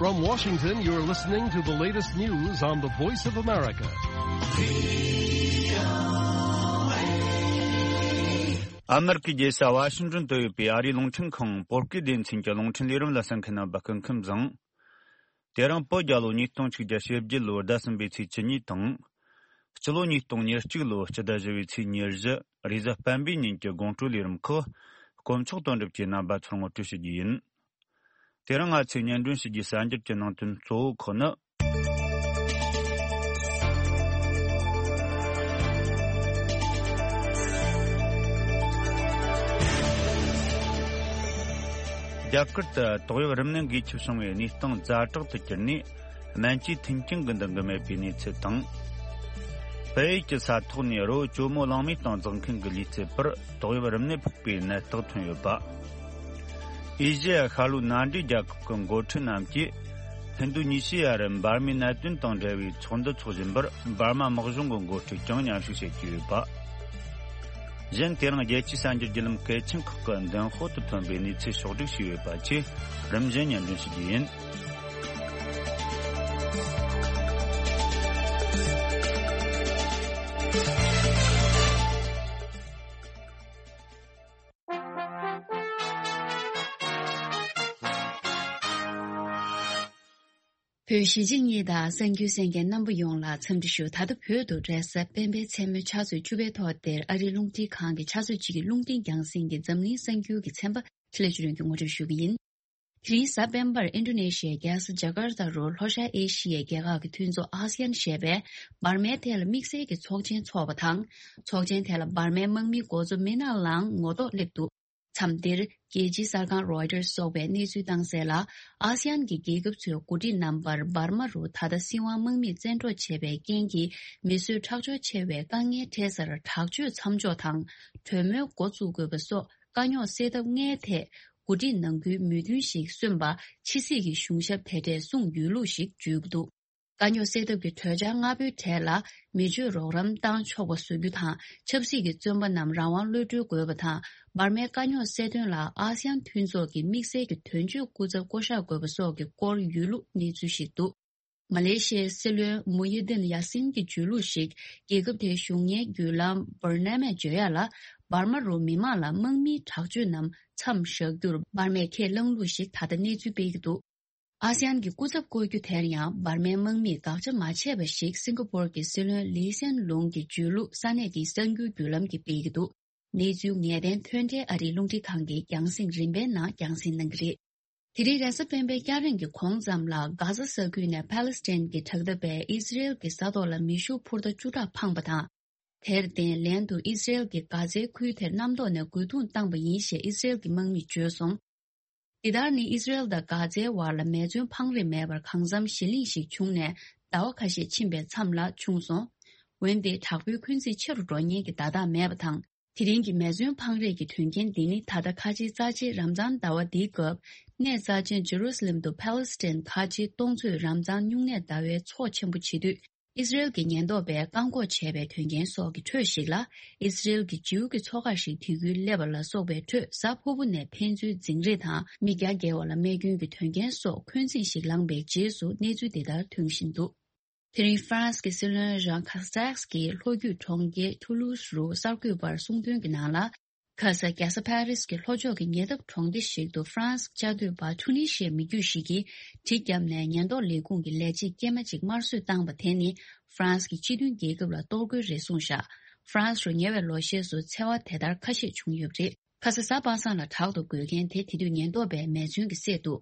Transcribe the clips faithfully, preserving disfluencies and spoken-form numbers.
From Washington, you're listening to the latest news on the Voice of America. ཨ་མེ་རི་ཀའི་རྒྱལ་ས་ཝ་ཤིང་ཏོན་དུ་ཡོད་པའི་ཨ་རིའི་རླུང་འཕྲིན་ཁང་བོད་སྐད་སྡེ་ཚན་གྱི་རླུང་འཕྲིན་ལས་རིམ་ལ་གསན་མཁན་རྣམ་པ་སྐུ་ཁམས་བཟང་། དེ་རིང་བོད་རྒྱལ་ལོ་ཉིས་སྟོང་ཆིག་བརྒྱ་བཞི་བཅུ་ལོའི་ཟླ་གསུམ་པའི་ཚེས་བཅུ་གཉིས་དང་། སྤྱི་ལོ་ཉིས་སྟོང་ཉེར་གཅིག་ལོའི་སྤྱི་ཟླ་བཞི་པའི་ཚེས་ཉེར་བཞི་རེས་གཟའ་སྤེན་པའི་ཉིན་གྱི་དགོང་དྲོའི་ལས་རིམ་ཁག་དཀོན་མཆོག་དོན་གྲུབ་ཀྱིས་རྣམ་པ་ཚོར་ངོ་སྤྲོད་ཞུ་རྒྱུ་ཡིན། དེ་རིང་ང་ཚོས་སྙན་སྒྲོན་ཞུ་རྒྱུའི་གསར་འགྱུར་གྱི་ནང་དོན་གཙོ་བོ་ཁག་ནི། རྒྱ་གར་དུ་ཏོག་དབྱིབས་རིམས་ནད་འགོས་ཁྱབ་བྱུང་བའི་གནས་སྟངས་ཛ་དྲག་ཏུ་གྱུར་ནས། སྨན་བཅོས་མཐུན་རྐྱེན་གྱི་འདང་གི་མེད་པའི་གནས་ཚུལ་དང་། བལ་ཡུལ་གྱི་ས་ཐོག་ནས་རི་བོ་ཇོ་མོ་གླང་མའི་སྟེང་འཛེག་མཁན་གྱི་ལུས་རྩལ་པར་ཏོག་དབྱིབས་རིམས་ནད་ཕོག་པའི་ནད་རྟགས་ཐོན་ཡོད་པ། ཨེ་ཤེ་ཡ་ཤར་ལྷོའི་མནའ་འབྲེལ་རྒྱལ་ཁབ་ཀྱི་འགོ་ཁྲིད་རྣམས་ཀྱིས་ཧིན་རྡུ་ཉི་ཤི་ཡ་རུ་འབར་མའི་གནད་དོན་དང་འབྲེལ་བའི་ཚོགས་འདུ་འཚོགས་བཞིན་པར། འབར་མ་དམག་གཞུང་གི་འགོ་ཁྲིད་ཀྱང་མཉམ་ཞུགས་བྱེད་ཀྱི་ཡོད་པ། གཞན། དེ་རིང་རྒྱལ་སྤྱིའི་གསར་འགྱུར་བརྒྱུད་ལམ་གལ་ཆེན་ཁག་གི་མདུན་ཧོ་དུ་ཐོན་པའི་གནས་ཚུལ་ཕྱོགས་བསྒྲིགས་བྱས་ཡོད་པ་བཅས་རིམ་བཞིན་སྙན་སྒྲོན་ཞུ་རྒྱུ་ཡིན། བོད་གཞིས་བྱེས་གཉིས་དང་གསར་འགྱུར་གསན་མཁན་རྣམ་པ་ཡོངས་ལ་འཚམས་འདྲི་ཞུ། ད་ལྟ་བོད་དུ་རེས་གཟའ་སྤེན་པའི་མཚན་མོའི་ཕྱག་ཚོད་བཅུ་པའི་ཐོག་དེར་ཨ་རིའི་རླུང་འཕྲིན་ཁང་གི་ཕྱག་ཚོད་གཅིག་གི་རླུང་འཕྲིན་རྒྱང་སྲིང་གི་འཛམ་གླིང་གསར་འགྱུར་གྱི་ཚན་པ་ཁྲི་ལས་ཆུ་རོན་གྱིས་ངོ་སྤྲོད་ཞུ་གི་ཡིན། དེ་རིང་གཟའ་སྤེན་པར་ཨིན་ཌོ་ནེ་ཤི་ཡའི་རྒྱལ་ས་ཇ་ཀར་ཏ་རུ་ལྷོ་ཤར་ཨེ་ཤི་ཡའི་རྒྱལ་ཁབ་ཀྱི་མཐུན་ཚོགས་ཨ་སི་ཡན་ཞེས་པས་འབར་མའི་ཐད་ལ་དམིགས་བསལ་གྱི་ཚོགས་ཆེན་འཚོགས་པ་དང་། ཚོགས་ཆེན་དེ་ལ་འབར་མའི་དམག་མིའི་འགོ་གཙོ་མི་ན་ལའང་ངོ་ཐོག་སླེབས་འདུག་མཚམས་འདིར་རྒྱལ་སྤྱིའི་གསར་ཁང་རོའི་ཊར་སོགས་པས་གནས་ཚུལ་བཏང་གསལ་ལ། ཨ་སི་ཡན་གྱི་རྒྱལ་ཁབ་ཚོའི་འགོ་ཁྲིད་རྣམ་པར་འབར་མ་རུ་ད་ལྟ་སྲིད་དབང་དམག་མིས་བཙན་འཕྲོག་བྱས་པའི་རྐྱེན་གྱིས་མི་གསོད་ཁྲག་སྦྱོར་ཆེ་བའི་དཀའ་ངལ་འཕྲད་སར་དྲག་སྤྱོད་མཚམས་འཇོག་དང་གྲོས་མོལ་འགོ་བཙུགས་དགོས་པ་སོགས་དཀའ་རྙོག་སེལ་ཐབས་ལྔའི་ཐད་འགོ་ཁྲིད་ནང་ཁུལ་མོས་མཐུན་ཞིག་སོན་པ་ཕྱི་སྲིད་ཀྱི་གཞུང་ཞབས་དེ་གྲས་གསུངས་ཡོད་ལུགས་ཤིག་བརྗོད་ཀྱི་འདུག་དཀའ་རྙོག་སེལ་ཐབས་ཀྱི་གྲོས་འཆར་ལྔ་པོའི་གྲས་ལ་མི་སྤྱོད་རོགས་རམ་བཏང་ཆོག་པ་བཟོ་རྒྱུ་དང་། ཆབ་སྲིད་ཀྱི་བཙོན་པ་རྣམས་རང་དབང་གློད་གྲོལ་དགོས་པ་དང་། འབར་མའི་དཀའ་རྙོག་སེལ་དོན་ལ་ཨ་སི་ཡན་མཐུན་ཚོགས་ཀྱི་དམིགས་བསལ་གྱི་དོན་གཅོད་སྐུ་ཚབ་བསྐོ་གཞག་དགོས་པ་སོགས་ཀྱི་སྐོར་ཡོད་ལུགས་གནས་ཚུལ་ཞིག་འདུག་མ་ལེ་ཤི་ཡའི་སྲིད་བློན་མུ་ཡི་དིན་ཡ་སིན་གྱིས་བརྗོད་ལུགས་ཤིག་རྒྱལ་ཁབ་དེའི་གཞུང་གཉེར་བརྒྱུད་ལམ་བར་ན་མས་བརྗོད་ཡ་ལ། འབར་མ་རུ་མི་མང་ལ་དམག་མིའི་དྲག་སྤྱོད་རྣམས་མཚམས་བཞག་རྒྱུར་འབར་མས་ཁས་བླངས་ལུགས་ཤིག་ད་ལྟ་གནས་ཚུལ་སྤེལ་གྱི་འདུག་ཨ་སི་ཡན་གྱི་སྐུ་ཚབ་བསྐོ་རྒྱུ་དེར་ཡང་འབར་མའི་དམག་མིས་དགག་བྱ་མ་བྱས་པ་ཞིག་སིང་ག་པོར་གྱི་སྲིད་བློན་ལི་སན་ལུང་གིས་བརྗོད་ལུགས་ས་གནས་ཀྱི་གསར་འགྱུར་བརྒྱུད་ལམ་གྱིས་སྤེལ་གྱི་འདུག་གནས་ཚུལ་ངེས་གཏན་ཐོན་འཕྲལ་ཨ་རིའི་རླུང་འཕྲིན་ཁང་གི་རྒྱང་སྲིང་རིམ་པའི་ནང་རྒྱང་སྲིང་གནང་གི་རེད། དེ་རིང་རེས་གཟའ་སྤེན་པའི་སྐྱ་རེངས་ཀྱི་གོང་ཙམ་ལ་གྷ་ཟ་ས་ཁུལ་ནས་ཕཱ་ལེ་སི་ཐན་གྱི་དྲག་འཐབ་པས་ཨི་ཟི་རེལ་གྱི་ས་ཐོག་ལ་མེ་ཤུགས་འཕུར་མདའ་བཅུ་ཕྲག་འཕངས་པ་དང་། དེར་བརྟེན་ལན་དུ་ཨི་ཟི་རེལ་གྱིས་གྷ་ཛའི་ཁུལ་དེར་གནམ་ཐོག་ནས་རྒོལ་རྡུང་བཏང་པ་ཡིན་ཞེས་ཨི་ཟི་རེལ་གྱི་དམག་མིས་བརྗོད་སོང་། འདི་ལྟར་ནི་ཨི་ཟི་རེལ་དང་གྷ་ཛའི་བར་ལ་མེ་མཚོན་འཕང་རེས་མེད་པར་གང་འཚམ་ཞི་ལྷིང་ཞིག་བྱུང་ནས་ཟླ་བ་ཁ་ཤས་ཕྱིན་པའི་མཚམས་ལ་བྱུང་སོང་། འོན་ཏེ་དྲག་པོའི་འཁོན་འཛིན་ཆེ་རུ་འགྲོ་ཉེན་གྱི་བརྡ་རྟགས་མེད་པ་དང་། དེ་རིང་གི་མེ་མཚོན་འཕང་རེས་ཀྱི་དོན་རྐྱེན་འདི་ནི་ད་ལྟ་ཁ་ཆེའི་རྩ་ཆེའི་རམ་ཛཱན་ཟླ་བ་འདིའི་སྐབས་གནས་རྩ་ཆེན་ཇེ་རུ་ས་ལེམ་དུ་ཕཱ་ལེ་སི་ཐན་ཁ་ཆེའི་སྟོང་ཚོད་རམ་ཛཱན་སྨྱུང་གནས་ཟླ་བའི་ཚོགས་ཆེན་པོ་བྱེད་དུས། ཨི་སི་རེལ་གྱི་ཉེན་རྟོག་པས་བཀག་འགོག་བྱས་པའི་དོན་རྐྱེན་སོགས་ཀྱི་ཁྲོད་ཞིག་ལ། ཨི་སི་རེལ་གྱི་ཇིའུ་གི་ཚོགས་ཁག་ཞིག་དེ་ཁུལ་སླེབས་པ་ལ་སོགས་པའི་ཁྲོད་གཟའ་ཕུར་བུ་ནས་ཕན་ཚུན་འཛིང་རེས་དང་མི་བརྒྱ་བརྒལ་བ་ལ་རྨས་སྐྱོན་གྱི་དོན་རྐྱེན་སོགས་འཁོན་འཛིན་ཞིག་ལངས་པའི་རྗེས་སུ་གནས་ཚུལ་འདི་ལྟར་ཐོན་བཞིན་འདུག་དེ་རིང་ཧྥ་རན་སི་གི་སྲིད་བློན་ཇཱན་ཁ་སེག་གིས་ལྷོ་རྒྱུད་གྲོང་ཁྱེར་ཐུ་ལུ་སི་རུ་གསར་འགོད་པར་གསུངས་དོན་གྱི་ནང་ལ། ཁ་ས་རྒྱལ་ས་ཕ་རི་སི་གི་ལྷོ་ཕྱོགས་ཀྱི་ཉེ་འདབས་གྲོང་སྡེ་ཞིག་ཏུ་ཧྥ་རན་སི་བཅའ་སྡོད་པ་ཐུ་ནི་ཤི་ཡའི་མི་རྒྱུད་ཞིག་གིས་གྲི་བརྒྱབ་ནས་ཉེན་རྟོག་ལས་ཁུངས་ཀྱི་ལས་བྱེད་སྐྱེས་མ་གཅིག་དམར་གསོད་བཏང་པ་དེ་ནི་ཧྥ་རན་སི་གི་སྤྱི་མཐུན་རྒྱལ་ཁབ་ལ་གཏོར་རྒོལ་རེད་གསུངས་བཞག་ཧྥ་རན་སི་རུ་ཉེ་བའི་ལོ་ཤས་སུ་འཚེ་བ་དེ་ལྟར་ཁ་ཤས་བྱུང་ཡོད་པ་རེད། ཁ་ས་གཟའ་པ་སངས་ལ་དྲག་ཏུ་རྒོལ་མཁན་དེ་དེ་དུས་ཉེན་རྟོག་པས་མེ་མཚོན་གྱིས་བསད་འདུག་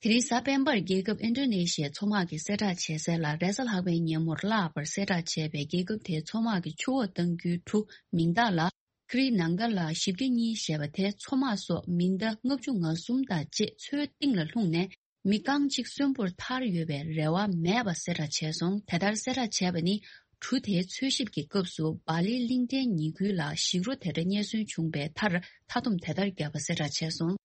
དེ་རིང་གཟའ་སྤེན་པར་རྒྱལ་ཁབ་ཨིན་ཌོ་ནེ་ཤི་ཡའི་མཚོ་དམག་གིས་གསལ་བསྒྲགས་བྱས་གསལ་ལ། རེས་གཟའ་ལྷག་པའི་ཉིན་མོར་བརླག་པར་གསལ་བསྒྲགས་བྱས་པའི་རྒྱལ་ཁབ་དེའི་མཚོ་དམག་གི་ཆུ་འོག་གཏང་རྒྱུའི་གྲུ་མིང་རྟགས་ལ་ཀྲི་ནང་ག་ལ་བཞི་བརྒྱ་གཉིས་ཞེས་པ་དེ་མཚོ་དམག་སོགས་མི་ཟླ་ལྔ་བཅུ་ང་གསུམ་དང་བཅས་མཚོའི་གཏིང་ལ་ལྷུང་ནས་མི་རྐང་གཅིག་གསོན་པོར་ཐར་ཡོད་པའི་རེ་བ་མེད་པ་གསལ་བསྒྲགས་བྱས་སོང་། དེ་ལྟར་གསལ་བསྒྲགས་བྱས་པ་ནི་གྲུ་དེའི་འཚོལ་ཞིབ་ཀྱི་སྐབས་སུ་སྦ་ལིའི་གླིང་ཕྲན་ཉེ་ཁུལ་ལ་ཞིག་རོ་དེ་འདྲ་རྙེད་སོན་བྱུང་བའི་མཐར་མཐའ་སྡོམ་དེ་ལྟར་བརྒྱབ་པ་གསལ་བསྒྲགས་བྱས་སོང་།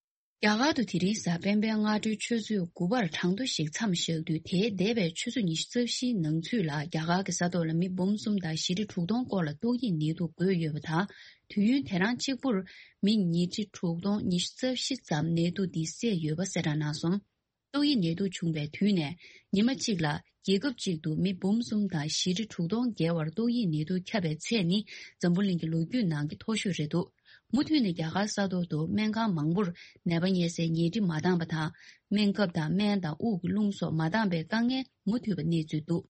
རྒྱ་གར་དུ་དེ་རིང་གཟའ་སྤེན་པའི་སྔ་དྲོའི་ཆུ་ཚོད་དགུ་པར་གྲང་མཐོ་ཞིག་མཚམས་བཞག་དུས། དེའི་འདས་པའི་ཆུ་ཚོད་ཉི་ཤུ་རྩ་བཞིའི་ནང་ཚུད་ལ་རྒྱ་གར་གྱི་ས་ཐོག་ལ་མི་འབུམ་གསུམ་དང་བཞི་ཁྲི་དྲུག་སྟོང་སྐོར་ལ་ཏོག་དབྱིབས་ནད་དུག་འགོས་ཡོད་པ་དང་། དུས་ཡུན་དེ་རང་གཅིག་པུར་མི་ཉིས་ཁྲི་དྲུག་སྟོང་ཉི་ཤུ་རྩ་བཞི་ཙམ་ནད་དུག་འདི་བསད་ཡོད་པ་གསལ་བསྒྲགས་གནང་སོང་། ཏོག་དབྱིབས་ནད་དུག་བྱུང་བའི་དུས་ནས་ཉི་མ་གཅིག་ལ་རྒྱལ་ཁབ་གཅིག་ཏུ་མི་འབུམ་གསུམ་དང་བཞི་ཁྲི་དྲུག་སྟོང་བརྒལ་བར་ཏོག་དབྱིབས་ནད་དུག་ཁྱབ་པའི་ཚད་ནི་འཛམ་བུ་གླིང་གི་ལོ་རྒྱུས་ནང་གི་མཐོ་ཤོས་རེད་འདུག་མུ་མཐུད་ནས་རྒྱ་གར་ས་ཐོག་ཏུ་སྨན་ཁང་མང་པོར་ནད་པ་ཉལ་སའི་ཉལ་ཁྲི་མ་འདང་པ་དང་། སྨན་ཁབ་དང་སྨན་དང་དབུགས་ཀྱི་རླུང་སོགས་མ་འདང་པའི་དཀའ་ངལ་མུ་མཐུད་པ་གནས་ཚུལ་འདུག་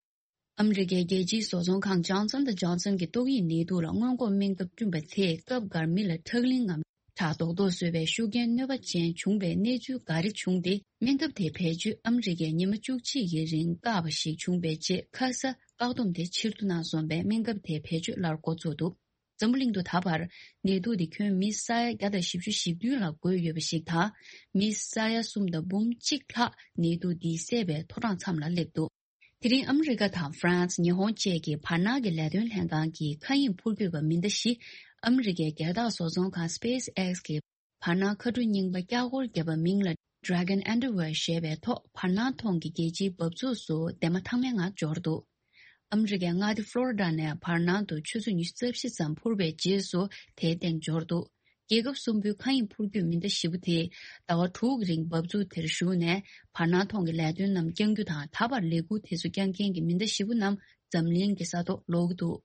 ཨ་མི་རི་ཀའི་རྒྱལ་སྤྱིའི་བཟོ་ཚོང་ཁང་Johnson and Johnson གྱིས་ཏོག་དབྱིབས་ནད་དུག་ལ་སྔོན་འགོག་སྨན་ཁབ་བསྐྲུན་པ་དེས་སྐབས་འགར་མི་ལ་ཁྲག་ལིང་ངམ་ཁྲག་རྡོག་རྡོག་བཟོས་པའི་ཤུགས་རྐྱེན་གནོད་པ་ཅན་བྱུང་བའི་གནས་ཚུལ་འགའ་རེ་བྱུང་སྟེ། སྨན་ཁབ་དེ་བེད་སྤྱོད་ཨ་མི་རི་ཀས་ཉི་མ་བཅུ་གཅིག་གི་རིང་བཀག་པ་ཞིག་བྱུང་བའི་རྗེས་ཁ་ས་བཀག་སྡོམ་དེ་ཕྱིར་བསྡུ་གནང་སོང་བས་སྨན་ཁབ་དེ་བེད་སྤྱོད་སླར་འགོ་ཚུགས་འདུག་འཛམ་བུ་གླིང་དུ་ད་བར་ནད་དུག་དེ་ཁྱོན་མི་ས་ཡ་བརྒྱ་དང་བཞི་བཅུ་ཞེ་བདུན་ལ་འགོས་ཡོད་པ་ཞིག་དང་། མི་ས་ཡ་གསུམ་དང་འབུམ་གཅིག་ལྷག་ནད་དུག་འདིས་བསད་པའི་མཐོ་གྲངས་མཚམས་ལ་སླེབས་འདུག་དེ་རིང་ཨ་མི་རི་ཀ་དང་ཧྥ་རན་སི། ཉི་ཧོང་བཅས་ཀྱི་བར་སྣང་གི་ལས་དོན་ལྷན་ཁང་གིས་མཁའ་དབྱིངས་འཕུར་སྐྱོད་པ་མི་འདྲ་བཞི་ཨ་མི་རི་ཀའི་རྒྱལ་འཐབ་བཟོ་ཚོང་ཁང་SpaceX གི་བར་སྣང་མཁའ་འགྲོ་རྙིང་པ་ཀྱག་ཀོར་བརྒྱབ་པ་མིང་ལ་Dragon Underwear ཞེས་པའི་ཐོག་བར་སྣང་ཐོག་གི་རྒྱལ་སྤྱིའི་འབབ་ཚུགས་སུ་འདན་མ་ཐང་མའི་ངང་འབྱོར་འདུག་ཨ་མི་རི་ཀའི་མངའ་སྡེ་ཕློ་རི་ཌ་ནས་བར་སྣང་དུ་ཆུ་ཚོད་ཉི་ཤུ་རྩ་བཞི་ཙམ་འཕུར་བའི་རྗེས་སུ་དེའི་སྟེང་འབྱོར་འདུག་རྒྱལ་ཁབ་གསུམ་པོའི་མཁའ་དབྱིངས་འཕུར་སྐྱོད་མི་སྣ་བཞི་པོ་དེས་ཟླ་བ་དྲུག་གི་རིང་འབབ་ཚུགས་དེར་བཞུགས་ནས་བར་སྣང་ཐོག་གི་ལས་དོན་རྣམས་བསྐྱང་རྒྱུ་དང་། ད་བར་ལས་འགུལ་དེ་ཚོ་བསྐྱངས་མཁན་གྱི་མི་སྣ་བཞི་པོ་རྣམས་འཛམ་གླིང་གི་ས་ཐོག་ལོག་གི་འདུག་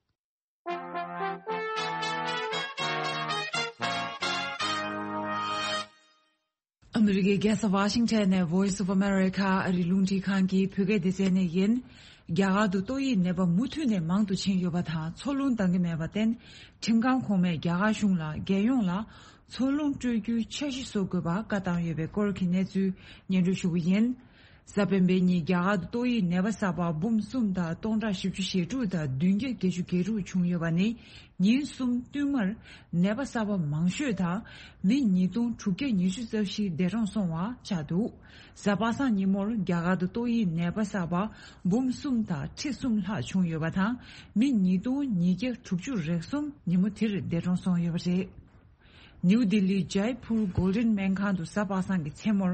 ཨ་མི་རི་ཀའི་རྒྱལ་ས་ཝ་ཤིང་ཊོན་ནས་Voice of America ཨ་རིའི་རླུང་འཕྲིན་ཁང་གི་བོད་སྐད་སྡེ་ཚན་ནས་ཡིན། རྒྱ་གར་དུ་ཏོག་དབྱིབས་ནད་པ་མུ་མཐུད་ནས་མང་དུ་ཕྱིན་ཡོད་པ་དང་། འཚོ་རླུང་འདང་གི་མེད་པར་བརྟེན། ཁྲིམས་ཁང་གོང་མས་རྒྱ་གར་གཞུང་ལ་རྒྱལ་ཡོངས་ལ་འཚོ་རླུང་སྤྲོད་རྒྱུའི་འཆར་གཞི་བཟོ་དགོས་པར་བཀའ་བཏང་ཡོད་པའི་སྐོར་གྱི་གནས་ཚུལ་སྙན་སྒྲོན་ཞུ་གི་ཡིན། གཟའ་སྤེན་པའི་ཉིན་རྒྱ་གར་དུ་ཏོག་དབྱིབས་ནད་པ་གསར་པ་འབུམ་གསུམ་དང་སྟོང་ཕྲག་བཞི་བཅུ་ཞེ་དྲུག་དང་བདུན་བརྒྱ་བརྒྱད་ཅུ་གྱ་དྲུག་བྱུང་ཡོད་པ་ནི། ཉིན་གསུམ་བསྟུད་མར་ནད་པ་གསར་པ་མང་ཤོས་དང་མི་ཉིས་སྟོང་དྲུག་བརྒྱ་ཉི་ཤུ་རྩ་བཞི་འདས་གྲོངས་སོང་བ་ཆགས་འདུག་གཟའ་པ་སངས་ཉིན་མོར་རྒྱ་གར་དུ་ཏོག་དབྱིབས་ནད་པ་གསར་པ་འབུམ་གསུམ་དང་ཁྲི་གསུམ་ལྷག་བྱུང་ཡོད་པ་དང་། མི་ཉིས་སྟོང་ཉིས་བརྒྱ་དྲུག་ཅུ་རེ་གསུམ་ཉིན་མོ་དེར་འདས་གྲོངས་སོང་ཡོད་པ་རེད། ནིའུ་ལྡི་ལིའི་ཇའི་ཕུར་གོལ་ཌེན་སྨན་ཁང་དུ་གཟའ་པ་སངས་ཀྱི་མཚན་མོར་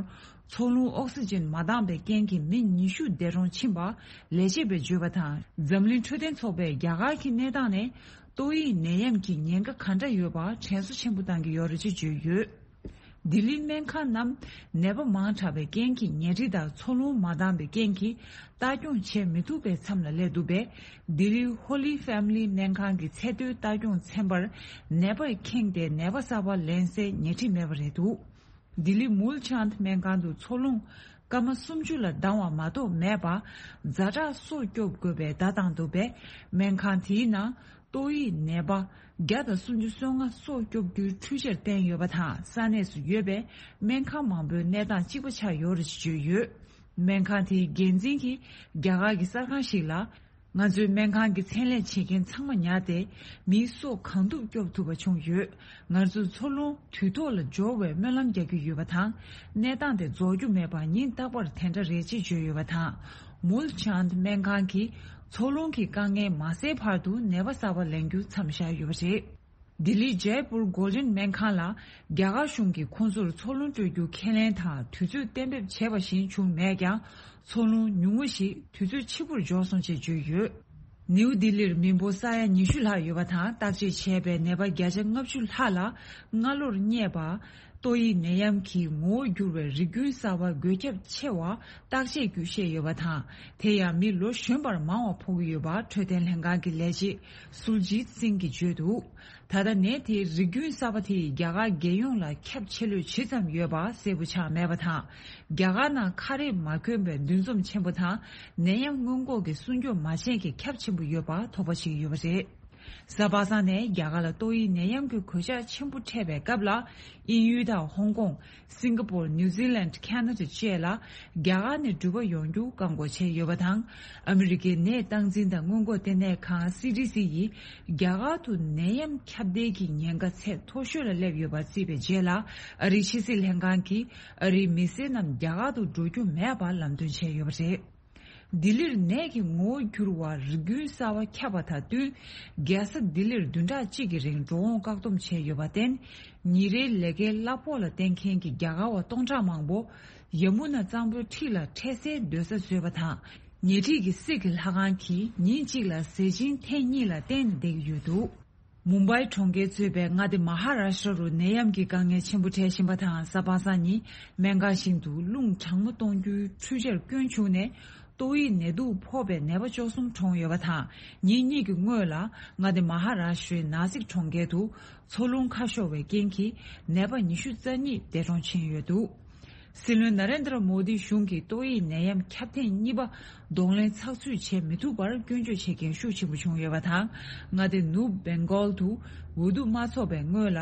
འཚོ་རླུང་ཨོག་སི་ཇན་མ་འདང་པའི་རྐྱེན་གྱིས་མི་ཉི་ཤུ་འདས་གྲོངས་ཕྱིན་པ་ལས་བྱེད་པས་བརྗོད་པ་དང་། འཛམ་གླིང་འཕྲོད་བསྟེན་ཚོགས་པས་རྒྱ་གར་གྱི་གནས་སྟངས་ནས་ཏོག་དབྱིབས་ནད་ཡམས་ཀྱི་ཉེན་ཁ་ག་འདྲ་ཡོད་པ་དྲན་གསོ་ཆེན་པོ་བཏང་གི་ཡོད་རེད་ཅེས་བརྗོད་ཡོད། ལྡི་ལིའི་སྨན་ཁང་རྣམས་ནད་པ་མང་དྲགས་པའི་རྐྱེན་གྱིས་ཉལ་ཁྲི་དང་འཚོ་རླུང་མ་འདང་པའི་རྐྱེན་གྱིས་ལྟ་སྐྱོང་བྱེད་མི་ཐུབ་པའི་མཚམས་ལ་སླེབས་འདུག་པས། ལྡི་ལིའི་ཧོ་ལི་ཧྥེ་མི་ལི་སྨན་ཁང་གི་ཚེ་སྟོད་ལྟ་སྐྱོང་ཚན་པར་ནད་པས་ཁེངས་ཏེ་ནད་པ་གསར་པ་ལེན་སའི་ཉལ་ཁྲི་མེད་པ་རེད་འདུག་ལྡི་ལི་མུལ་ཆཱནད་སྨན་ཁང་དུ་འཚོ་རླུང་སྐར་མ་སུམ་ཅུ་ལ་ལྡང་བ་མ་གཏོགས་མེད་པ། ཛ་དྲག་སོ་སྐྱོབ་དགོས་པའི་བརྡ་བཏང་འདུག་པས། སྨན་ཁང་དེའི་ནང་ཏོག་དབྱིབས་ནད་པ་བརྒྱ་དང་སུམ་ཅུ་སོ་ལྔ་སོ་སྐྱོབ་རྒྱུའི་འཕྲུལ་ཆས་བསྟན་ཡོད་པ་དང་། ས་གནས་སུ་ཡོད་པའི་སྨན་ཁང་མང་པོའི་གནས་སྟངས་གཅིག་པ་ཆགས་ཡོད་རེད་ཅེས་བརྗོད་ཡོད། སྨན་ཁང་དེའི་འགན་འཛིན་གྱིས་རྒྱ་གར་གྱི་གསར་ཁང་ཞིག་ལ། ང་ཚོའི་སྨན་ཁང་གི་མཚན་ལས་བྱེད་མཁན་ཚང་མ་ཉར་ཏེ། མིའི་སྲོག་གང་ཐུབ་སྐྱོབ་ཐུབ་པ་བྱུང་ཡོད། ང་ཚོས་འཚོ་རླུང་དུས་ཐོག་ལ་འབྱོར་བའི་སྨོན་ལམ་རྒྱག་རྒྱུ་ཡོད་པ་དང་། གནས་སྟངས་དེ་རྫོགས་རྒྱུ་མེད་པ་ཉིན་རྟག་པར་དེ་འདྲ་རེད་ཅེས་བརྗོད་ཡོད་པ་དང་། མུལ་ཆཱནད་སྨན་ཁང་གིས་འཚོ་རླུང་གི་དཀའ་ངལ་མ་སེལ་བར་དུ་ནད་པ་གསར་པ་ལེན་རྒྱུ་མཚམས་བཞག་ཡོད་པ་རེད། ལྡི་ལིའི་ཇའི་པུར་གོལ་ཌེན་སྨན་ཁང་ལ་རྒྱ་གར་གཞུང་གིས་ཁོང་ཚོར་འཚོ་རླུང་སྤྲོད་རྒྱུ་ཁས་ལེན་དང་དུས་ཚོད་གཏན་འབེབས་བྱས་པ་བཞིན་བྱུང་མེད་ཀྱང་། འཚོ་རླུང་ཉུང་ངུ་ཞིག་དུས་ཚོད་ཕྱི་པོར་འབྱོར་སོང་ཅེས་བརྗོད་ཡོད། ནིའུ་ལྡི་ལིར་མི་འབོར་ས་ཡ་ཉི་ཤུ་ལྷག་ཡོད་པ་དང་། བརྟག་དཔྱད་བྱས་པའི་ནད་པ་བརྒྱ་ཆ་ལྔ་བཅུ་ལྷག་ལ་སྔ་ལོར་རྙེད་པ། ཏོག་དབྱིབས་ནད་ཡམས་ཀྱི་ངོ་བོར་གྱུར་བའི་རིགས་རྒྱུན་གསར་པ་འགོས་ཁྱབ་ཆེ་བ་བརྟག་དཔྱད་བརྒྱུད་བཤད་ཡོད་པ་དང་། དེ་ཡང་མི་ལོ་གཞོན་པར་མང་བ་ཕོག་གི་ཡོད་པ་འཕྲོད་བསྟེན་ལྷན་ཁང་གི་ལས་བྱེད་སུར་ཇིད་སིང་གིས་བརྗོད་འདུག་ད་ལྟ་ནད་དེའི་རིགས་རྒྱུན་གསར་པ་དེས་རྒྱ་གར་རྒྱལ་ཡོངས་ལ་ཁྱབ་ཆེ་ལོས་ཇི་ཙམ་ཡོད་པ་གསལ་པོ་ཆགས་མེད་པ་དང་། རྒྱ་གར་ནང་ཁ་རས་མ་གྱོན་པའི་འདུ་འཛོམས་ཆེན་པོ་དང་། ནད་ཡམས་སྔོན་འགོག་གི་སྲུང་སྐྱོབ་མ་བྱས་མཁན་ཁྱབ་ཆེན་པོ་ཡོད་པ་དོགས་པ་བྱེད་ཀྱི་ཡོད་པ་རེད། གཟའ་པ་སངས་ནས་རྒྱ་གར་ལ་ཏོག་དབྱིབས་ནད་ཡམས་ཀྱི་གོད་ཆག་ཆེན་པོ་འཕྲད་པའི་སྐབས་ལ། དབྱིན་ཡུལ་དང་ཧོང་ཀོང་། སིང་ག་པོར། ནིའུ་ཛི་ལན། ཁ་ན་ཌ་བཅས་ལ་རྒྱ་གར་ནས་འགྲུལ་པ་ཡོང་རྒྱུ་བཀག་འགོག་བྱས་ཡོད་པ་དང་། ཨ་མི་རི་ཀའི་ནད་སྟངས་འཛིན་དང་སྔོན་འགོག་ལྟེ་གནས་ཁང་སི་ཌི་སི་ཡིས་རྒྱ་གར་དུ་ནད་ཡམས་ཁྱབ་གདལ་གྱི་ཉེན་ཁ་ཚད་མཐོ་ཤོས་ལ་སླེབས་ཡོད་པ་བརྩིས་པའི་རྗེས་ལ། ཨ་རིའི་ཕྱི་སྲིད་ལྷན་ཁང་གིས་ཨ་རིའི་མི་སེར་རྣམས་རྒྱ་གར་དུ་འགྲོ་རྒྱུ་མེད་པ་ལམ་སྟོན་བྱས་ཡོད་པ་རེད། ལྡི་ལིར་ནད་ཀྱི་ངོ་བོ་འགྱུར་བ་རིགས་རྒྱུན་གསར་བ་ཁྱབ་པ་དང་བསྟུན། རྒྱལ་ས་ལྡི་ལིར་བདུན་ཕྲག་གཅིག་གི་རིང་འགྲོ་འོང་བཀག་སྡོམ་བྱས་ཡོད་པར་བརྟེན། ཉིན་རེའི་ལས་ཀའི་གླ་ཕོགས་ལ་བརྟེན་མཁན་གྱི་རྒྱ་གར་བ་སྟོང་ཕྲག་མང་པོ་ཡ་མུ་ན་གཙང་པོའི་འཁྲིས་ལ་འཕྲལ་སེལ་སྡོད་ས་བཟོས་པ་དང་། ཉེ་འཁྲིས་ཀྱི་སིག་གི་ལྷ་ཁང་གིས་ཉིན་གཅིག་ལ་ཟས་སྦྱིན་ཐེངས་གཉིས་ལ་བརྟེན་ནས་བསྡད་ཀྱི་ཡོད་འདུག་མུམ་བྷའི་གྲོང་ཁྱེར་གཙོས་པའི་མངའ་སྡེ་མ་ཧ་ར་ཤྲ་རུ་ནད་ཡམས་ཀྱི་དཀའ་ངལ་ཆེན་པོ་འཕྲད་བཞིན་པ་དང་། གཟའ་པ་སངས་ཉིན་སྨན་ཁང་ཞིག་ཏུ་རླུང་གྲང་མོ་གཏོང་རྒྱུའི་འཕྲུལ་ཆས་སྐྱོན་བྱུང་ནས། ཏོག་དབྱིབས་ནད་དུག་ཕོག་པའི་ནད་པ་བཅུ་གསུམ་གྲོངས་ཡོད་པ་དང་། ཉིན་གཉིས་ཀྱི་སྔོན་ལ་མངའ་སྡེ་མ་ཧ་ར་ཤྲའི་ནཱ་སིག་གྲོང་ཁྱེར་དུ་མཚོ་རླུང་ཁ་ཤོར་བའི་རྐྱེན་གྱིས་ནད་པ་ཉི་ཤུ་རྩ་གཉིས་འདས་གྲོངས་ཕྱིན་ཡོད་འདུག། སྲིད་བློན་ན་རེན་དྲ་མོ་དི་གཞུང་གིས་ཏོག་དབྱིབས་ནད་ཡམས་ཁྱབ་ཐེངས་གཉིས་པ་གདོང་ལེན་ཚགས་ཚུད་བྱེད་མི་ཐུབ་པར་སྐྱོན་བརྗོད་བྱེད་མཁན་ཤུགས་ཆེན་པོ་བྱུང་ཡོད་པ་དང་། མངའ་སྡེ་ནུབ་བེང་གོལ་དུ་འོས་བསྡུ་མ་ཚོགས་པའི་སྔོན་ལ།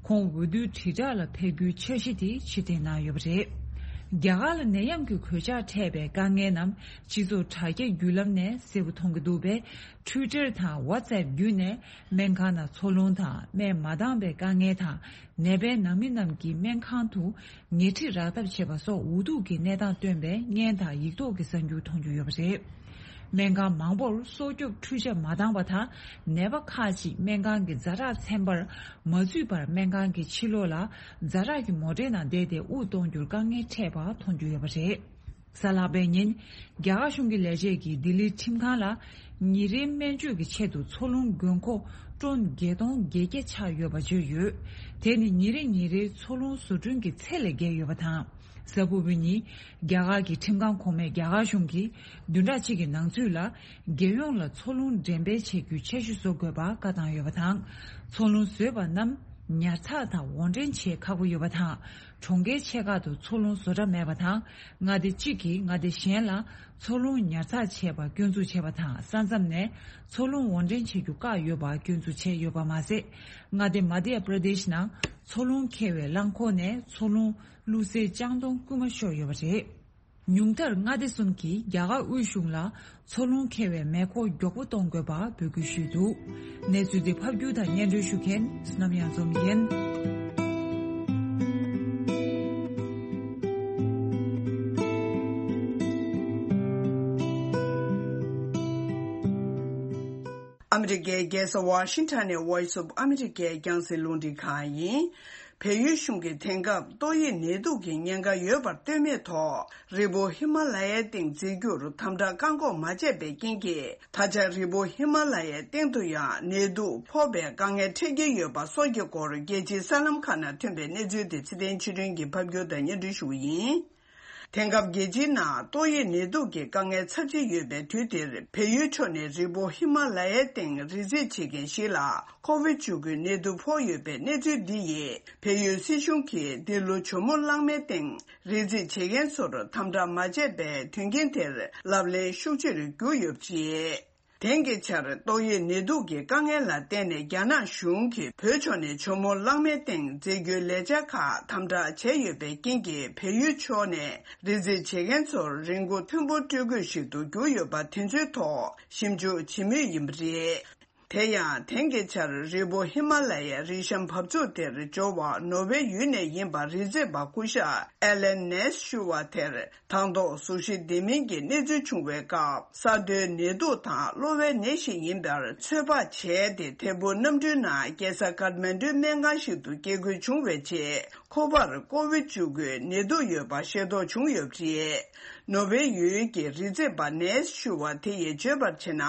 ཁོང་འོས་བསྡུའི་དྲིལ་བསྒྲགས་ལ་ཕེབས་རྒྱུའི་འཆར་གཞི་དེ་ཕྱིར་འཐེན་གནང་ཡོད་པ་རེད། རྒྱ་གར་ལ་ནད་ཡམས་ཀྱི་གོད་ཆག་འཕྲད་པའི་དཀའ་ངལ་རྣམས་སྤྱི་ཚོགས་དྲ་རྒྱ་བརྒྱུད་ལམ་ནས་གསལ་པོ་མཐོང་གི་འདུག་པས། ཊུའི་ཊར་དང་ཝ་ཊི་སེབ་བརྒྱུད་ནས་སྨན་ཁང་ནང་འཚོ་རླུང་དང་སྨན་མ་འདང་བའི་དཀའ་ངལ་དང་། ནད་པའི་ནང་མི་རྣམས་ཀྱིས་སྨན་ཁང་དུ་ཉལ་ཁྲི་རག་ཐབས་བྱེད་པ་སོགས་འུ་ཐུག་གི་གནས་སྟངས་སྟོན་པའི་བརྙན་དང་ཡིག་ཐོག་གི་གསར་འགྱུར་མཐོང་རྒྱུ་ཡོད་པ་རེད། སྨན་ཁང་མང་པོར་སྲོག་སྐྱོབ་འཕྲུལ་ཆས་མ་འདང་བ་དང་། ནད་པ་ཁག་ཅིག་སྨན་ཁང་གི་ཛ་དྲག་ཚན་པར་མ་འཛུལ་བར་སྨན་ཁང་གི་ཕྱི་ལོགས་ལ་ཛ་དྲག་གི་མོ་ཊའི་ནང་བསྡད་དེ་དབུགས་གཏོང་རྒྱུར་དཀའ་ངལ་འཕྲད་པ་མཐོང་རྒྱུ་ཡོད་པ་རེད། གཟའ་ལྷག་པའི་ཉིན། རྒྱ་གར་གཞུང་གི་ལས་བྱེད་ཀྱིས་ལྡི་ལིའི་ཁྲིམས་ཁང་ལ། ཉིན་རེའི་སྨན་བཅོས་ཀྱི་ཆེད་དུ་འཚོ་རླུང་དགོས་མཁོ་ཊོན་བརྒྱད་སྟོང་བརྒྱད་བརྒྱ་ཆགས་ཡོད་པ་བརྗོད་ཡོད། དེ་ནི་ཉིན་རེ་ཉིན་རེའི་འཚོ་རླུང་བཟོ་སྐྲུན་གྱི་ཚད་ལས་བརྒལ་ཡོད་པ་དང་། གཟའ་ཕུར་བུའི་ཉིན། རྒྱ་གར་གྱི་ཁྲིམས་ཁང་གོང་མས་རྒྱ་གར་གཞུང་གིས་བདུན་ཕྲག་གཅིག་གི་ནང་ཚུད་ལ། རྒྱལ་ཡོངས་ལ་འཚོ་རླུང་འགྲེམས་སྤེལ་བྱེད་རྒྱུའི་འཆར་གཞི་བཟོ་དགོས་པ་བཀའ་བཏང་ཡོད་པ་དང་། འཚོ་རླུང་བཟོས་པ་རྣམས་ཉར་ཚགས་དང་དབོར་འདྲེན་བྱེད་ཁག་པོ་ཡོད་པ་དང་། གྲོང་ཁྱེར་ཆེ་ཁག་ཏུ་འཚོ་རླུང་བཟོ་གྲྭ་མེད་པ་དང་། མངའ་སྡེ་གཅིག་གིས་མངའ་སྡེ་གཞན་ལ་འཚོ་རླུང་ཉར་ཚགས་བྱས་པ་སྐྱོན་འཛུགས་བྱས་པ་དང་། ས་མཚམས་ནས་འཚོ་རླུང་དབོར་འདྲེན་བྱེད་རྒྱུ་བཀག་ཡོད་པ་སྐྱོན་འཛུགས་བྱས་ཡོད་པ་མ་ཟད། མངའ་སྡེ་མ་དྷྱ་པྲ་དེཤ་ནང་འཚོ་རླུང་འཁྱེར་བའི་རླངས་འཁོར་ནས་འཚོ་རླུང་བླུགས་སའི་ལྕང་སྡོང་རྐུན་མ་ཤོར་ཡོད་པ་རེད། ཉུང་མཐར་མངའ་སྡེ་གསུམ་གྱིས་རྒྱ་གར་དབུས་གཞུང་ལ་འཚོ་རླུང་འཁྱེར་བའི་མེ་འཁོར་མགྱོགས་པོ་གཏོང་དགོས་པ་འབོད་སྐུལ་ཞུས་འདུག། གནས་ཚུལ་འདི་ཕབ་སྒྱུར་དང་སྙན་སྒྲོན་ཞུ་མཁན་བསོད་ནམས་གཡང་འཛོམས་ཡིན། ཨ་མི་རི་ཀའི་རྒྱལ་ས་ཝ་ཤིང་ཊོན་ནས་Voice of America་རྒྱང་སྲིང་རླུང་འཕྲིན་ཁང་ཡིན། བལ་ཡུལ་གཞུང་གིས་དེང་སྐབས་ཏོག་དབྱིབས་ནད་དུག་གི་ཉེན་ཁ་ཡོད་པར་ལྟོས་མེད་ཐོག་རི་བོ་ཧི་མ་ལ་ཡའི་སྟེང་འཛེགས་རྒྱུར་དམ་དྲག་བཀག་འགོག་མ་བྱས་པའི་རྐྱེན་གྱིས། ད་ཆ་རི་བོ་ཧི་མ་ལ་ཡའི་སྟེང་དུ་ཡང་ནད་དུག་ཕོག་པའི་དཀའ་ངལ་འཕྲད་ཀྱི་ཡོད་པ་སོགས་ཀྱི་སྐོར། རྒྱལ་སྤྱིའི་གསར་ལམ་ཁག་ནང་ཐོན་པའི་གནས་ཚུལ་དེ་ཚེ་བརྟན་ཆོས་སྒྲོན་གྱིས་ཕབ་སྒྱུར་དང་སྙན་སྒྲོན་ཞུ་གི་ཡིན། དེང་སྐབས་རྒྱལ་སྤྱིའི་ནང་ཏོག་དབྱིབས་ནད་དུག་གི་དཀའ་ངལ་ཚབས་ཆེ་ཡོད་པའི་དུས་འདིར། བལ་ཡུལ་ཕྱོགས་ནས་རི་བོ་ཧི་མ་ལ་ཡའི་སྟེང་རི་འཛེག་བྱེད་མཁན་ཞིག་ལ་ཁོ་ཝིད་བཅུ་དགུའི་ནད་དུག་ཕོག་ཡོད་པའི་གནས་ཚུལ་འདི་ཡིས། བལ་ཡུལ་སྲིད་གཞུང་གིས་འདི་ལོ་ཇོ་མོ་གླང་མའི་སྟེང་རི་འཛེག་བྱེད་མཁན་ཚོར་དམ་དྲག་མ་བྱས་པའི་དོན་རྐྱེན་དེར་ལབ་གླེང་ཤུགས་ཆེ་རུ་གྱུར་ཡོད་པ་རེད། དེང་གི་ཆར་ཏོག་དབྱིབས་ནད་དུག་གི་དཀའ་ངལ་ལ་བརྟེན་ནས། རྒྱ་ནག་གཞུང་གིས་བོད་ཕྱོགས་ནས་ཇོ་མོ་གླང་མའི་སྟེང་འཛེག་རྒྱུའི་ལས་འཆར་ཁག་དམ་དྲག་བྱས་ཡོད་པའི་རྐྱེན་གྱིས། བལ་ཡུལ་ཕྱོགས་ནས་རི་འཛེག་བྱེད་མཁན་ཚོར་རིན་གོང་མཐོན་པོ་སྤྲོད་དགོས་ཤིག་ཏུ་གྱུར་ཡོད་པ་དེ་ཚོའི་ཐོག་ཞིབ་འཇུག་བྱེད་མུས་ཡིན་པ་རེད། དེ་ཡང་། དེང་གི་ཆར་རི་བོ་ཧི་མ་ལ་ཡའི་རི་གཤམ་བབས་ཚུགས་དེར་འབྱོར་བ་ནོར་ཝེ་ཡུལ་ནས་ཡིན་པ་རི་འཛེག་པ་སྐུ་ཞབས་ཨེ་ལན་ནེས་ཞུ་བ་དེར། དང་ཐོག་གཟུགས་གཞི་ལྡན་མིན་གྱི་གནས་ཚུལ་བྱུང་བའི་སྐབས། ས་རྡོའི་ནད་དུག་དང་གློ་བའི་ནད་ཞིག་ཡིན་པར་ཚོད་དཔག་བྱས་ཏེ། ཐད་འཕུར་གནམ་གྲུའི་ནང་རྒྱལ་ས་ཀཏ་མན་གྲུའི་སྨན་ཁང་ཞིག་ཏུ་སྐྱེལ་དགོས་བྱུང་བའི་རྗེས། ཁོ་པར་ཀོ་ཝིད་བཅུ་དགུའི་ནད་དུག་ཡོད་པ་ཤེས་རྟོགས་བྱུང་ཡོད་པ་རེད། ནོར་ཝེ་ཡུལ་གྱི་རི་འཛེག་པ་ནེས་ཞུ་བ་དེ་ཡིས་བརྗོད་པར་བྱས་ན།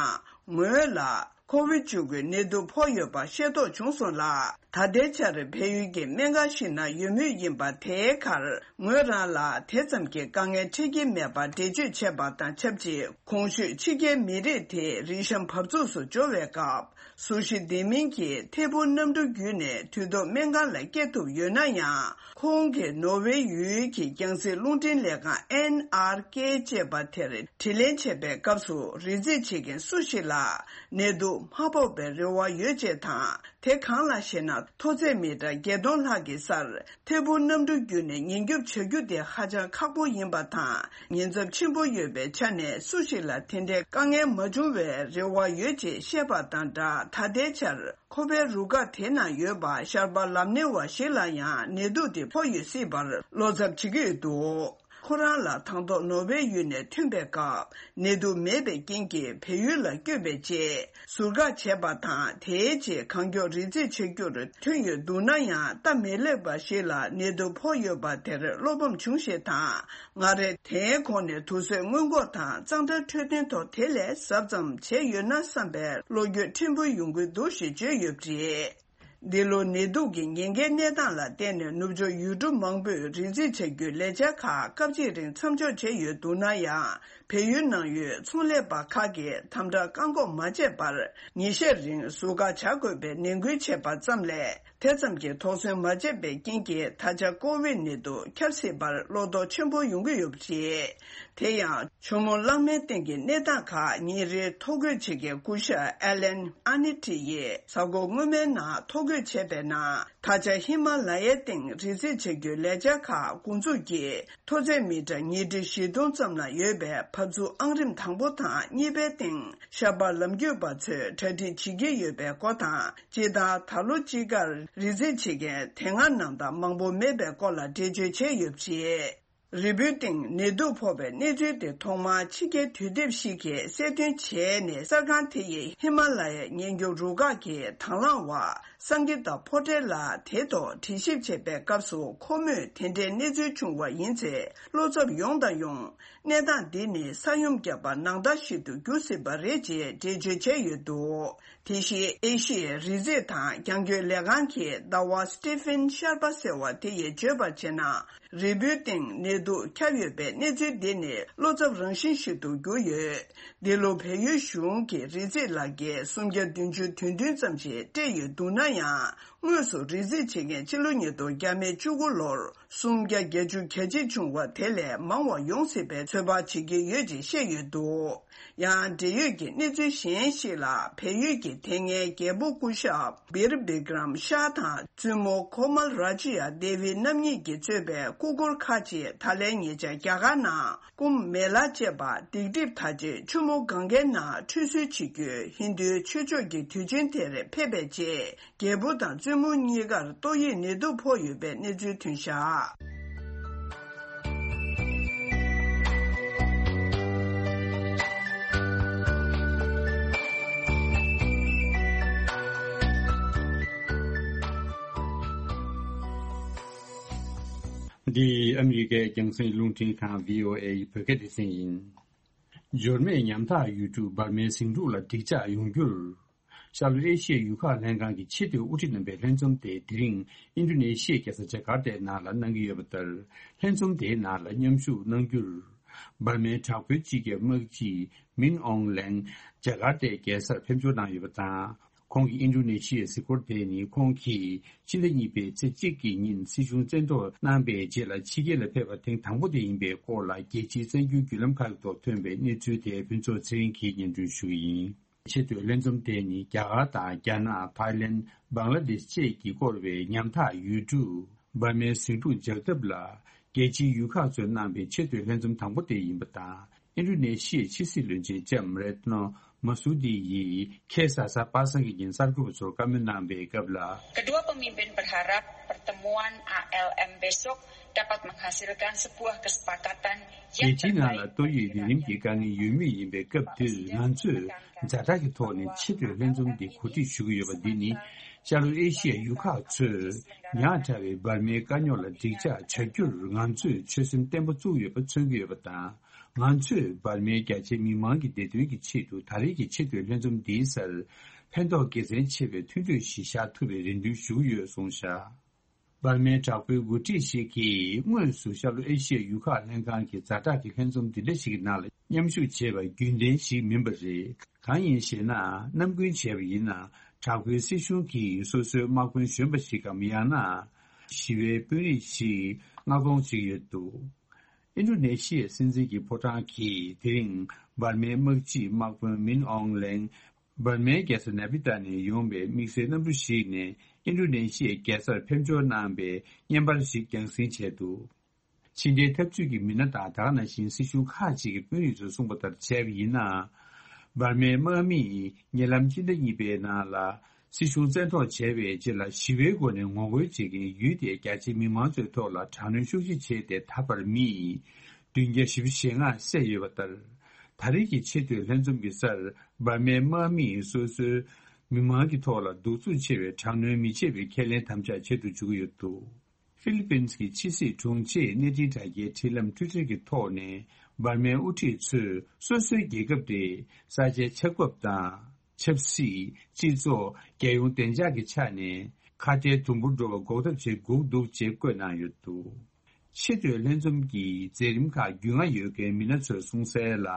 ངོས་ལ་ཀོ་ཝིད་བཅུ་དགུའི་ནད་དུག་ཕོག་ཡོད་པ་ཤེས་རྟོགས་བྱུང་སོང་ལ། ད་ལྟའི་ཆར་བལ་ཡུལ་གྱི་སྨན་ཁང་ཞིག་ན་ཡོད་མུས་ཡིན་པ། དེའི་ཁར་ངོས་རང་ལ་དེ་ཙམ་གྱི་དཀའ་ངལ་འཕྲད་ཀྱི་མེད་པ་འགྲེལ་བརྗོད་བྱས་པ་དང་ཆབས་ཅིག། གོང་ཞུས་ཕྱི་རྒྱལ་མི་རིགས་དེ་རི་གཤམ་བབས་ཚུགས་སུ་འབྱོར་བའི་སྐབས། གཟུགས་གཞི་ལྡན་མིན་གྱི་ཐད་འཕུར་གནམ་གྲུ་བརྒྱུད་ནས་དུས་ཐོག་སྨན་ཁང་ལ་སྐྱེལ་ཐུབ་ཡོད་ན་ཡང་། ཁོང་གིས་ནོར་ཝེ་ཡུལ་གྱི་རྒྱང་སྲིང་རླུང་འཕྲིན་ལས་ཁང་ཨེན་ཨར་ཀེ་ཅེས་པ་དེར་དྲི་ལན་བྱས་པའི་སྐབས་སུ། རི་འཛེག་བྱེད་མཁན་སུ་ཞིག་ལ་ནད་དུག་མ་ཕོག་པའི་རེ་བ་ཡོད་ཅེས་དང་། དེ་གང་ལགས་ཤེ་ན། མཐོ་ཚད་མི་ཊར་བརྒྱད་སྟོང་ལྷག་གི་སར་ཐད་འཕུར་གནམ་གྲུ་བརྒྱུད་ནས་ཉེན་སྐྱོབ་བྱ་རྒྱུ་དེ་ཧ་ཅང་ཁག་པོ་ཡིན་པ་དང་། ཉེན་ཚབས་ཆེན་པོ་ཡོད་པའི་ཆ་ནས། སུ་ཞིག་ལ་དེ་འདྲའི་དཀའ་ངལ་མ་བྱུང་བའི་རེ་བ་ཡོད་ཅེས་བཤད་པ་དང་སྦྲགས། ད་ལྟའི་ཆར་ཁོ་པའི་རུ་ཁག་དེ་ན་ཡོད་པ་ཤར་པ་ལམ་ནེ་བ་ཞིག་ལ་ཡང་ནད་དུག་དེ་ཕོག་ཡོད་སྲིད་པར་བློ་འཚབ་བྱེད་ཀྱི་ཡོད་འདུག། ཁོ་རང་ལ་དང་ཐོག་ནོར་ཝེ་ཡུལ་ནས་ཐོན་པའི་སྐབས་ནད་དུག་མེད་པའི་རྐྱེན་གྱིས་བལ་ཡུལ་ལ་བསྐྱོད་པའི་རྗེས་ཟུར་བཀག་བྱས་པ་དང་། དེའི་རྗེས་གང་མགྱོགས་རི་འཛེག་བྱ་རྒྱུར་ཐོན་ཡོད་འདུག་ན་ཡང་། སྟབས་མི་ལེགས་པ་ཞིག་ལ་ནད་དུག་ཕོག་ཡོད་པ་དེར་བློ་ཕམ་བྱུང་ཞེས་དང་། སྔར་དེའི་གོང་ནས་དུག་སེལ་སྔོན་འགོག་དང་གཙང་སྦྲ་འཕྲོད་བསྟེན་ཐོག་དེ་ལས་གཟབ་ཙམ་བྱས་ཡོད་ན་བསམ་པའི་བློ་འགྱོད་ཕྲན་བུ་ཡོང་གི་འདུག་ཞེས་བརྗོད་ཡོད་པ་རེད། འདི་ལོ་ནད་དུག་གི་ཉེན་ཁའི་གནས་སྟངས་ལ་བརྟེན་ནས་ནུབ་ཕྱོགས་ཡུལ་གྲུ་མང་པོས་རི་འཛེག་བྱ་རྒྱུའི་ལས་འཆར་ཁག་སྐབས་གཅིག་རིང་མཚམས་འཇོག་བྱས་ཡོད་འདུག་ན་ཡང་། བལ་ཡུལ་ནང་ཡོད་ཚོང་ལས་པ་ཁག་གིས་དམ་དྲག་བཀག་འགོག་མ་བྱས་པར་ཉིན་ཤས་རིང་ཟུར་བཀག་བྱ་དགོས་པའི་ནན་སྐུལ་བྱས་པ་ཙམ་ལས། དེ་ཙམ་གྱིས་དོགས་ཟོན་མ་བྱས་པའི་རྐྱེན་གྱིས་ད་ཆ་ཀོ་ཝིད་ནད་དུག་ཁྱབ་སྲིད་པར་བློ་དོགས་ཆེན་པོ་ཡོང་གི་ཡོད་པ་རེད། དེ་ཡང་། ཇོ་མོ་གླང་མའི་སྟེང་གི་གནས་སྟངས་ཁག་ཉིན་རེའི་ཐོ་འགོད་བྱེད་མཁན་སྐུ་ཞབས་ཨེ་ལན་ཨ་ནི་ཏི་ཡིས་གཟའ་འཁོར་སྔོན་མའི་ནང་ཐོ་འགོད་བྱས་པའི་ནང་། ད་ཆ་ཧི་མ་ལ་ཡའི་སྟེང་རི་འཛེག་བྱ་རྒྱུའི་ལས་འཆར་ཁག་འགོ་འཛུགས་ཀྱིས། མཐོ་ཚད་མི་ཊར་ཉིས་ཁྲི་བཞི་སྟོང་ཙམ་ལ་ཡོད་པའི་བབས་ཚུགས་ཨང་རིམ་དང་པོ་དང་གཉིས་པའི་སྟེང་ཤར་པ་ལམ་བརྒྱུད་པ་ཚོས་གྲ་སྒྲིག་བྱེད་ཀྱི་ཡོད་པའི་སྐོར་དང་། སྤྱིར་བཏང་ད་ལོ་དཔྱིད་ཀར་རི་འཛེག་བྱེད་མཁན་དེ་སྔ་ནང་ལྟར་མང་པོ་མེད་པའི་སྐོར་ལ་འགྲེལ་བརྗོད་བྱས་ཡོད་པ་རེད། རི་བོའི་སྟེང་ནད་དུག་ཕོག་པའི་གནས་ཚུལ་དེ་ཐོག་མར་ཕྱི་རྒྱལ་དུས་དེབ་ཞིག་གིས་གསལ་སྟོན་བྱས་ནས། གསར་ཁང་དེ་ཡིས་ཧི་མ་ལ་ཡའི་ཉེན་སྐྱོབ་རུ་ཁག་གི་དང་བླངས་བ་སངྒི་ཏཱ་ཕོ་ཏྲེ་ལགས་དེའི་ཐོག་དྲི་ཞིབ་བྱེད་པའི་སྐབས་སུ། ཁོ་མོས་དེ་འདྲའི་གནས་ཚུལ་བྱུང་བ་ཡིན་ཚེ། བློ་འཚབ་ཡོང་དང་ཡོང་། གནས་སྟངས་འདི་ནི་ས་ཡོམ་བརྒྱབ་པ་ནང་ལྟར་ཞིག་ཏུ་འགྱུར་སྲིད་པ་རེད་ཅེས་འགྲེལ་བརྗོད་བྱས་ཡོད་འདུག་དེ་བཞིན་ཨེ་ཤི་ཡའི་རི་འཛེག་དང་རྒྱང་སྐྱོད་ལས་ཁང་གི་ཟླ་བ་སི་ཏི་ཕིན་ཤར་པ་ཟེར་བ་དེ་ཡིས་བརྗོད་པར་བྱས་ན། རི་བོའི་སྟེང་ནད་དུག་ཁྱབ་ཡོད་པའི་གནས་ཚུལ་འདི་ནི་བློ་འཚབ་རང་བཞིན་ཞིག་ཏུ་གྱུར་ཡོད། འདི་ལོ་བལ་ཡུལ་གཞུང་གིས་རི་འཛེག་ལག་འཁྱེར་སུམ་བརྒྱ་བདུན་ཅུ་དོན་བདུན་ཙམ་ཞིག་སྤྲད་ཡོད་འདུག་ན་ཡང་། དངོས་སུ་རི་འཛེག་བྱེད་མཁན་ཕྱི་ལོ་ཉིས་སྟོང་བརྒྱ་མེད་བཅུ་དགུ་ལོར་སུམ་བརྒྱ་བརྒྱད་ཅུ་གྱ་གཅིག་བྱུང་བ་དེ་ལས་མང་བ་ཡོང་སྲིད་པའི་ཚོད་དཔག་བྱེད་ཀྱི་ཡོད་ཅེས་བཤད་ཡོད་འདུག་ཡང་འབྲེལ་ཡོད་ཀྱི་གནས་ཚུལ་གཞན་ཞིག་ལ། བལ་ཡུལ་གྱི་དེ་སྔའི་རྒྱལ་པོ་སྐུ་ཞབས་བིར་བི་ཀྲམ་ཤཱ་དང་བཙུན་མོ་ཁོ་མལ་ར་ཇི་ཡ་དེ་བི་རྣམ་གཉིས་ཀྱིས་གཙོས་པའི་སྐུ་འཁོར་ཁག་ཅིག་ད་ལན་ཉེ་ཆར་རྒྱ་གར་ནང་ཀུམ་མེ་ལ་ཅེས་པ་སྡིག་སྒྲིབ་དག་ཅིང་ཆུ་མོ་གངྒཱའི་ནང་ཁྲུས་གསོལ་བྱེད་རྒྱུའི་ཧིན་རྡུའི་ཆོས་ཕྱོགས་ཀྱི་དུས་ཆེན་དེར་ཕེབས་པའི་རྗེས། རྒྱལ་པོ་དང་བཙུན་མོ་གཉིས་ཀར་ཏོག་དབྱིབས་ནད་དུག་ཕོག་ཡོད་པའི་གནས་ཚུལ་ཐོན་བཞག་འདི་ཨ་མི་རི་ཀའི་རྒྱང་སྲིང་རླུང་འཕྲིན་ཁང་། བྷི་ཨོ་ཨེ་ཡི་བོད་སྐད་སྡེ་ཚན་ཡིན། འབྱོར་མེད་ཉམ་ཐག་ཡུལ་གྲུ་འབར་མའི་ཟིང་འཁྲུག་ལ་འགྲིག་འཇགས་ཡོང་རྒྱུར། ཤར་ལྷོ་ཨེ་ཤི་ཡའི་ཡུལ་ཁག་ལྷན་ཁང་གི་ཆེས་མཐོའི་དབུ་ཁྲིད་རྣམ་པའི་ལྷན་འཛོམས་དེ་དེ་རིང་ཨིན་ཌོ་ནེ་ཤི་ཡའི་རྒྱལ་ས་ཇ་ཀར་ཏའི་ནང་ལ་གནང་གི་ཡོད་པ་ལྟར། ལྷན་འཛོམས་དེའི་ནང་ལ་མཉམ་ཞུགས་གནང་རྒྱུར། འབར་མའི་དྲག་པོའི་སྤྱི་ཁྱབ་དམག་སྤྱི་མིན་ཨོང་ལེང་ཇ་ཀར་ཏའི་རྒྱལ་སར་ཕེབས་འབྱོར་གནང་ཡོད་པ་དང་། ཁོང་གི་ཨིན་ཌོ་ནེ་ཤི་ཡའི་གཟིགས་སྐོར་དེ་ནི་ཁོང་གིས་ཕྱི་ཟླ་གཉིས་པའི་ཚེས་གཅིག་གི་ཉིན་སྲིད་གཞུང་བཙན་འཕྲོག་གནང་པའི་རྗེས་ལ་ཕྱི་རྒྱལ་ལ་ཕེབས་པ་ཐེངས་དང་པོ་དེ་ཡིན་པའི་སྐོར་ལ། རྒྱལ་སྤྱིའི་གསར་འགྱུར་བརྒྱུད་ལམ་ཁག་གི་ཐོག་ཐོན་པའི་གནས་ཚུལ་དེ་ཕུན་ཚོགས་ཚེ་རིང་གིས་སྙན་སྒྲོན་ཞུ་གི་ཡིན། ཆེས་མཐོའི་ལྷན་འཛོམས་དེ་ནི་རྒྱ་གར་དང་རྒྱ་ནག་ཐའི་ལེན། བང་ལ་དེཤ་བཅས་ཀྱིས་བསྐོར་བའི་ཉམ་ཐག་ཡུལ་གྲུ་འབར་མའི་ཟིང་འཁྲུག་འཇགས་ཐབས་ལ་རྒྱལ་སྤྱིའི་ཡུལ་ཁག་ཚོས་གནང་པའི་ཆེས་མཐོའི་ལྷན་འཛོམས་དང་པོ་དེ་ཡིན་པ་དང་། ཨིན་ཌོ་ནེ་ཤི་ཡའི་ཕྱི་སྲིད་བློན་ཆེན་ལྕམ་རེད་ནོ་མ་སུ་དི་ཡིས་ཁ་སང་གཟའ་པ་སངས་ཀྱི་ཉིན་གསར་འགོད་པ་ཚོར་བཀའ་མོལ་གནང་པའི་སྐབས་ལ། Kedua pemimpin berharap pertemuan A L M besok dapat menghasilkan sebuah kesepakatan རྒྱལ་སྤྱིའི་ནང་ལ་ཏོག་དབྱིབས་ནད་རིམས་ཀྱི་དཀའ་ངལ་ཡོད་མུས་ཡིན་པའི་སྐབས་འདིར། ང་ཚོས་ཛ་དྲག་གི་ཐོག་ནས་ཆེས་མཐོའི་ལྷན་འཛོམས་འདི་གོ་སྒྲིག་ཞུ་གི་ཡོད་པ་འདི་ནི། ཤར་ལྷོ་ཨེ་ཤི་ཡའི་ཡུལ་ཁག་ཚོས་ཉག་ཕྲ་བའི་འབར་མའི་དཀའ་རྙོག་ལ་འགྲིག་འཇགས་བྱ་རྒྱུར་ང་ཚོས་ཆོད་སེམས་བརྟན་པོ་བཙུགས་ཡོད་པ་མཚོན་གྱི་ཡོད་པ་དང་། ང་ཚོས་འབར་མའི་རྒྱ་ཆེའི་མི་མང་གི་བདེ་དོན་གྱི་ཆེད་དུ་ད་རེས་ཀྱི་ཆེས་མཐོའི་ལྷན་འཛོམས་འདིའི་སར་ཕན་ཐོགས་དགེ་མཚན་ཆེ་བའི་མཐུན་གྲོས་ཤིག་བཞག་ཐུབ་པའི་རེ་འདུན་ཞུ་གི་ཡོད་གསུངས་བཞག་འབར་མའི་དྲག་པོའི་འགོ་ཁྲིད་ཞིག་གིས་དངོས་སུ་ཤར་ལྷོ་ཨེ་ཤི་ཡའི་ཡུལ་ཁག་ལྷན་ཁང་གི་ཛ་དྲག་གི་ལྷན་འཛོམས་འདི་འདྲ་ཞིག་གི་ནང་ལ་མཉམ་ཞུགས་བྱས་པ་རྒྱུན་ལྡན་ཞིག་མིན་པ་རེད། གང་ཡིན་ཞེ་ན། ནམ་རྒྱུན་བྱས་པ་ཡིན་ན། དྲག་པོའི་སྲིད་གཞུང་གིས་སོ་སོའི་དམག་དཔོན་གཞོན་པ་ཞིག་གམ། ཡང་ན་ཞི་བའི་དཔོན་རིགས་ཤིག་མངགས་གཏོང་བྱེད་ཀྱི་ཡོད་འདུག་ཨིན་ཌོ་ནེ་ཤི་ཡའི་སྲིད་འཛིན་གྱི་ཕོ་བྲང་གིས་དེ་རིང་འབར་མའི་དམག་སྤྱིའི་དམག་དཔོན་མིན་ཨོང་ལེང་། འབར་མའི་རྒྱལ་ས་ནེ་པི་ཏཱ་ནས་ཡོང་བའི་དམིགས་བསལ་གནམ་གྲུ་ཞིག་ནས་ཨིན་ཌོ་ནེ་ཤི་ཡའི་རྒྱལ་སར་ཕེབས་འབྱོར་གནང་བའི་བརྙན་པར་ཞིག་རྒྱང་སྲིང་བྱས་འདུག་ཕྱི་འབྲེལ་འཐབ་ཇུས་ཀྱི་མི་སྣ་དང་། ད་ག་ནང་བཞིན་སྲིད་གཞུང་ཁག་ཅིག་གི་དཔོན་རིགས་ཚོས་གསུངས་པ་ལྟར་བྱས་པ་ཡིན་ན། འབར་མའི་དམག་མིས་ཉེ་ལམ་སྤྱི་ཟླ་གཉིས་པའི་ནང་ལ་སྲིད་གཞུང་བཙན་འཕྲོག་བྱས་པའི་རྗེས་ལ་ཞི་བའི་སྒོ་ནས་ངོ་རྒོལ་བྱེད་མཁན་ཡུལ་དེའི་རྒྱ་ཆེའི་མི་མང་ཚོའི་ཐོག་ལ་དྲག་གནོན་ཤུགས་ཆེ་བྱས་ཏེ། ད་བར་མིས་ བདུན་བརྒྱ་བཞི་བཅུ་ཞེ་ལྔ་བསད་ཡོད་པ་ལྟར། ད་རེས་ཀྱི་ཆེས་མཐོའི་ལྷན་འཛོམས་ཀྱི་སར་འབར་མའི་དམག་མིས་སོ་སོའི་མི་མང་གི་ཐོག་ལ་གདུག་རྩུབ་ཆེ་བའི་དྲག་གནོན་མི་བྱེད་པའི་ཁས་ལེན་དམ་བཅའ་བྱེད་དུ་འཇུག་གི་ཡོད་འདུག་ཧྥི་ལི་པིན་གྱི་ཕྱི་སྲིད་དྲུང་ཆེས་གནས་འཕྲིན་དྲ་རྒྱའི་འཕྲིན་ལམ་ཊུའི་ཊར་གྱི་ཐོག་ནས། འབར་མའི་དབུ་ཁྲིད་ཚོས་སོ་སོའི་རྒྱལ་ཁབ་དེ་ས་ཆའི་ཆགས་བབ་དང་། ཆབ་སྲིད། སྤྱི་ཚོགས། རྒྱལ་ཡོངས་བདེ་འཇགས་ཀྱི་ཆ་ནས་ཁ་ཏའི་དུམ་བུར་འགྲོ་བ་འགོག་ཐབས་བྱེད་དགོས་འདུག་ཅེས་བཀོད་གནང་ཡོད་འདུག་ཆེས་མཐོའི་ལྷན་འཛོམས་ཀྱི་མཛད་རིམ་ཁག་རྒྱུས་མངའ་ཡོད་མཁན་མི་སྣ་ཚོས་གསུངས་གསལ་ལ།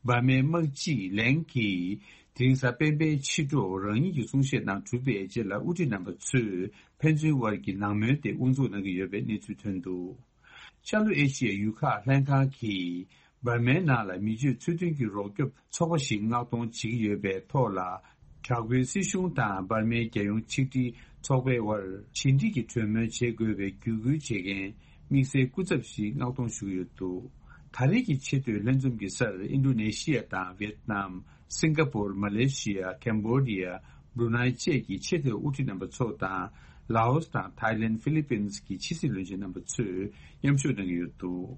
འབར་མའི་དམག་སྤྱི་ལེང་གིས་དེ་རིང་གཟའ་སྤེན་པའི་ཕྱི་དྲོ་རང་ཉིད་ཀྱི་གསུང་བཤད་ནང་གྲུབ་པའི་རྗེས་ལ། དབུ་ཁྲིད་རྣམ་པ་ཚོས་ཕན་ཚུན་དབར་གྱི་ནང་མོལ་དེ་དབུ་འཛུགས་གནང་གི་ཡོད་པའི་གནས་ཚུལ་ཐོན་འདུག་ཤར་ལྷོ་ཨེ་ཤི་ཡའི་ཡུལ་ཁག་ལྷན་ཁང་གིས་འབར་མའི་ནང་ལ་མི་སྤྱོད་ཚུལ་མཐུན་གྱི་རོགས་སྐྱོབ་ཚོགས་པ་ཞིག་མངགས་གཏོང་བྱེད་ཀྱི་ཡོད་པའི་ཐོག་ལ། དྲག་པོའི་སྲིད་གཞུང་དང་འབར་མའི་རྒྱལ་ཡོངས་ཆིག་སྒྲིལ་ཚོགས་པའི་དབར་ཞི་འགྲིག་གི་གྲོས་མོལ་བྱེད་དགོས་པའི་བརྒྱུད་སྐུལ་བྱེད་མཁན་དམིགས་བསལ་སྐུ་ཚབ་ཞིག་མངགས་གཏོང་ཞུ་གི་ཡོད་འདུག་ད་རེས་ཀྱི་ཆེས་མཐོའི་ལྷན་འཛོམས་ཀྱི་སར་ཨིན་ཌོ་ནེ་ཤི་ཡ་དང་ཝེ་ཏི་ནམ། སིང་ག་པོར། མ་ལེ་ཤི་ཡ། ཀེམ་བོ་ཌི་ཡ། བྷྲུ་ནའི་བཅས་ཀྱི་ཆེས་མཐོའི་དབུ་ཁྲིད་རྣམ་པ་ཚོ་དང་། ལའོ་སི་དང་ཐའི་ལེན། ཧྥི་ལི་པིན་གྱི་ཕྱི་སྲིད་བློན་ཆེན་རྣམ་པ་ཚོས་མཉམ་ཞུགས་གནང་གི་ཡོད་འདུག་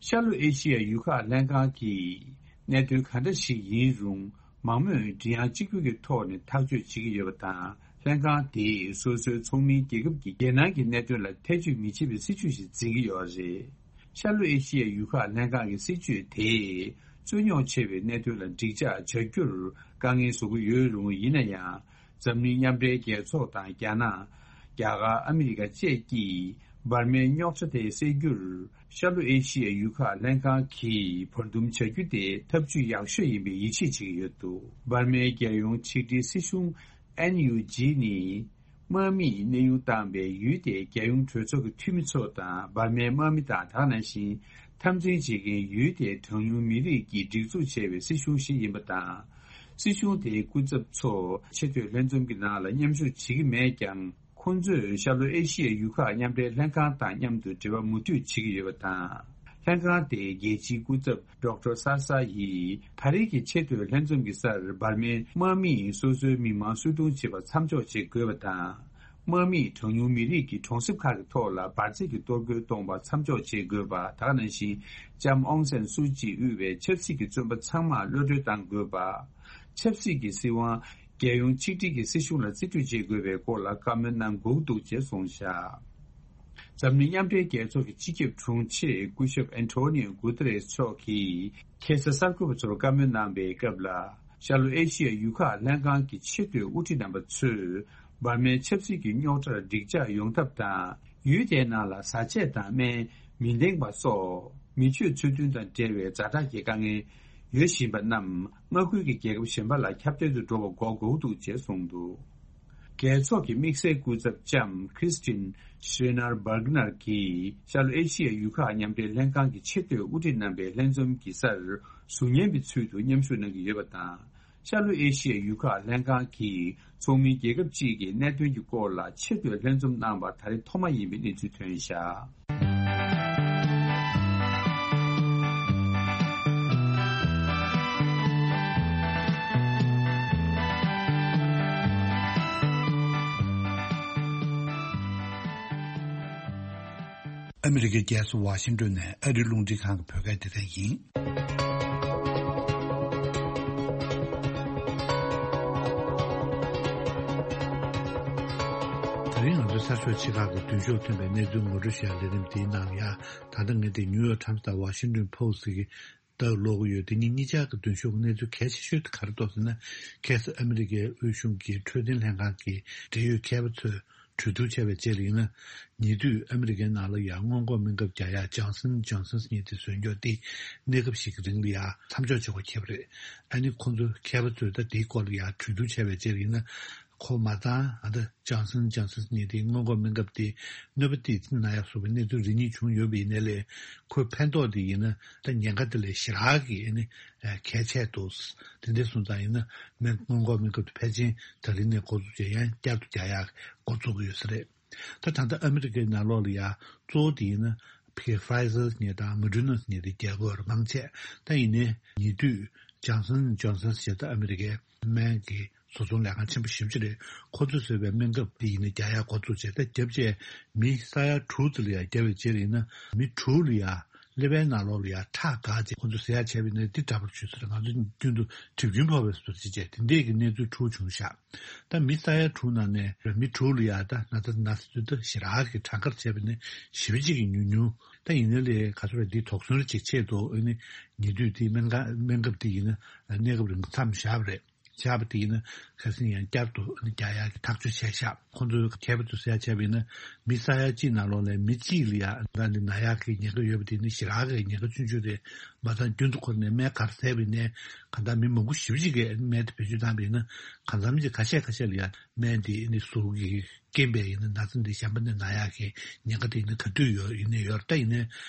ཤར་ལྷོ་ཨེ་ཤི་ཡའི་ཡུལ་ཁག་ལྷན་ཁང་གིས་གནད་དོན་ག་འདྲ་ཞིག་ཡིན་རུང་། མང་མོས་མགྲིན་དབྱངས་གཅིག་གྱུར་གྱི་ཐོག་ནས་ཐག་གཅོད་བྱེད་ཀྱི་ཡོད་པ་དང་། ལྷན་ཁང་དེས་སོ་སོའི་ཚོགས་མིའི་རྒྱལ་ཁབ་ཀྱི་རྒྱལ་ནང་གི་གནད་དོན་ལ་ཐེ་བྱུས་མི་བྱེད་པའི་སྲིད་བྱུས་ཤིག་འཛིན་གྱི་ཡོད་རེད། ཤར་ལྷོ་ཨེ་ཤི་ཡའི་ཡུལ་ཁག་ལྷན་ཁང་གི་སྲིད་བྱུས་དེས་རྩོད་རྙོག་ཆེ་བའི་གནད་དོན་ལ་འགྲིག་འཇགས་བྱ་རྒྱུར་དཀའ་ངལ་བཟོ་གི་ཡོད་རུང་། ཡིན་ན་ཡང་། འཛམ་གླིང་མཉམ་འབྲེལ་རྒྱལ་ཚོགས་དང་རྒྱ་ནག་རྒྱ་གར། ཨ་མི་རི་ཀ་བཅས་ཀྱིས་འབར་མའི་རྙོག་དྲ་དེ་སེལ་རྒྱུར། ཤར་ལྷོ་ཨེ་ཤི་ཡའི་ཡུལ་ཁག་ལྷན་ཁང་གིས་བར་འདུམ་བྱ་རྒྱུ་དེ་ཐབས་ཇུས་ཡག་ཤོས་ཡིན་པའི་ཡིད་ཆེས་བྱེད་ཀྱི་ཡོད་འདུག་འབར་མའི་རྒྱལ་ཡོངས་ཆིག་སྒྲིལ་སྲིད་གཞུང་། ཨེན་ཡུ་ཇི་ནི། དམག་མིས་གནས་དབྱུང་བཏང་བའི་ཡུལ་དེའི་རྒྱལ་ཡོངས་གྲོས་ཚོགས་ཀྱི་འཐུས་མི་ཚོ་དང་། འབར་མའི་དམག་མི་དང་། དེ་ག་ནང་བཞིན་འཐབ་འཛིང་བྱེད་མཁན་ཡུལ་དེའི་གྲངས་ཉུང་མི་རིགས་ཀྱིས་སྒྲིག་འཛུགས་བྱས་པའི་སྲིད་གཞུང་ཞིག་ཡིན་པ་དང་། སྲིད་གཞུང་དེའི་སྐུ་ཚབ་ཚོ་ཆེས་མཐོའི་ལྷན་འཛོམས་ཀྱི་ནང་ལ་མཉམ་ཞུགས་བྱེད་ཀྱི་མེད་ཀྱང་། ཁོང་ཚོས་ཤར་ལྷོ་ཨེ་ཤི་ཡའི་ཡུལ་ཁག་མཉམ་འབྲེལ་ལྷན་ཁང་དང་མཉམ་དུ་འབྲེལ་བ་མུ་མཐུད་བྱེད་ཀྱི་ཡོད་པ་དང་། ལྷན་ཁང་དེའི་རྒྱལ་སྤྱིའི་སྐུ་ཚབ་ཌོག་ཊར་སར་ས་ཡིས། ད་རེས་ཀྱི་ཆེས་མཐོའི་ལྷན་འཛོམས་ཀྱི་སར་འབར་མའི་དམག་མིས་སོ་སོའི་མི་མང་སུད་གཏོང་བྱེད་པ་མཚམས་འཇོག་བྱེད་དགོས་པ་དང་། དམག་མིས་གྲངས་ཉུང་མི་རིགས་ཀྱི་གྲོང་གསེབ་ཁག་གི་ཐོག་ལ་འབར་རྫས་ཀྱི་གཏོར་རྒོལ་གཏོང་བ་མཚམས་འཇོག་བྱེད་དགོས་པ། དེ་ག་ནང་བཞིན་ལྕམ་ཨོང་སན་སུའུ་ཅི་དབུས་པའི་ཆབ་སྲིད་ཀྱི་བཙོན་པ་ཚང་མ་གློད་གྲོལ་གཏང་དགོས་པ། ཆབ་སྲིད་ཀྱི་སྲིད་དབང་། རྒྱལ་ཡོངས་ཆིག་སྒྲིལ་གྱི་སྲིད་གཞུང་ལ་རྩིས་སྤྲོད་བྱེད་དགོས་པའི་སྐོར་ལ་བཀའ་མོལ་གནང་དགོས་འདུག་ཅེས་གསུངས་བཞག་འཛམ་གླིང་མཉམ་འབྲེལ་རྒྱལ་ཚོགས་ཀྱི་སྤྱི་ཁྱབ་དྲུང་ཆེ་སྐུ་ཞབས་ཨན་ཐོ་ནིའོ་གུ་ཏེ་རེས་མཆོག་གིས་ཁ་སང་གསར་འགོད་པ་ཚོར་བཀའ་མོལ་གནང་པའི་སྐབས་ལ། ཤར་ལྷོ་ཨེ་ཤི་ཡའི་ཡུལ་ཁག་ལྷན་ཁང་གི་ཆེས་མཐོའི་དབུ་ཁྲིད་རྣམ་པ་ཚོས་འབར་མའི་ཆབ་སྲིད་ཀྱི་རྙོག་དྲར་འགྲིག་འཇགས་ཡོང་ཐབས་དང་། ཡུལ་དེའི་ནང་ལ་བཟའ་ཆས་དང་སྨན། མི་འདེང་པ་སོགས་མི་སྤྱོད་ཚུལ་མཐུན་དང་འབྲེལ་བའི་ཛ་དྲག་གི་དཀའ་ངལ་ཡོད་བཞིན་པ་རྣམས་མངའ་ཁུལ་གྱི་རྒྱལ་ཁབ་གཞན་པ་ལ་ཁྱབ་གདལ་དུ་འགྲོ་བ་འགོག་དགོས་འདུག་ཅེས་གསུངས་འདུག་རྒྱལ་ཚོགས་ཀྱི་དམིགས་བསལ་སྐུ་ཚབ་ལྕམ་Christine Schreiner Bergner གྱིས་ཤར་ལྷོ་ཨེ་ཤི་ཡའི་ཡུལ་ཁག་མཉམ་འབྲེལ་ལྷན་ཁང་གི་ཆེས་མཐོའི་དབུ་ཁྲིད་རྣམ་པའི་ལྷན་འཛོམས་ཀྱི་སར་ཟུར་ཉན་པའི་ཚུལ་དུ་མཉམ་ཞུགས་གནང་གི་ཡོད་པ་དང་། ཤར་ལྷོ་ཨེ་ཤི་ཡའི་ཡུལ་ཁག་ལྷན་ཁང་གི་ཚོགས་མི་རྒྱལ་ཁབ་ཅིག་གིས་གནད་དོན་གྱི་སྐོར་ལ་ཆེས་མཐོའི་ལྷན་འཛོམས་གནང་བ་ད་རེས་ཐོག་མ་ཡིན་པའི་གནས་ཚུལ་ཐོན་བཞག་ཨ་མི་རི་ཀའི་རྒྱལ་ས་ཝ་ཤིང་ཏོན་ནས་ཨ་རིའི་རླུང་འཕྲིན་ཁང་གི་བོད་སྐད་སྡེ་ཚན་ཡིན། ད་རིང་ང་ཚོའི་གསར་ཤོག་ཆེ་ཁག་གི་མདུན་ཤོག་ཐོན་པའི་གནས་ཚུལ་ངོ་སྤྲོད་ཞུ་ཡག་ལས་རིམ་འདིའི་ནང་ལ་ཡ། ད་ལྟ་ངས་འདི་ནིའུ་ཡོག་ཊའིམ་སི་དང་ཝ་ཤིང་ཏོན་ཕོ་སི་ཊི་གི་ལྟ་ཀློག་གི་ཡོད། དེ་གཉིས་གཉིས་ཆར་གྱི་མདུན་ཤོག་གི་གནས་ཚུལ་གལ་ཆེ་ཤོས་དེ་ག་རེ་འདུག་ཟེར་ན། ཁ་སང་ཨ་མི་རི་ཀའི་དབུས་གཞུང་གི་འཕྲོད་བསྟེན་ལྷན་ཁང་གི་འབྲེལ་ཡོད་མཁས་པ་ཚོས་གྲོས་བསྡུར་བྱས་པའི་རྗེས་ལ་ཡིན་ན། ཉེ་དུས་ཨ་མི་རི་ཀའི་ནང་ལ་ཡང་སྔོན་འགོག་སྨན་ཁབ་རྒྱག་ཡག་ཇོན་སན་ཇོན་སན་ཟེར་མཁན་དེ་བཟོས་རྒྱུ་དེ་གནས་སྐབས་ཤིག་གི་རིང་ལ་ཡང་མཚམས་འཇོག་བྱེད་དགོས་ཁེལ་བ་རེད། ཨ་ནི་ཁོང་ཚོ་མཁས་པ་ཚོས་ད་དེའི་སྐོར་ལ་ཡང་གྲོས་བསྡུར་བྱས་པའི་རྗེས་ལ་ཡིན་ན། ཁོ་མ་ཚང་ཨ་ད་ཇོན་སན་ཇོན་སན་ཟེར་མཁན་དེ་སྔོན་འགོག་སྨན་ཁབ་དེ་གནོད་པ་དེ་ན་ཡག་བཟོ་བའི་གནས་ཚུལ་རེ་གཉིས་བྱུང་ཡོད་པ་ཡིན་ནའི་ལས། ཁོའི་ཕན་ཐོགས་དེ་ཡིན་ན་ད་ཉེན་ཁ་དེ་ལས་ཞེ་དྲག་གི་ཨ་ནི་གལ་ཆེ་འདུག་དེ་འདྲ་སོང་ཙང་ཡིན་ན་སྔོན་འགོག་སྨན་ཁབ་དེ་ཕལ་ཆེར་ད་རིང་ནས་འགོ་འཛུགས་བྱས་ཡང་བསྐྱར་དུ་རྒྱག་ཡག་འགོ་འཛུགས་ཀྱི་ཡོད་ས་རེད། ད་ད་ལྟ་ཨ་མི་རི་ཀའི་ནང་ལོགས་ལ་ཡ་གཙོ་བོ་དེ་ཡིན་ན་ཕ་གི་ཕ་ཡི་ཟར་ཟེར་མཁན་དང་མོ་ཌར་ན་ཟེར་མཁན་དེ་རྒྱག་གི་ཡོད་རེད་མང་ཆེ། ད་ཡིན་ནའི་ཉེ་དུས་ཇོན་སན་ཇོན་སན་ཟེར་ད་ཨ་མི་རི་ཀའི་སྨན་གྱི་བཟོ་ཚོང་ལས་ཁང་ཆེན་པོ་ཞེ་པོ་ཅིག་རེད། ཁོ་ཚོས་བཟོས་པའི་སྨན་ཁབ་དེ་ཡིན་ན་རྒྱག་ཡག་འགོ་བཙུགས་བྱས། ད་རྒྱབ་བྱས་མི་ས་ཡ་དྲུག་ཙམ་ལ་ཡ་བརྒྱབ་པའི་རྗེས་ལ་ཡིན་ན་མི་དྲུག་ལ་ཡ་ ཀླད་པའི་ནང་ལོགས་ལ་ཡ་ཁྲག་འགག་བྱས་ཁོ་ཚོ་ཟེར་ཡ་བྱས་པ་ཡིན་ན་འདི་འདྲ་པོ་བྱུང་ཟེར། ང་ཚོ་རྒྱུན་དུ་གྲིབ་སྐྱོན་ཕོག་པའི་བཟོ་འདྲ་ཅིག་བྱས་དེ་འདྲས་ཀྱི་གནས་ཚུལ་འཁྲུག་བྱུང་ཤག་ད་མི་ས་ཡ་དྲུག་ནང་ནས་མི་དྲུག་ལ་ཡ་ད་ན་ཚ་ན་ཚ་དུས་ད་ཞེ་དྲག་གི་གྲངས་ཀར་བྱས་པ་ནི་ཞེ་པོ་ཅིག་གི་ཉུང་ཉུང་། ད་ཡིན་ནའི་ལས་ག་ཚོད་རེད་འདི་དོགས་ཟོན་ཅིག་ཆེད་དུ་ཨ་ནི་ཉེ་དུས་འདི་སྨན་ཁང་སྨན་ཁབ་འདི་ཡིན་ན་གནས་སྐབས་རིང་མཚམས་བཞག་པ་རེད། བཞག་པ་དེ་ཡིན་ན་ཁ་སང་ཡང་བསྐྱར་དུ་རྒྱག་ཡག་གི་ཐག་གཅོད་བྱས་ཤག་ཁོང་ཚོས་མཁས་པ་ཚོས་ཟེར་ཡ་བྱས་པ་ཡིན་ན་མི་ས་ཡ་གཅིག་ནང་ལོགས་ལ་མི་གཅིག་ལ་ཡ་ད་འདི་ན་ཡག་གི་ཉེན་ཁ་ཡོད་པ་དེ་ནི་ཞེ་དྲག་གི་ཉེན་ཁ་ཆུང་ཆུང་རེད། མ་ཚད་རྒྱུན་དུ་འཁོར་ནས་སྨན་ག་རེ་བཟས་པ་ཡིན་ནའི་གང་ལྟར་མི་མང་པོ་ཞེ་པོ་ཅིག་གིས་སྨན་དེ་བེད་སྤྱོད་བཏང་པ་ཡིན་ན་གང་འཚམ་གྱི་ཁ་ཤས་ཁ་ཤས་ལ་ཡ་སྨན་དེ་ནི་ཟུར་གྱི་རྐྱེན་པས་ཡིན་ན་ན་ཚ་འདི་གཞན་པ་ནས་ན་ཡག་གི་ཉེན་ཁ་དེ་ཡིན་ན་ག་དུས་ཡོད་ཡིན་ནའི་ཡོད་རེད། ད་ཡིན་ནའི་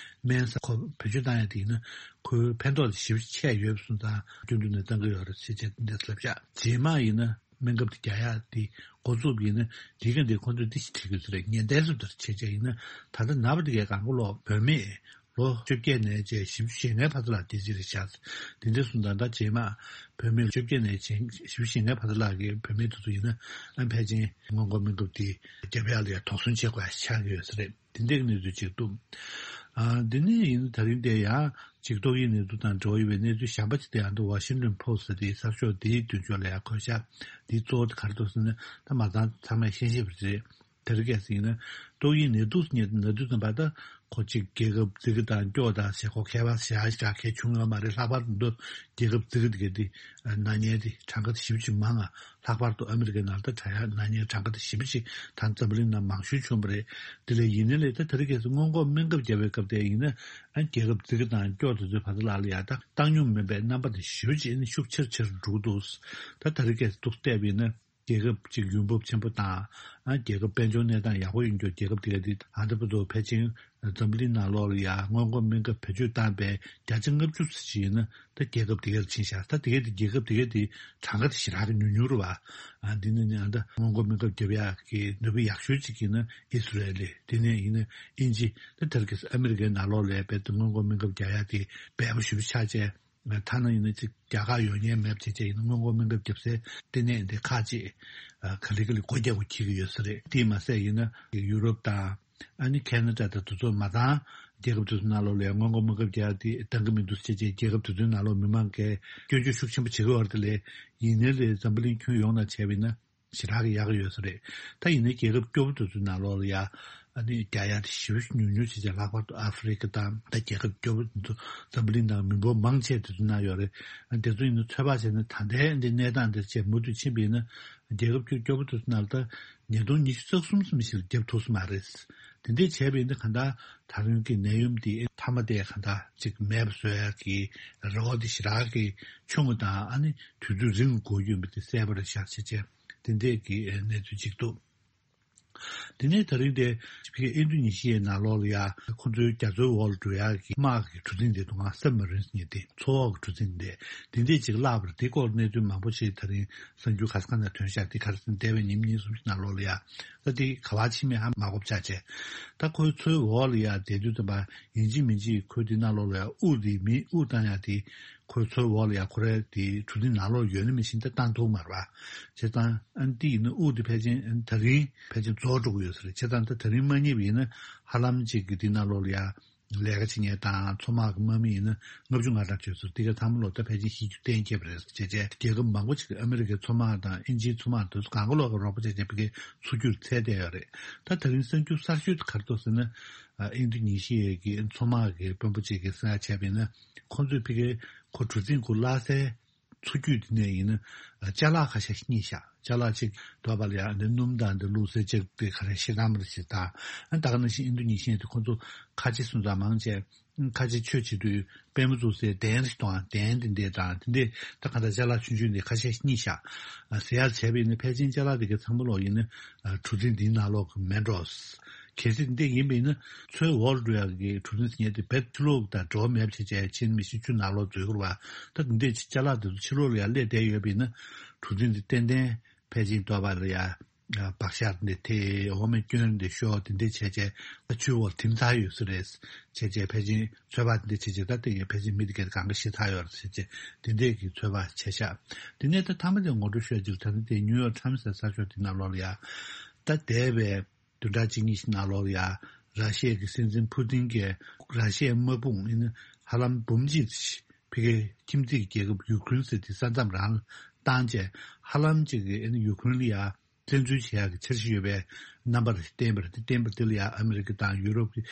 སྨན་ཟ་ཁོ་བེད་སྤྱོད་བཏང་ཡག་དེ་ཡིན་ན་ཁོའི་ཕན་ཐོགས་དེ་ཞེ་པོ་ཆེ་ཡོད་པ་སོང་ཙང་རྒྱུན་དུ་ནས་བཏང་གི་ཡོད་རེད་ཟེར་བྱས་འདི་ལབ་ཤག་རྗེས་མ་ཡིན་ན་སྨན་ཁབ་དེ་རྒྱག་ཡག་དེ་འགོ་བཙུགས་པ་ཡིན་ན་དེ་ག་འདི་ཁོ་ཚོས་འདི་ཞིག་བྲིས་དགོས་ཟེར་རེད། ཉེན་བརྡ་སུ་དེར་བྱས་བྱས་ཡིན་ན་ད་ལྟ་ནད་པ་དེ་གའི་གང་གོ་ལོག་བུད་མེད་ལོ་བཅོ་བརྒྱད་ནས་བྱས་བཞི་བཅུ་ཞེ་ལྔའི་བར་དུ་ལ་དེ་ཅི་རེད་ཤག་དེ་འདྲ་སོང་ཙང་ད་རྗེས་མ་བུད་མེད་བཅོ་བརྒྱད་ནས་བྱས་བཞི་བཅུ་ཞེ་ལྔའི་བར་དུ་ལ་གི་བུད་མེད་དེ་ཚོ་ཡིན་ན་ཨ་ཕལ་ཆེར་སྔོན་འགོག་སྨན་ཁབ་དེ་རྒྱབ་ཡག་ལ་ཡ་དོགས་ཟོན་བྱེད་དགོས་ཡ་ཆགས་ཀྱི་ཡོད་ས་རེད། དེ་འདྲའི་གནས་ཚུལ་ཅིག་འདུག་ཨ་འདི་ནས་ཡིན་ད་རིང་དེ་ཡང་ཅིག་ཏོག་དབྱིབས་ནད་དུག་དང་འབྲེལ་བ་ཡོད་པའི་གནས་ཚུལ་གཞན་པ་ཅིག་དེ་ཡང་འདུག Washington Post་ཟེར་དེའི་གསར་ཤོག་དེའི་མདུན་ཕྱོགས་ལ་ཡང་འཁོད་ཤག་དེའི་གཙོ་བོ་དེ་ག་རེ་འདུག་ཟེར་ན་ད་མ་ཚང་ཚང་མས་ཤེས་ཤེས་པ་རེད། དེ་རིང་ཁ་སང་ཡིན་ན་ཏོག་དབྱིབས་ནད་དུག་ཟེར་མཁན་དེ་ན་དུས་ཙམ་པ་ད་ཁོ་གཅིག་རྒྱལ་ཁབ་རྫིག་གི་དང་སྐྱོ་དང་ཟེར་ཁོ་ཁྱད་པར་ཞེ་དྲག་གང་ཡང་བྱུང་ཡོད་མ་རེད། ལྷག་པར་དུ་རྒྱལ་ཁབ་རྫིག་གི་དེ་ག་དེ་ན་མཁན་དེ་གྲངས་ཀ་དེ་ཞེ་པོ་ཅིག་མང་ང་། ལྷག་པར་དུ་ཨ་མི་རི་ཀའི་ནང་ལ་ད་དྲག་ཡག་ན་མཁན་གྲངས་ཀ་དེ་ཞེ་པོ་ཅིག་ད་འཛམ་བུ་གླིང་ནང་མང་ཤོས་བྱུང་བ་རེད། དེ་ལས་ཡིན་ནའི་ལས་ད་དེ་རིང་ཁ་སང་སྔོན་འགོག་སྨན་ཁབ་བརྒྱབ་པའི་སྐབས་དེ་ཡིན་ན་ཨ་རྒྱལ་ཁབ་རྫིག་གི་དང་སྐྱོ་དེ་ཚོའི་བར་དུ་ལ་ལ་ཡ་ད་བཏང་སྙོམས་མེད་པའི་རྣམ་པ་དེ་ཞེ་པོ་ཅིག་ཨ་ནི་ཤུགས་ཆེར་ཆེར་འགྲོ་གི་འདུག་ད་དེ་རིང་ཁ་སང་ཏོག་ཙམ་བལྟས་པ་ཡིན་ན། རྒྱལ་ཁབ་ཅིག་ཡུན་འབབ་ཆེན་པོ་དང་། ཨ་རྒྱལ་ཁབ་དཔལ་འབྱོར་གནས་སྟངས་ཡག་པོ་ཡོད་མཁན་རྒྱལ་ཁབ་དེ་ག་དེ་ཨ་ད་བར་དུ་ཕལ་ཆེར་འཛམ་བུ་གླིང་ནང་ལོགས་ལ་ཡ་སྔོན་འགོག་སྨན་ཁབ་བེད་སྤྱོད་བཏང་པའི་བརྒྱ་ཆ་ལྔ་བཅུ་ཙམ་ཞིག་ཡིན་ན་ད་རྒྱལ་ཁབ་དེ་གར་ཕྱིན་ཤག་ད་དེ་ག་དེ་རྒྱལ་ཁབ་དེ་ག་དེ་གྲངས་ཀ་དེ་ཞེ་དྲག་གི་ཉུང་ཉུང་རེད་བ། ཨ་འདི་ནི་ནི་ཨ་ད་སྔོན་འགོག་སྨན་ཁབ་བརྒྱབ་ཡག་གི་ནུས་པ་ཡག་ཤོས་ཅིག་ཡིན་ན་ཨི་སི་རལ་ལི། དེ་ནས་ཡིན་ན་དབྱིན་ཇི། ད་དེ་རིང་ཁ་སང་ཨ་མི་རི་ཀའི་ནང་ལོགས་ལ་རྦད་དེ་སྔོན་འགོག་སྨན་ཁབ་བརྒྱབ་ཡག་དེ་འབེལ་པོ་ཞེ་པོ་ཆགས་བྱས། ཐ་ན་ཡིན་ན་ཅིག་རྒྱ་གར་ཡོང་མཁན་མེད་པ་བྱས་བྱས་ཡིན་ན་སྔོན་འགོག་སྨན་ཁབ་བརྒྱབ་སའི་ལྟེ་གནས་འདི་ཁག་ཅིག་ག་ལེ་ག་ལེ་སྒོ་རྒྱག་དགོས་འཁེལ་གྱི་ཡོད་ས་རེད། དེས་མ་ཟད་ཡིན་ན་ཡུ་རོབ་དང་ཨ་ནི་ཁེ་ན་ཌ་དང་དེ་ཚོ་མ་ཚང་རྒྱལ་ཁབ་དེ་ཚོ་ནང་ལོགས་ལ་སྔོན་འགོག་སྨན་ཁབ་རྒྱག་དེ་འདང་གི་མི་འདུག་ཟེར་བྱས་རྒྱལ་ཁབ་དེ་ཚོའི་ནང་ལོགས་མི་མང་གིས་སྐྱོན་བརྗོད་ཤུགས་ཆེན་པོ་བྱེད་ཀྱི་ཡོད་རེད། དེ་ལས་ཡིན་ནའི་ལས་འཛམ་བུ་གླིང་ཁྱོན་ཡོངས་ནང་བྱས་པ་ཡིན་ན། ཞེ་དྲག་གི་ཡག་གི་ཡོད་ས་རེད། ད་ཡིན་ནའི་རྒྱལ་ཁབ་སྐྱོ་པོ་དེ་ཚོའི་ནང་ལོགས་ལ་ཡ། ཨ་ནི་རྒྱག་ཡག་དེ་ཞེ་པོ་ཉུང་ཉུང་བྱས་བྱས་ལྷག་པར་དུ་ཨ་ཧྥེ་རི་ཁ་དང་ད་རྒྱལ་ཁབ་སྐྱོ་པོ་དེ་ཚོ་འཛམ་བུ་གླིང་ནང་མི་འབོར་མང་ཆེ་དེ་ཚོའི་ནང་ཡོད་རེད། ཨ་དེ་ཚོ་ཡིན་ན་ཚོད་དཔག་བྱས་ན་ད་ལྟའི་འདི་གནས་སྟངས་འདིར་བྱས་མུ་མཐུད་ཕྱིན་པ་ཡིན་ན་རྒྱལ་ཁབ་སྐྱོ་སྐྱོ་པོ་དེ་ཚོའི་ནང་ལ་ད་ཉིས་སྟོང་ཉི་ཤུ་རྩ་གསུམ་ཙམ་ཞིག་ལ་བརྒྱབ་ཐུབ་ས་མ་རེད། དེ་འདྲས་བྱས་པ་ཡིན་ན་གང་ལྟར་ད་རུང་གི་ནད་ཡམས་འདི་མཐའ་མ་དེ་གང་ལྟར་ཅིག་མེད་པ་བཟོ་ཡག་གི་རེ་བ་དེ་ཞེ་དྲག་གི་ཆུང་ངུ་དང་ཨ་ནི་དུས་ཚོད་རིང་དགོས་ཀྱི་ཡོད་པ་དེ་གསལ་པོ་རེད་ཤག་བྱས་བྱས། དེ་འདྲས་ཀྱི་གནས་ཚུལ་ཅིག་འདུག་དེ་ནས་ད་རིང་དེ་ཕ་གི་ཨིན་རྡུ་ནི་ཤི་ཡའི་ནང་ལོགས་ལ་ཡ་ཁོ་ཚོའི་རྒྱ་མཚོའི་འོག་ལ་འགྲོ་ཡག་གི་དམག་གི་གྲུ་གཟིངས་དེ་འདུག་ག་སབ་མ་རིན་ཟེར་མཁན་དེ་མཚོ་འོག་གི་གྲུ་གཟིངས་དེ་དེ་འདྲས་ཅིག་བརླགས་པ་རེད། དེ་སྐོར་གནས་ཚུལ་མང་པོ་ཞིག་ད་རིང་གསར་འགྱུར་ག་ས་ག་ནས་ཐོན་ཤག་དེ་ག་རེ་ཟེར་ན་འདས་པའི་ཉིན་གཉིས་གསུམ་ཞིག་ནང་ལོགས་ལ་ཡ་ད་དེ་ག་པར་ཕྱིན་མིན་ཧ་མ་གོ་བ་ཆགས་བྱས། ད་ཁོའི་མཚོའི་འོག་ལ་ཡ་བསྡད་དུས་ཙམ་པ་ཡིན་གཅིག་མིན་གཅིག་ཁོའི་དེ་ནང་ལོགས་ལ་ཡ་དབུགས་དེ་མི་དབུགས་བཏང་ཡག་དེ། ཁོའི་མཚོའི་འོག་ལ་ཡ་ཁོ་རའི་དེ་གྲུ་གཟིངས་ནང་ལོགས་ཡོད་ན་མི་ཤེས་ད་བཏང་ཐུབ་མ་རེད་པ། བྱས་ཙང་ཨ་ནི་དེ་ཡིན་ན་དབུགས་དེ་ཕལ་ཆེར་ཨ་ནི་ད་རིང་ཕལ་ཆེར་རྫོགས་འགྲོ་གི་ཡོད་ས་རེད། བྱས་ཙང་ད་ད་རིང་མ་རྙེད་པ་ཡིན་ན་ཧ་ལམ་ཅིག་གི་དེ་ནང་ལོགས་ལ་ཡ་ལས་ཀ་བྱེད་མཁན་དང་མཚོ་དམག་གི་དམག་མི་ཡིན་ན་ལྔ་བཅུ་ང་གྲངས་བྱས་སོང་། དེ་ག་ཚང་མ་ལོག་ད་ཕལ་ཆེར་ཤི་རྒྱུ་གཏན་འཁེལ་བ་རེད། བྱས་བྱས་རྒྱལ་ཁབ་མང་པོ་ཅིག་གི་ཨ་མི་རི་ཀའི་མཚོ་དམག་དང་ཨིན་ཇིའི་མཚོ་དམག་དེ་ཚོ་གང་ག་ལོག་གི་རོགས་པ་བྱས་བྱས་ཕ་གིའི་མཚོ་རྒྱུད་འཚོལ་བསྡད་ཡོད་རེད། ད་ད་རིང་གསར་འགྱུར་གསར་ཤོས་དེ་ག་རེ་འདུག་ཟེར་ན། ཨིན་རྡུ་ནི་ཤི་ཡའི་གི་མཚོ་དམག་གི་དཔོན་པོ་ཅིག་གིས་གསུང་ཡ་བྱས་པ་ཡིན་ན། ཁོང་ཚོས་ཕ་གིའི་ཁོ་གྲུ་གཟིངས་ཁོ་བརླག་སའི་མཚོ་རྒྱུད་དེ་ནས་ཡིན་ན་ཅ་ལག་ཁ་ཤས་རྙེད་ཤག་ཅ་ལག་ཅིག་དོ་བ་ལ་ཡ་འདི་སྣུམ་དང་འདི་བླུགས་སའི་ལྕགས་དེ་ག་རེ་ཤེལ་དམ་རེ་ཞིག་དང་། ཨ་ད་ག་ནང་བཞིན་ཨིན་རྡུ་ནི་ཤི་ཡ་དེ་ཁོང་ཚོ་ཁ་ཆེ་སོང་ཙང་མང་ཆེ་ཁ་ཆེ་ཆོས་བྱེད་དུས་པད་མ་བཙུགས་སའི་གདན་ཞིག་དང་གདན་དེ་འདྲས་དང་དེ་འདྲས་ད་ག་ད་ཅ་ལག་ཆུང་ཆུང་འདི་ཁ་ཤས་རྙེད་ཤག་ཟེར་ཡ་བྱས་པ་ཡིན་ན་ཕལ་ཆེར་ཅ་ལག་དེ་ག་ཚང་མ་ལོག་ཡིན་ན་གྲུ་གཟིངས་འདིའི་ནང་ལོག་གི་མེད་འགྲོ། གལ་སྲིད་འདི་ཡིན་པ་ཡིན་ན་མཚོའི་འོག་ལ་འགྲོ་ཡག་གི་གྲུ་གཟིངས་ཟེར་མཁན་དེ་རྦད་ཕྱི་ལོགས་དང་འབྲེལ་བ་མེད་པ་བྱས་བྱས་ཕྱིན་མི་ཤེས། ཆུ་ནང་ལོགས་འཛུལ་དགོས་རེད་པ། ད་འདི་འདྲས་ཅ་ལག་འདི་ཚོ་ཕྱི་ལོགས་ལ་ཡར་སླེབས་བསྡད་ཡོད་པ་ཡིན་ན་གྲུ་གཟིངས་འདི་ཏན་ཏན་ཕལ་ཆེར་དོ་བ་ལ་ཡ་བག་ཤར་འདི་དེ་འོ་མའི་སྐྱོན་འདི་ཤོར་དེ་འདྲས་བྱས་བྱས་ད་ཆུའི་འོག་ཐིམ་ཚར་ཡོད་ས་རེད། བྱས་བྱས་ཕལ་ཆེར་ཚོད་དཔག་འདི་འདྲས་བྱས་བྱས་ད་ལྟ་ཡང་ཕལ་ཆེར་མི་འདི་གས་གང་ག་ཤི་ཚར་ཡོད་རེད་ཟེར་བྱས་དེ་འདྲས་ཀྱི་ཚོད་དཔག་བྱས་ཤག་དེ་ནས་ད་མཐའ་མ་དེ་ངོ་སྤྲོད་ཤོད་ཅིག་ད་ནི་དེ་ནིའུ་ཡོག་ཊའིམ་སི་ཟེར་གསར་ཤོག་དེ་ནང་ལོགས་ལ་ཡ་ད་འདས་པའི་བདུན་ཕྲག་གཅིག་གཉིས་ཤིག་ནང་ལོགས་ལ་ཡ་ ར་ཤི་ཡ་གི་སྲིད་འཛིན་ཕུ་ཏིན་གྱིས་ར་ཤི་ཡའི་དམག་དཔུང་ཨ་ནི་ཧ་ལམ་འབུམ་གཅིག་ཕ་གིའི་ཁྱིམ་མཚེས་ཀྱི་རྒྱལ་ཁབ་ཡུ་ཁུ་རེན་ཟེར་དེ་ས་མཚམས་རང་ལ་བཏང་བྱས། ཧ་ལམ་ཅིག་གི་ཨ་ནི་ཡུ་ཁུ་རེན་ལ་ཡ་བཙན་འཛུལ་བྱེད་ཡག་གི་འཆར་གཞི་ཡོད་པའི་རྣམ་པ་རེ་བསྟན་པ་རེད། དེ་བསྟན་པ་དེ་ལ་ཡང་ཨ་མི་རི་ཀ་དང་ཡུ་རོབ་ཀྱི་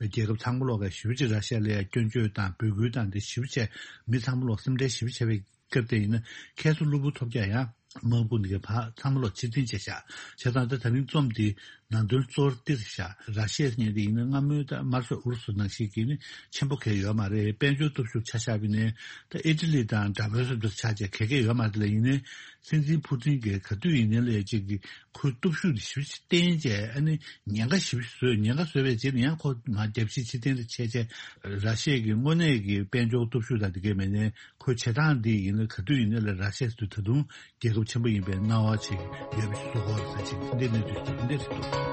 རྒྱལ་ཁབ་ཚང་མ་ལོག་ག་ཞེ་པོ་ཅིག་ར་ཤི་ཡ་ལ་ཡང་སྐྱོན་བརྗོད་དང་འབོད་སྐུལ་དང་དེ་ཞེ་པོ་བྱས། མི་ཚང་མ་ལོག་སེམས་ཁྲལ་ཞེ་པོ་བྱས་པའི་སྐབས་དེ་ཡིན་ན། ཁ་སང་གློ་བུར་ཐོལ་རྒྱག་ཡང་དམག་དཔུང་འདི་གའི་བར་ཚང་མ་ལོག་ཕྱིར་འཐེན་བྱས་ཤག་བྱས་ཙང་ད་ད་རིང་རྩོམ་འདི་ནང་དོན་གཙོ་བོ་འདི་རེད་ཤག་ར་ཤི་ཡ་ཟེར་མཁན་དེ་ཡིན་ན་སྔ་མོའི་ད་དམར་ཤོག་ཨུ་རུ་སུ་ནང་བཞིན་གྱི་ནི་ཆེན་པོ་གང་ཡང་ཡོད་མ་རེད། དཔལ་འབྱོར་སྟོབས་ཤུགས་ཆ་བཞག་པ་ཡིན་ན་ད་ཨི་ཊ་ལི་དང་འདྲ་པོའི་བཟོ་འདྲ་ཆགས་བྱས་ག་གེ་ཡོད་མ་རེད། དེ་ལ་ཡིན་ནའི། སྲིད་འཛིན་ཕུ་ཏིན་གྱིས་ག་དུས་ཡིན་ནའི་ལས་ཅིག་གི་ཁོའི་སྟོབས་ཤུགས་དེ་ཞེ་པོ་ཅིག་བརྟན་བྱས། ཨ་ནི་ཉེན་ཁ་ཞེ་པོ་ཅིག་བཟོས། ཉེན་ཁ་བཟོས་པའི་རྗེས་ནས་ཡང་ཁོ་མར་རྒྱབ་ཕྱི་ཕྱིར་འཐེན་རེ་བྱས་བྱས། ར་ཤི་ཡ་གི་དངོས་གནས་ཀྱི་དཔལ་འབྱོར་སྟོབས་ཤུགས་དང་དེ་གའི་མེད་ནའི་ཁོའི་བྱེད་སྟངས་འདི་ཡིན་ན་ག་དུས་ཡིན་ནའི་ལས་ར་ཤི་ཡ་ཟེར་དུས་ད་དུང་རྒྱལ་ཁབ་ཆེན་པོ་ཡིན་པའི་སྣང་བ་ཅིག་ཡོད་པ་ཞིག་བཟོ་གི་ཡོད་རེད་ཟེར། ཅིག་འདི་གནས་ཚུལ་ཅིག་འདི་རེད་འདུག་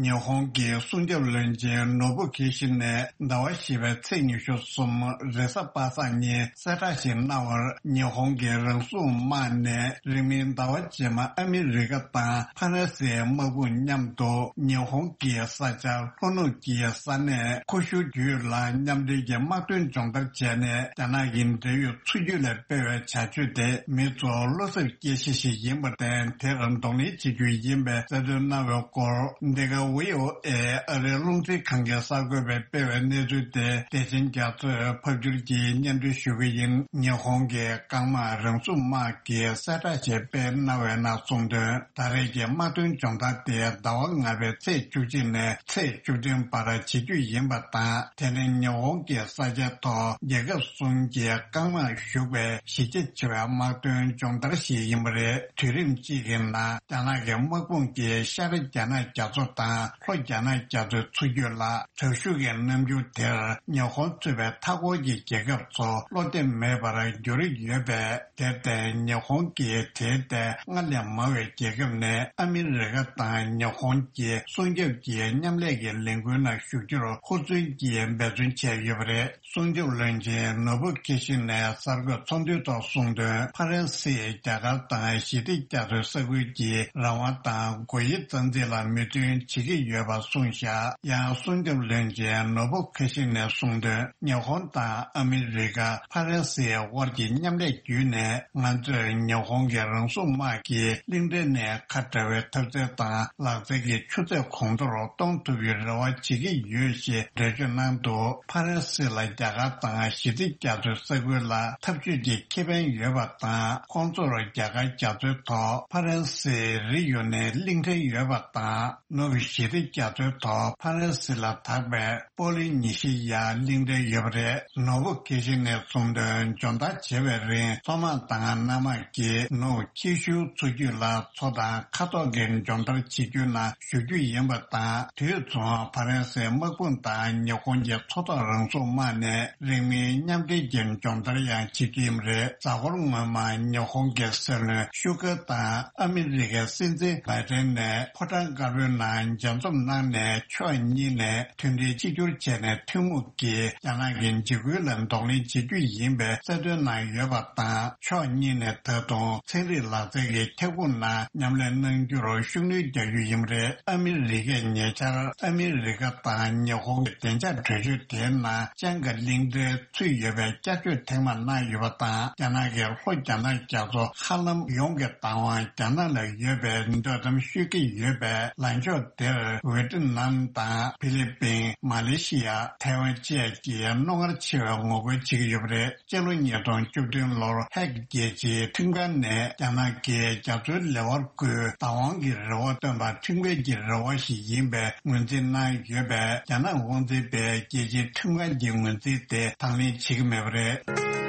ཉི་ཧོང་གི་སྲུང་སྐྱོབ་བློན་ཆེན་ནོ་བུ་ཁི་ཤི་ནས་ཟླ་བ་བཞི་པའི་ཚེས་ཉི་ཤུ་གསུམ་རེས་གཟའ་པ་སངས་ཉིན་གསལ་བསྒྲགས་ཤིག་གནང་བར། ཉི་ཧོང་གི་རང་སྲུང་དམག་ནས་རིང་མིན་ཟླ་བ་རྗེས་མ་ཨ་མི་རི་ཀ་དང་ཕ་རན་སིའི་དམག་དཔུང་མཉམ་དུ་ཉི་ཧོང་གི་ས་ཆ་ལྷོ་ནུབ་ཀྱི་ས་གནས་ཁུ་ཤུ་རྒྱུད་ལ་མཉམ་འབྲེལ་གྱི་དམག་དོན་སྦྱོང་བརྡར་བྱས་ནས། རྒྱ་ནག་གི་འབྲེལ་ཡོད་ཚུར་རྒྱུག་ལ་སྤེལ་བའི་བྱ་སྤྱོད་དེ་མི་ཚོར་བློ་འཚབ་སྐྱེ་གཞི་ཞིག་ཡིན་པར་བརྟེན། དེར་གདོང་ལེན་བྱེད་རྒྱུ་ཡིན་པའི་གསལ་སྟོན་གནང་བའི་སྐོར། འདི་ག་ཝི་ཨོ་ཨེ་ཨ་རིའི་རླུང་འཕྲིན་ཁང་གི་གསར་འགོད་པས་སྤེལ་བའི་གནས་ཚུལ་དེ་བདེ་ཆེན་རྒྱ་མཚོས་ཕབ་བསྒྱུར་གྱིས་སྙན་སྒྲོན་ཞུ་གི་ཡིན། ཉི་ཧོང་གི་རྐང་དམག་རང་སྲུང་དམག་གིས་གསལ་བསྒྲགས་ཤིག་སྤེལ་གནང་བའི་ནང་གསུངས་དོན། ད་རེས་ཀྱི་དམག་དོན་སྦྱོང་བརྡར་དེ་ཟླ་བ་ལྔ་པའི་ཚེས་བཅུ་གཅིག་ནས་ཚེས་བཅུ་བདུན་བར་བྱེད་རྒྱུ་ཡིན་པ་དང་། དེ་ནི་ཉི་ཧོང་གི་ས་ཆའི་ཐོག་རྒྱལ་ཁབ་གསུམ་གྱི་རྐང་དམག་ཞུགས་པའི་གཞི་རྒྱ་ཆེ་བའི་དམག་དོན་སྦྱོང་བརྡར་ཞིག་ཡིན་པ་རེད། དུས་རིམ་གཅིག་གི་ནང་རྒྱ་ནག་གི་དམག་དཔུང་གིས་ཤར་རྒྱ་ནག་རྒྱ་མཚོ་དང་ལྷོ་རྒྱ་ནག་རྒྱ་མཚོའི་ཚུར་རྒྱུད་ལ། དྲག་ཤུགས་ཀྱི་རྣམ་འགྱུར་དེར་ཉི་ཧོང་གཙོས་པའི་མཐའ་འཁོར་གྱི་རྒྱལ་ཁབ་ཚོ་བློ་བདེ་མེད་པར་འགྱུར་ཡོད་པས། དེར་བརྟེན་ཉི་ཧོང་གིས་དེའི་ཐད་སྔར་ལས་མང་བའི་རྒྱལ་ཁབ་ནས་ཨ་མི་རི་ཀ་དང་ཉི་ཧོང་གི་སྲུང་སྐྱོབ་ཀྱི་མཉམ་ལས་ཀྱི་ལས་འགུལ་ནང་ཞུགས་རྒྱུར་ཧུར་བརྩོན་གྱིས་འབད་བརྩོན་བྱས་ཡོད་པ་རེད། སྲུང་སྐྱོབ་བློན་ཆེན་ནོ་བུ་ཁི་ཤི་ནས་གསར་འགོད་ཚོགས་འདུའི་ཐོག་གསུངས་དོན། ཕ་རན་སིས་རྒྱ་གར་དང་ཞི་བདེ་རྒྱ་མཚོའི་ས་ཁུལ་གྱི་རང་དབང་དང་སྒོ་དབྱེ་རྩ་འཛིན་ལ་མོས་མཐུན་བྱེད་ཀྱི་ཡོད་པ་གསུངས་བཞག་ཡང་སྲུང་སྐྱོབ་བློན་ཆེན་ནོ་བུ་ཁི་ཤི་ནས་གསུངས་དོན། ཉི་ཧོང་དང་ཨ་མི་རི་ཀ་ཕ་རན་སིའི་དབར་གྱི་མཉམ་ལས་བརྒྱུད་ནས། ང་ཚོས་ཉི་ཧོང་གི་རང་སྲུང་དམག་གིས་གླིང་ཕྲན་ནས་ཁ་བྲལ་བའི་འཐབ་རྩལ་དང་ལག་རྩལ་གྱི་ཆུ་ཚད་གོང་མཐོར་གཏོང་ཐུབ་པའི་རེ་བ་བྱེད་ཀྱི་ཡོད་ཞེས་འགྲེལ་བརྗོད་གནང་འདུག་ཕ་རན་སི་ལ་རྒྱ་གར་དང་ཞི་བདེ་རྒྱ་མཚོའི་ས་ཁུལ་ལ་འཐབ་ཇུས་ཀྱི་ཁེ་ཕན་ཡོད་པ་དང་། ཁོང་ཚོར་རྒྱ་གར་རྒྱ་མཚོའི་ཐོག་ཕ་རན་སིའི་རི་ཡོ་ནན་གླིང་ཕྲན་ཡོད་པ་དང་། ནུབ་ཞི་བདེ་རྒྱ་མཚོའི་ཐོག་ཕ་རན་སི་ལ་དྭགས་པའི་པོ་ལི་ནི་ཤི་ཡ་གླིང་ཕྲན་ཡོད་པ་རེད། ནོར་བུ་གེ་ཤི་ནས་གསུངས་དོན། སྦྱོང་བརྡར་བྱེད་པའི་རིང་མཚོ་དམག་དང་གནམ་དམག་གིས་ནུབ་ཁྱི་ཤུར་མཚོ་རྒྱུད་ལ་མཚོ་དང་མཁའ་ཐོག་གི་སྦྱོང་བརྡར་བྱེད་རྒྱུ་ནང་ཞུགས་རྒྱུ་ཡིན་པ་དང་། དུས་མཚུངས་ཕ་རན་སིའི་དམག་དཔུང་དང་ཉི་ཧོང་གི་མཚོ་ཐོག་རང་སྲུང་དམག་ནས་རིང་མིན་མཉམ་འབྲེལ་གྱི་སྦྱོང་བརྡར་ཡང་བྱེད་རྒྱུ་ཡིན་པ་རེད། གཟའ་འཁོར་སྔོན་མ་ཉི་ཧོང་གི་སྲིད་བློན་ཤུ་ག་དང་ཨ་མི་རི་ཀའི་སྲིད་འཛིན་བྷའི་ཏན་ནས་ཕོ་བྲང་དཀར་པོའི་ནང་མཇལ་འཛོམས་གནང་ནས། ཕྱོགས་གཉིས་ནས་མཐུན་སྒྲིལ་གཅིག་གྱུར་བྱས་ནས་ཐུན་མོང་གིས་རྒྱ་ནག་གི་འཇིགས་སྐུལ་ལ་གདོང་ལེན་བྱེད་རྒྱུ་ཡིན་པའི་གསལ་སྟོན་གནང་ཡོད་པ་དང་། ཕྱོགས་གཉིས་ནས་ད་དུང་ཚན་རིག་ལག་རྩལ་གྱི་ཁྱབ་ཁོངས་ནང་མཉམ་ལས་གནང་རྒྱུར་ཤུགས་སྣོན་རྒྱག་རྒྱུ་ཡིན་པ་རེད། ཨ་མི་རི་ཀས་ཉེ་ཆར་ཨ་མི་རི་ཀ་དང་ཉི་ཧོང་གི་བདེ་འཇགས་གྲོས་ཆོད་དེའི་ནང་ཅང་ག་གླིང་ཕྲན་ཚུད་ཡོད་པའི་བསྐྱར་བཅོས་ཐེངས་མ་གནང་ཡོད་པ་དང་། རྒྱ་ནག་གིས་ལྷོ་རྒྱ་ནག་རྒྱ་མཚོ་ཧ་ལམ་ཡོངས་ཀྱི་བདག་དབང་རྒྱ་ནག་ལ་ཡོད་པའི་འདོད་གཏམ་ཤོད་ཀྱི་ཡོད་པས། ལངས་ཕྱོགས་དེར་ཝེ་ཏི་ནམ་དང་ཕི་ལི་པིན། མ་ལེ་ཤི་ཡ། ཐའེ་ཝན་བཅས་ཀྱིས་རྣོ་ངར་ཆེ་བའི་ངོ་རྒོལ་བྱེད་ཀྱི་ཡོད་པ་རེད། སྤྱི་ལོ་ཉིས་སྟོང་བཅུ་བདུན་ལོར་ཧེག་རྒྱལ་སྤྱིའི་ཁྲིམས་ཁང་ནས་རྒྱ་ནག་གིས་རྒྱ་མཚོའི་ལེ་དབར་བརྐོས་བདག་དབང་གི་རེ་བ་བཏོན་པ་ཁྲིམས་འགལ་གྱི་རེ་བ་ཞིག་ཡིན་པའི་ངོས་འཛིན་གནང་ཡོད་པས། རྒྱ་ནག་དབང་འཛིན་པས་རྒྱལ་སྤྱིའི་ཁྲིམས་ཁང་གི་ངོས་འཛིན་དེ་དང་ལེན་བྱེད་ཀྱི་མེད་པ་རེད།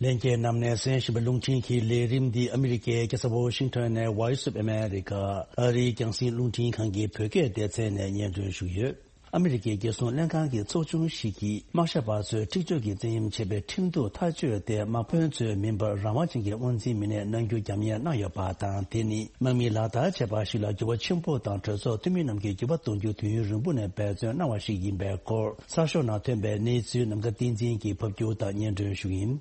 ལྷན་རྒྱས་རྣམས་ནས་གསན་བཞིན་པའི་རླུང་འཕྲིན་གྱི་ལས་རིམ་འདི་ཨ་མི་རི་ཀའི་རྒྱལ་ས་ཝོ་ཤིང་ཊོན་ནས་Voice of America ཨ་རིའི་རྒྱང་སྲིང་རླུང་འཕྲིན་ཁང་གི་བོད་སྐད་སྡེ་ཚན་ནས་སྙན་སྒྲོན་ཞུ་གི་ཡོད། ཨ་མི་རི་ཀའི་རྒྱལ་སྲུང་ལྷན་ཁང་གི་ཚོགས་ཆུང་ཞིག་གིས་དམག་ཞབས་པ་ཚོས་འཁྲིག་སྤྱོད་ཀྱི་བཙན་གཡེམ་བྱས་པའི་ཁྲིམས་གཏུག་ཐག་གཅོད་དེ་དམག་དཔོན་ཚོས་མིན་པར་རང་དབང་ཅན་གྱི་དབང་འཛིན་མི་སྣས་གནང་རྒྱུ་རྒྱབ་གཉེར་གནང་ཡོད་པ་དང་། དེ་ནི་དམག་མིས་ལག་བསྟར་བྱས་པ་ཞིག་ལ་འགྱུར་བ་ཆེན་པོ་དང་གྲོས་ཚོགས་འཐུས་མི་རྣམས་ཀྱིས་འགྱུར་བ་གཏོང་རྒྱུ་དུས་ཡུན་རིང་པོ་ནས་འབད་བརྩོན་གནང་བ་ཞིག་ཡིན་པའི་སྐོར་གསར་ཤོག་ནང་ཐོན་པའི་གནས་ཚུལ་ནམ་མཁའ་བསྟན་འཛིན་གྱིས་ཕབ་སྒྱུར་དང་སྙན་སྒྲོན་ཞུ་གི་ཡིན།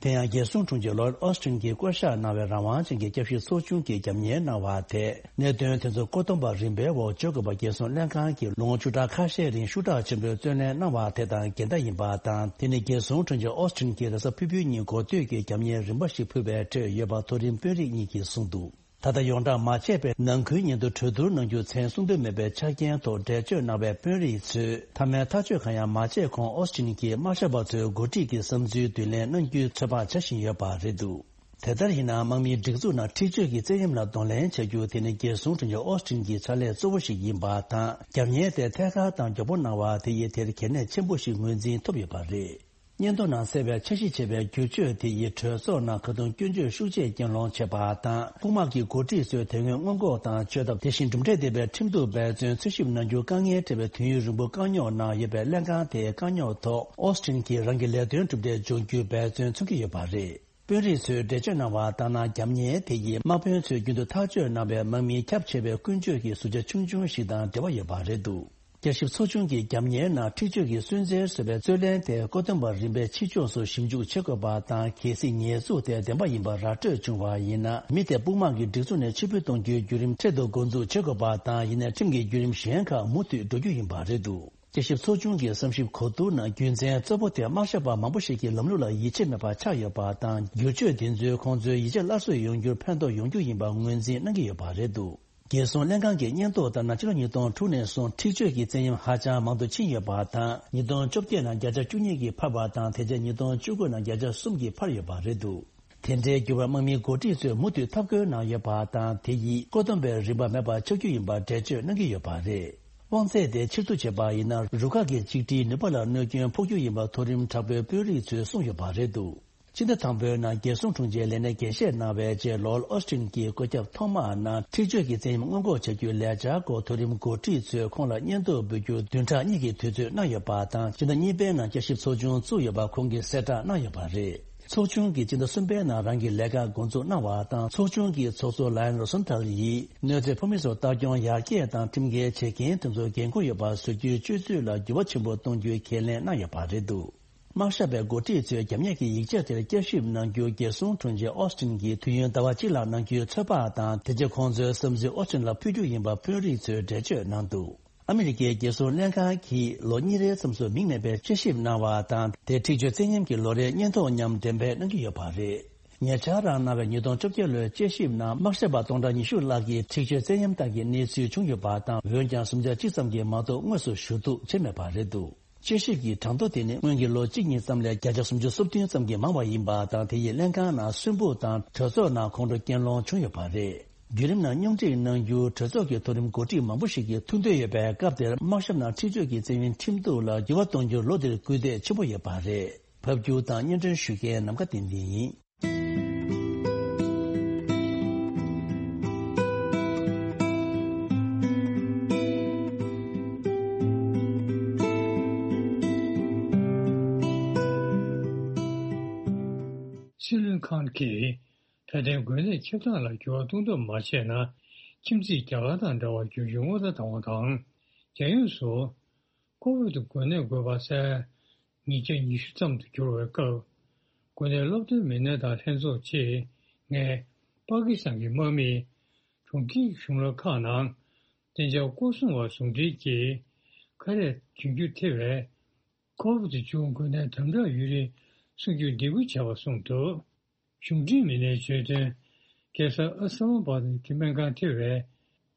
དེ་ཡང་རྒྱལ་སྲུང་དྲུང་ཆེ་ལོར་ཨོ་སི་ཊིན་གྱིས་བསྐོ་བཞག་གནང་བའི་རང་དབང་ཅན་གྱི་སྐྱབས་ཞིབ་ཚོགས་ཆུང་གིས་རྒྱབ་གཉེར་གནང་བ་དེས། གནད་དོན་དེ་ཚོ་བཀོད་འདོམས་པ་རིམ་པའི་འོག་བརྗོད་དགོས་པ། རྒྱལ་སྲུང་ལྷན་ཁང་གིས་ལོ་ངོ་བཅུ་ཕྲག་ཁ་ཤས་རིང་ཤུགས་དྲག་ཆེན་པོས་བརྩོན་ལེན་གནང་བ་དེ་དང་འགལ་ཟླ་ཡིན་པ་དང་། དེ་ནི་རྒྱལ་སྲུང་དྲུང་ཆེ་ཨོ་སི་ཊིན་གྱིས་རེས་གཟའ་ཕུར་བུའི་ཉིན་འགོ་སྟོད་ཀྱི་རྒྱབ་གཉེར་རིམ་པ་ཞིག་ཕུལ་བའི་ཁྲོད་ཡོད་པ་མཐོ་རིམ་དཔོན་རིགས་གཉིས་ཀྱིས་གསུངས་འདུག། ད་ལྟ་ཡོངས་བསྒྲགས་མ་བྱས་པའི་ནང་ཁུལ་ཉིན་ཐོ་གྲོས་བསྡུར་གནང་རྒྱུ་མཚན་གསུང་དོན་མེད་པའི་ཆ་རྐྱེན་ཐོག་འགྲེལ་བརྗོད་གནང་བའི་དཔོན་རིགས་ཚོས་མཐའ་མའི་ཐག་གཅོད་གང་ཡང་མ་བྱས་གོང་ཨོ་སི་ཊིན་གྱིས་དམག་ཞབས་པ་ཚོའི་འགོ་ཁྲིད་ཀྱི་བསམ་ཚུལ་བསྡུ་ལེན་གནང་རྒྱུའི་ཚོད་དཔག་བྱ་བཞིན་ཡོད་པ་རེད་འདུག། དེ་ལྟར་ཡིན་ན་དམག་མིའི་སྒྲིག་འཛུགས་ནང་འཁྲིག་སྤྱོད་ཀྱི་བཙན་གཡེམ་ལ་གདོང་ལེན་བྱ་རྒྱུ་དེ་ནི་རྒྱལ་སྲུང་དྲུང་ཆེ་ཨོ་སི་ཊིན་གྱི་ཕྱག་ལས་གཙོ་བོ་ཞིག་ཡིན་པ་དང་། རྒྱབ་གཉེར་དེ་ཐད་ཀར་དང་མགྱོགས་པོ་གནང་བ་དེ་ཡིས་དེར་གལ་གནད་ཆེན་པོ་ཞིག་ངོས་འཛིན་ཐུབ་ཡོད་པ་རེད། སྙན་ཐོ་ནང་གསལ་བའི་འཆར་གཞི་བྱས་པའི་བསྒྱུར་བཅོས་དེ་ཡིས་གྲོས་ཚོགས་ནང་ཁ་རྡུང་སྐྱོན་བརྗོད་ཤུགས་ཆེ་རྐྱེན་སློང་བྱས་པ་དང་། དཔུང་དམག་གི་འགོ་ཁྲིད་ཚོས་དེ་སྔོན་སྔོན་འགོག་དང་བཅོས་ཐབས། དེ་བཞིན་གྲུབ་འབྲས་ལྡན་པའི་ཁྲིམས་གཏུག་འབད་བརྩོན་འཚོལ་ཞིབ་གནང་རྒྱུ་དཀའ་ངལ་འཕྲད་པའི་དུས་ཡུན་རིང་པོ་བཀག་ཉོག་གནང་ཡོད་པའི་ལྷན་ཁང་དེའི་བཀག་ཉོག་ཐོག་ཨོ་སི་ཊིན་གྱིས་རང་གི་ལས་དོན་གྲུབ་འབྲས་འབྱུང་རྒྱུའི་འབད་བརྩོན་འཚོལ་གྱི་ཡོད་པ་རེད། དཔོན་རིགས་ཚོས་འགྲེལ་བརྗོད་གནང་བ་ལྟར་ན། རྒྱབ་གཉེར་དེ་ཡིས་དམག་དཔོན་ཚོས་རྒྱུན་དུ་ཐག་གཅོད་གནང་བའི་དམག་མིའི་ཁྱབ་ཆེ་བའི་ཀུན་སྤྱོད་ཀྱི་ཟུར་ཆ་ཆུང་ཆུང་ཞིག་དང་འབྲེལ་བ་ཡོད་པ་རེད་འདུག། བསྐྱར་ཞིབ་ཚོགས་ཆུང་གིས་རྒྱབ་གཉེར་ནང་འཁྲིག་སྤྱོད་ཀྱི་སུན་གཙེར་བཟོ་བའི་རྩོད་ལེན་དེ་བཀོད་འདོམས་པ་རིམ་པས་ཕྱི་ཕྱོགས་སུ་ཞིབ་འཇུག་བྱེད་དགོས་པ་དང་། གལ་སྲིད་ཉེས་འཛུགས་དེ་བདེན་པ་ཡིན་པ་ར་སྤྲོད་བྱུང་བ་ཡིན་ན། མི་དེ་དཔུང་དམག་གི་སྒྲིག་འཛུགས་ནས་ཕྱིར་འབུད་གཏོང་རྒྱུའི་བརྒྱུད་རིམ་འཕྲལ་དུ་འགོ་འཛུགས་བྱེད་དགོས་པ་དང་། ཡིན་ནའི་ཁྲིམས་ཀྱི་བརྒྱུད་རིམ་གཞན་ཁག་མུ་མཐུད་འགྲོ་རྒྱུ་ཡིན་པ་རེད་འདུག། དཔྱད་ཞིབ་ཚོགས་ཆུང་གི་བསམ་ཞིབ་གོ་བསྡུར་ནང་རྒྱུ་མཚན་གཙོ་བོ་དེ་དམག་ཞབས་པ་མང་པོ་ཞིག་གིས་ལམ་ལུགས་ལ་ཡིད་ཆེས་མེད་པ་ཆགས་ཡོད་པ་དང་། བསྒྱུར་བཅོས་དེ་ཚོས་ཁོང་ཚོའི་ཡིད་ཆེས་སླར་གསོ་ཡོང་རྒྱུར་ཕན་ཐོགས་ཡོང་རྒྱུ་ཡིན་པ་ངོས་འཛིན་གནང་གི་ཡོད་པ་རེད་འདུག། རྒྱལ་སྲུང་ལྷན་ཁང་གི་སྙན་ཐོ་ལྟར་ན། ཕྱི་ལོ་ཉིས་སྟོང་དྲུག་ནས་བཟུང་འཁྲིག་སྤྱོད་ཀྱི་བཙན་གཡེམ་ཧ་ཅང་མང་དུ་ཕྱིན་ཡོད་པ་དང་། ཉིས་སྟོང་བཅོ་བརྒྱད་ནང་བརྒྱ་ཆ་བཅུ་གཉིས་ཀྱིས་འཕར་བ་དང་། དེ་རྗེས་ཉིས་སྟོང་བཅུ་དགུ་ནང་བརྒྱ་ཆ་གསུམ་གྱིས་འཕར་ཡོད་པ་རེད་འདུག། དེ་འདྲའི་འགྱུར་བར་དམག་མིའི་འགོ་ཁྲིད་ཚོས་མུ་མཐུད་འཐབ་རྒོལ་གནང་ཡོད་པ་དང་། དེ་ཡིས་བཀོད་འདོམས་པའི་རིམ་པ་མེད་པ་ཆགས་རྒྱུ་ཡིན་པར་འགྲེལ་བརྗོད་གནང་གི་ཡོད་པ་རེད། དབང་ཚད་དེ་ཕྱིར་བསྡུ་བྱས་པ་ཡིན་ན། རུ་ཁག་གི་གཅིག་སྒྲིལ་ནུས་པ་ལ་གནོད་སྐྱོན་ཕོག་རྒྱུ་ཡིན་པ་མཐོ་རིམ་དྲག་པོའི་དཔོན་རིགས་ཚོས་གསུངས་ཡོད་པ་རེད་འདུག། ཕྱི་ཟླ་དང་པོའི་ནང་རྒྱལ་སྲུང་དྲུང་ཆེའི་ལས་གནས་འགན་བཞེས་གནང་བའི་རྗེས། ལོར་ཨོ་སི་ཊིན་གྱིས་བཀོད་ཁྱབ་ཐོག་མ་ནང་འཁྲིག་སྤྱོད་ཀྱི་བཙན་གཡེམ་སྔོན་འགོག་བྱ་རྒྱུའི་ལས་འཆར་སྐོར་མཐོ་རིམ་འགོ་ཁྲིད་ཚོས་ཁོང་ལ་སྙན་ཐོ་འབུལ་རྒྱུར་བདུན་ཕྲག་གཉིས་ཀྱི་དུས་ཚོད་གནང་ཡོད་པ་དང་། ཕྱི་ཟླ་གཉིས་པའི་ནང་བསྐྱར་ཞིབ་ཚོགས་ཆུང་བཙུགས་ཡོད་པ་ཁོང་གིས་གསལ་བསྒྲགས་གནང་ཡོད་པ་རེད། ཚོགས་ཆུང་གིས་ཕྱི་ཟླ་གསུམ་པའི་ནང་རང་གི་ལས་ཀ་འགོ་འཛུགས་གནང་བ་དང་། ཚོགས་ཆུང་གི་ཚོགས་གཙོ་ལའོན་རོ་སན་ཐལ་ཡིས་གནོད་འཚེ་ཕོག་མི་ཚོར་ལྟ་སྐྱོང་ཡར་རྒྱས་དང་། ཁྲིམས་འགལ་བྱེད་མཁན་དེ་ཚོར་འགན་ཁུར་ཡོད་པ་བཟོ་རྒྱུའི་སྤྱོད་ཚུལ་ལ་འགྱུར་བ་ཆེན་པོ་གཏོང་རྒྱུའི་ཁས་ལེན་གནང་ཡོད་པ་རེད་འདུག། དམག་ཞབས་པའི་འགོ་ཁྲིད་ཚོས་རྒྱབ་གཉེར་གྱི་ཡིག་ཆ་དེར་བསྐྱར་ཞིབ་གནང་རྒྱུ་རྒྱལ་སྲུང་དྲུང་ཆེ་ཨོ་སི་ཊིན་གྱིས་དུས་ཡུན་ཟླ་བ་གཅིག་ལྷག་གནང་རྒྱུའི་ཚོད་དཔག་དང་། དེ་རྗེས་ཁོང་ཚོའི་བསམ་ཚུལ་ཨོ་སི་ཊིན་ལ་ཕུལ་རྒྱུ་ཡིན་པ་དཔོན་རིགས་ཚོས་འགྲེལ་བརྗོད་གནང་འདུག། ཨ་མི་རི་ཀའི་རྒྱལ་སྲུང་ལྷན་ཁང་གིས་ལོ་གཉིས་རེའི་མཚམས་སུ་མིང་མེད་པའི་དཔྱད་ཞིབ་གནང་བ་དང་། དེ་འཁྲིག་སྤྱོད་བཙན་གཡེམ་གྱི་ལོ་རེའི་སྙན་ཐོ་མཉམ་འགྲེམས་སྤེལ་གནང་གི་ཡོད་པ་རེད། ཉེ་ཆར་རང་གནང་བའི་ཉིས་སྟོང་བཅོ་བརྒྱད་ལོའི་དཔྱད་ཞིབ་ནང་དམག་ཞབས་པ་སྟོང་ཕྲག་ཉི་ཤུ་ལྷག་གིས་འཁྲིག་སྤྱོད་བཙན་གཡེམ་ལྟར་གྱི་གནས་ཚུལ་བྱུང་ཡོད་པ་དང་། འོན་ཀྱང་སུམ་ཆ་གཅིག་ཙམ་གྱིས་མ་གཏོགས་དངོས་སུ་ཞུ་གཏུག་བྱས་མེད་པ་རེད་འདུག། དཔྱད་ཞིབ་ཀྱི་གྲངས་ཐོ་དེ་ནི་སྔོན་གྱི་ལོ་གཅིག་གཉིས་ཙམ་ལས་བརྒྱ་ཆ་སུམ་ཅུ་སོ་བདུན་ཙམ་གྱིས་མང་བ་ཡིན་པ་དང་། དེ་ཡིས་ལྷན་ཁང་ནང་སུན་འབུད་དང་གྲོས་ཚོགས་ནང་ཁོང་ཁྲོ་སྐྱེན་སློང་བྱུང་ཡོད་པ་རེད། བརྒྱུད་རིམ་ནང་སྙོམས་སྒྲིག་གནང་རྒྱུར་གྲོས་ཚོགས་ཀྱི་མཐོ་རིམ་འགོ་ཁྲིད་མང་པོ་ཞིག་གིས་ཐུགས་འདོད་ཡོད་པའི་སྐབས་དེར། དམག་ཞབས་ནང་འཁྲིག་སྤྱོད་ཀྱི་བཙན་གཡེམ་ཁྲིམས་གཏུག་ལ་འགྱུར་བ་གཏོང་རྒྱུར་ལོ་འདིར་སྐུལ་འདེད་ཆེན་པོ་ཡོད་པ་རེད། ཕབ་སྒྱུར་དང་སྙན་སྒྲོན་ཞུ་མཁན་ནམ་མཁའ་བསྟན་འཛིན་ཡིན། སྲིད་བློན་ཁཱན་གྱིས་ད་ལྟའི་འགོས་ནད་ཁྱབ་སྟངས་ལ་འགྱུར་བ་གཏོང་ཐབས་མ་བྱས་ན། ཁྱིམ་མཚེས་རྒྱ་གར་དང་འདྲ་བར་འགྱུར་རྒྱུའི་སྔོན་བརྡ་བཏང་བ་དང་། རྒྱལ་ཡོངས་སུ། ཁོ་བོད་དུ་འགོས་ནད་འགོས་པ་སའི་ཉིས་བརྒྱ་ཉི་ཤུ་ཙམ་དུ་གྱུར་བའི་སྐབས། འགོས་ནད་སློབ་སྟོན་མི་སྣ་དང་ལྷན་ཚོགས་ཆེད་ངས་པ་ཀི་སི་ཐན་གྱི་དམག་མིས་གྲོང་ཁྱེར་གྱི་གཞུང་ལམ་ཁག་ནང་བདེ་འཇགས་སྐོར་སྲུང་བ་ཟུང་འབྲེལ་གྱིས་ཁ་རས་གྱོན་རྒྱུ་ཐེ་བའི་ཁོ་བོ་དེ་བྱུང་འགོས་ནད་དམ་དྲག་ཡོད་རིགས་སྲུང་སྐྱོབ་འདེད་སྐུལ་བྱས་པ་གསུངས་འདུག། གཞུང་འབྲེལ་མི་སྣས་བརྗོད་དོན། རྒྱལ་ས་ཨ་སི་ལམ་བྷ་དི་སྨན་ཁང་ཐེ་བའི་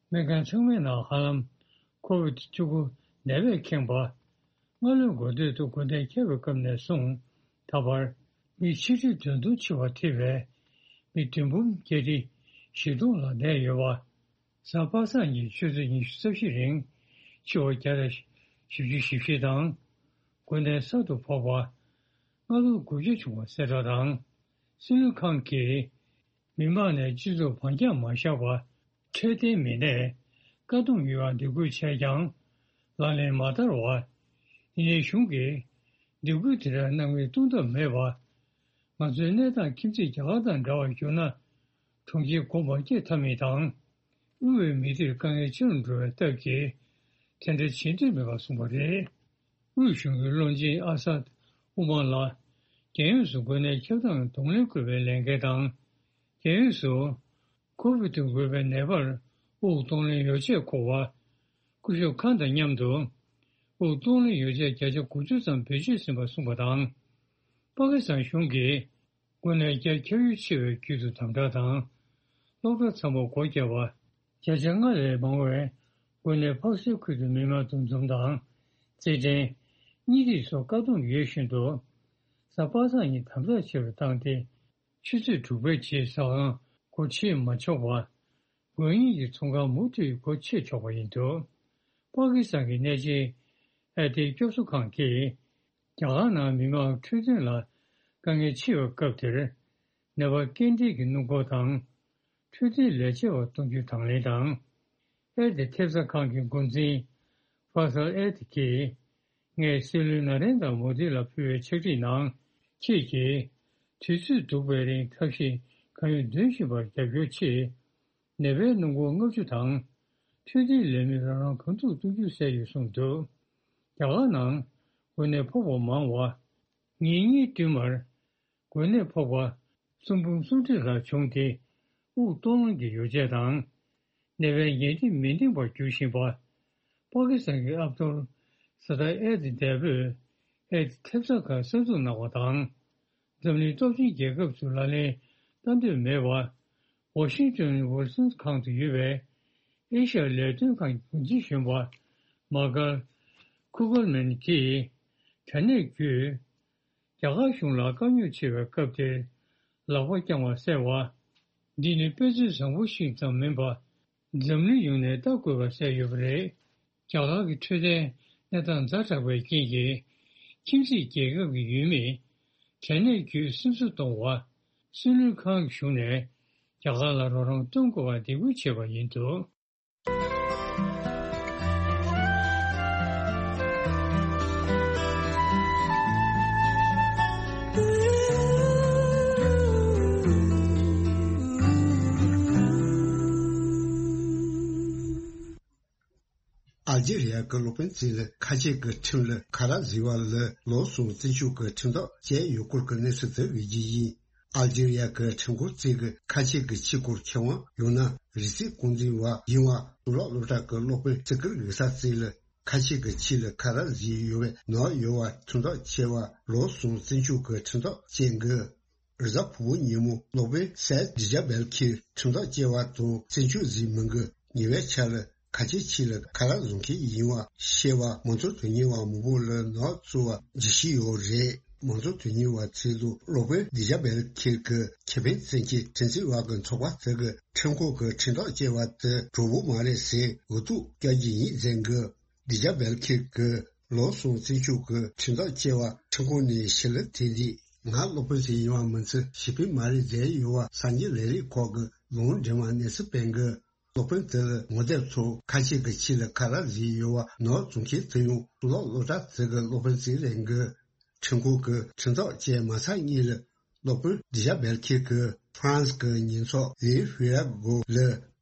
སྨན་ཁང་ཚང་མའི་ནང་ཧ་ལམ་ཁོ་བིད་བཅུ་དགུ་ནད་པས་ཁེངས་པ། སྔ་ལོའི་འགོ་སྟོད་དུ་འགོས་ནད་ཁྱབ་པའི་སྐབས་ནས་བཟུང་ད་བར་མི་ཆིག་ཁྲི་བདུན་སྟོང་འཆི་བ་ཐེ་བའི་མི་བདུན་འབུམ་བརྒྱད་ཁྲི་བཞི་སྟོང་ལ་ནད་ཡོད་པ། གཟའ་པ་སངས་ཉིན་ཆུ་ཚོད་ཉི་ཤུ་རྩ་བཞི་རིང་འཆི་བ་བརྒྱ་དང་བཞི་བཅུ་ཞེ་བཞི་དང་། འགོས་ནད་གསར་དུ་ཕོག་པ་ལྔ་སྟོང་དགུ་བརྒྱ་བྱུང་བ་གསལ་བསྒྲགས་དང་། སྲིད་བློན་ཁཱན་གྱིས་མི་མང་ནས་སྤྱི་ཚོགས་བང་རྒྱག་མ་བཞག་པར་འཕྲོད་བསྟེན་མི་སྣས་བཀག་སྡོམ་ཡོང་བར་འདེད་སྐུལ་བྱས་ཀྱང་། ལག་ལེན་མ་བསྟར་བར། ཡིན་ནའི་གཞུང་གིས་སྡིགས་སྐུལ་དེ་འདྲ་གནང་མིན་སྟོང་ཐབས་མེད་པར། ང་ཚོའི་གནས་སྟངས་ཁྱིམ་མཚེས་རྒྱ་གར་དང་འདྲ་བར་གྱུར་ན། གྲོང་ཁྱེར་སྒོ་མ་ཕྱེ་ཐབས་མེད་དང་། དབུལ་བའི་མི་སྡེར་དཀའ་ངལ་ཆེ་རུ་འགྲོ་བའི་སྟབས་ཀྱིས། དེ་འདྲ་བྱེད་འདོད་མེད་པར་གསུངས་པ་རེད། དབུས་གཞུང་གི་བློན་ཆེན་ཨ་སད་ཨུ་མ་ལ། རྒྱལ་ཡོངས་སུ་འགོས་ནད་ཁྱབ་སྟངས་གདོང་ལེན་དགོས་པའི་ལས་འགན་དང་། རྒྱལ་ཡོངས་སུ་ཁོ་བིད་དུ་འགོས་པའི་ནད་པར་དབུགས་གཏོང་ལེན་ཡོ་བྱད་མཁོ་བ། སྐུ་ཞབས་ཁཱན་དང་མཉམ་དུ་དབུགས་གཏོང་ལེན་ཡོ་བྱད་བརྒྱ་ཆ་དགུ་བཅུ་ཙམ་བེད་སྤྱོད་ཟིན་པ་གསུངས་པ་དང་། པ་ཀི་སི་ཐན་གཞུང་གིས་འགོས་ནད་བརྒྱ་ཁྱབ་ཡུལ་ཆེ་བའི་རྒྱུད་དུ་དམ་དྲག་དང་། སློབ་གྲྭ་ཚང་མར་སྒོ་བརྒྱབ་པ། བརྒྱ་ཆ་ལྔ་ལས་མང་བའི་འགོས་ནད་ཕག་སེལ་ཁུལ་དུ་མི་མང་འདུ་འཛོམས་དང་། རྩེད་འགྲན། གཉིད་རིག་སོགས་བཀག་སྡོམ་ཡོད་བཞིན་དུ། གཟའ་པ་སངས་ཉིན་དམ་དྲག་ཆེ་རུ་བཏང་སྟེ། ཆུ་ཚོད་དྲུག་པའི་རྗེས་ཟ་ཁང་སྒོ་ཕྱེ་མ་ཆོག་པ། འགོས་མཁན་གྱི་ཚོང་ཁང་མུ་མཐུད་སྒོ་ཕྱེ་ཆོག་པ་ཡིན་འདུག་པ་ཀི་སི་ཐན་གྱི་གནས་ཆེན་ཨེ་ཏི་སྐྱོབ་གསོ་ཁང་གིས། རྒྱ་གར་ནང་མི་མང་འཕྲོད་བསྟེན་ལ་དཀའ་ངལ་ཆེ་བའི་སྐབས་དེར། ནད་པ་སྐྱེལ་འདྲེན་གྱི་སྣུམ་འཁོར་དང་། འཕྲོད་བསྟེན་ལས་བྱེད་པ་གཏོང་རྒྱུ་དང་ལེན་དང་། ཨེ་ཏི་ཐེབས་རྩ་ཁང་གི་འགོ་འཛིན་ཧྥ་སལ་ཨེ་ཏི་གིས། ངས་སྲིད་བློན་ན་རེན་དྲ་མོ་དི་ལ་ཕུལ་བའི་ཕྱག་བྲིས་ནང་། ཁྱེད་ཀྱིས་དུས་ཚོད་སྡུག་པའི་རིང་ཐབས་ཤེས་གང་ཡོད་འདོན་བཞིན་པར་རྒྱབ་སྐྱོར་ཆེད། ནད་པའི་སྣུམ་འཁོར་ལྔ་བཅུ་དང་། འཕྲོད་བསྟེན་ལས་མི་རང་རང་གང་ཐུབ་གཏོང་རྒྱུ་གསལ་ཡོད་གསུངས་འདུག་རྒྱ་གར་ནང་འགོས་ནད་ཕོག་པ་མང་བ། ཉིན་གཉིས་བསྟུད་མར་འགོས་ནད་ཕོག་པ་གསུམ་འབུམ་གསུམ་ཁྲི་ལྷག་བྱུང་སྟེ། དབུགས་གཏོང་ལེན་གྱི་ཡོ་བྱད་དང་། ནད་པའི་ཉལ་ཁྲི་མི་འདང་པར་འགྱུར་བཞིན་པ། པ་ཀི་སི་ཐན་གྱི་ཨབ་དུལ་ས་ཏཱ་ཨེ་ཏི་འདས་པོས་ཨེ་ཏི་ཐེབས་རྩ་ཁང་གསར་འཛུགས་གནང་བ་དང་། འཛམ་གླིང་སྟོབས་ཆེན་རྒྱལ་ཁབ་ཚོས་ལག་ལེན་བསྟར་འདོད་མེད་པར། ཝ་ཤིང་ཏོན་ཝིལ་སོན་ཁང་དུ་ཡོད་པའི་ཨེ་ཤ་ཡ་ལས་དོན་ཁང་གི་འགོ་འཛིན་གཞོན་པ་མ་ཀལ་ཁུ་གལ་མན་གྱིས། དྲ་གནས་བརྒྱུད། རྒྱ་གར་གཞུང་ལ་དཀའ་རྙོག་ཆེ་བའི་སྐབས་དེར་ལག་པ་བརྐྱངས་པ་གསལ་བ། འདི་ནི་དཔེ་མཚོན་བཟང་པོ་ཞིག་ཙམ་མིན་པར། འཛམ་གླིང་ཡོངས་ནས་ལྟ་དགོས་པ་གསལ་ཡོད་པ་རེད། རྒྱ་གར་གྱི་འཕྲོད་བསྟེན་གནས་སྟངས་ཛ་དྲག་པའི་རྐྱེན་གྱིས། ཁྱིམ་མཚེས་རྒྱལ་ཁབ་ཀྱི་ཡུལ་མིས་དྲ་གནས་བརྒྱུད་སེམས་གསོ་གཏོང་བ། སྲིད་བློན་ཁང་གི་གཞུང་ནས་རྒྱ་གར་ལ་རོགས་རམ་གཏོང་དགོས་པར་འདེད་སྐུལ་བྱས་པ་ཡིན་འདུག་ཨལ་ཇི་རི་ཡ་གི་སློབ་དཔོན་ཚོས་ལ་ཁ་ཆེ་གི་ཁྲིམས་ལ་ཁ་རག་བཟོས་པ་ལ་ལོ་གསུམ་བཙོན་འཇུག་གི་ཁྲིམས་ཐག་བཅད་ཡོད་སྐོར་གྱི་གནས་ཚུལ་དེ་འགོད་ཀྱི་ཡིན། ཨལ་ཇི་རི་ཡ་གི་ཁྲིམས་ཁང་གཅིག་གི་ཁ་ཆེ་གི་ཁྱིའི་སྐོར་མཁས་དབང་ཡང་ན་རི་རྩེ་རྐང་འཛིན་པ་ཡིན་པ་གཙུག་ལག་སློབ་གྲྭ་གི་སློབ་དཔོན་སི་ཀིར་གི་ས་ཚོས་ལ་ཁ་ཆེ་གི་ཁྱི་ལ་ཁ་རག་བཟོས་ཡོད་པའི་ནག་ཡོད་པ་ཁྲིམས་ཐག་བཅད་པ་ལོ་གསུམ་བཙོན་འཇུག་གི་ཁྲིམས་ཐག་བཅད་འགོད། རེས་གཟའ་ཕུར་བུ་ཉིན་མོ་སློབ་དཔོན་སེར་ཌི་ཇ་བེལ་ཁིར་ཁྲིམས་ཐག་བཅད་པ་དང་བཙོན་འཇུག་བཟོས་མི་འགོས་ཉེ་བའི་ཆར་ལ་ཁ་ཆེ་ཁྱི་ལ་ཁ་རག་བཟོ་མཁན་ཡིན་པ་ཤེས་པ་མང་གཙོ་དོན་གཉེར་བ་མང་པོ་ལ་ནག་བཙུགས་པ་འཇུ་བཞིན་ཡོད་རེད། མང་གཙོ་དོན་གཉེར་བ་ཚོས་ལ་སློབ་དཔོན་ཌི་ཇ་བེལ་ཁིར་གྱི་ཁེ་ཕན་བཙན་གྱི་ཁྲིམས་རྩོད་པ་གི་ཚོགས་པ་དེ་གི་ཁྲིམས་ཁང་གི་ཁྲིམས་ཐག་བཅད་པ་དེ་གྲོགས་པོ་མ་རེད་ཟེར་འུ་ཐུག་སྐྱག་གི་ཡིན་ཟེར་འགོད། ཌི་ཇ་བེལ་ཁིར་གྱིས་ལོ་གསུམ་བཙོན་འཇུག་གི་ཁྲིམས་ཐག་བཅད་པ་ཁྲིམས་ཁང་ནས་ཕྱིར་ལན་དེ་འདྲས་ང་སློབ་དཔོན་ཞིག་ཡིན་པ་མིན་ཚེ་ཞི་བདེ་མ་རེད་ཟེར་ཡོད་པ་གསར་འགྱུར་ལས་རིགས་ཁག་གི་ལུང་འདྲེན་པ་གནས་ཚུལ་སྤེལ་འགོད། སློབ་དཔོན་དེ་ལ་ངོ་དེབ་ཐོག་ཁ་ཆེ་གི་ཁྱི་ལ་ཁ་རག་བཟོས་ཡོད་པ་ནག་བཙུགས་མཁན་དེ་ཡང་གཙུག་ལག་སློབ་གྲྭ་དེ་གི་སློབ་དཔོན་ཞིག་རེད་འགོད། ཁྲིམས་ཁང་གིས་ཁྲིམས་ཐག་བཅད་མ་ཚར་སྔོན་ལ། སློབ་དཔོན་ཌི་ཇ་བེལ་ཁིར་གྱིས་ཧྥ་རན་སི་གི་ཉེས་ཚབ་ལི་ཧུའེ་ར་གོ་ལ་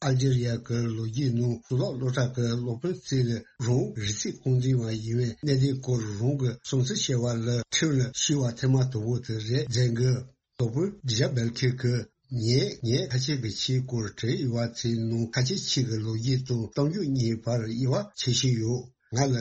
ཨལ་ཇི་རི་ཡ་གི་ལོ་རྒྱུས་ནང་གཙུག་ལག་སློབ་གྲྭ་གི་སློབ་དཔོན་ཚོས་ལ་རང་རི་སི་རྐང་འཛིན་པ་ཡིན་པའི་གནད་དོན་སྐོར་རང་གི་བསམ་ཚུལ་བཤད་པ་ལ་ཁྲིམས་ལ་ཤེས་པ་ཐེངས་མ་དང་པོ་དེ་རེད་ཟེར་འགོད། སློབ་དཔོན་ཌི་ཇ་བེལ་ཁིར་གྱིས་ངས་ངའི་ཁ་ཆེ་གི་ཁྱིའི་སྐོར་བྲིས་ཡོད་པ་ཚོའི་ནང་ཁ་ཆེ་ཁྱི་གི་ལོ་རྒྱུས་དང་གཏམ་རྒྱུད་གཉིས་བར་དབྱེ་བ་ཕྱེ་བཞིན་ཡོད། ང་ལ་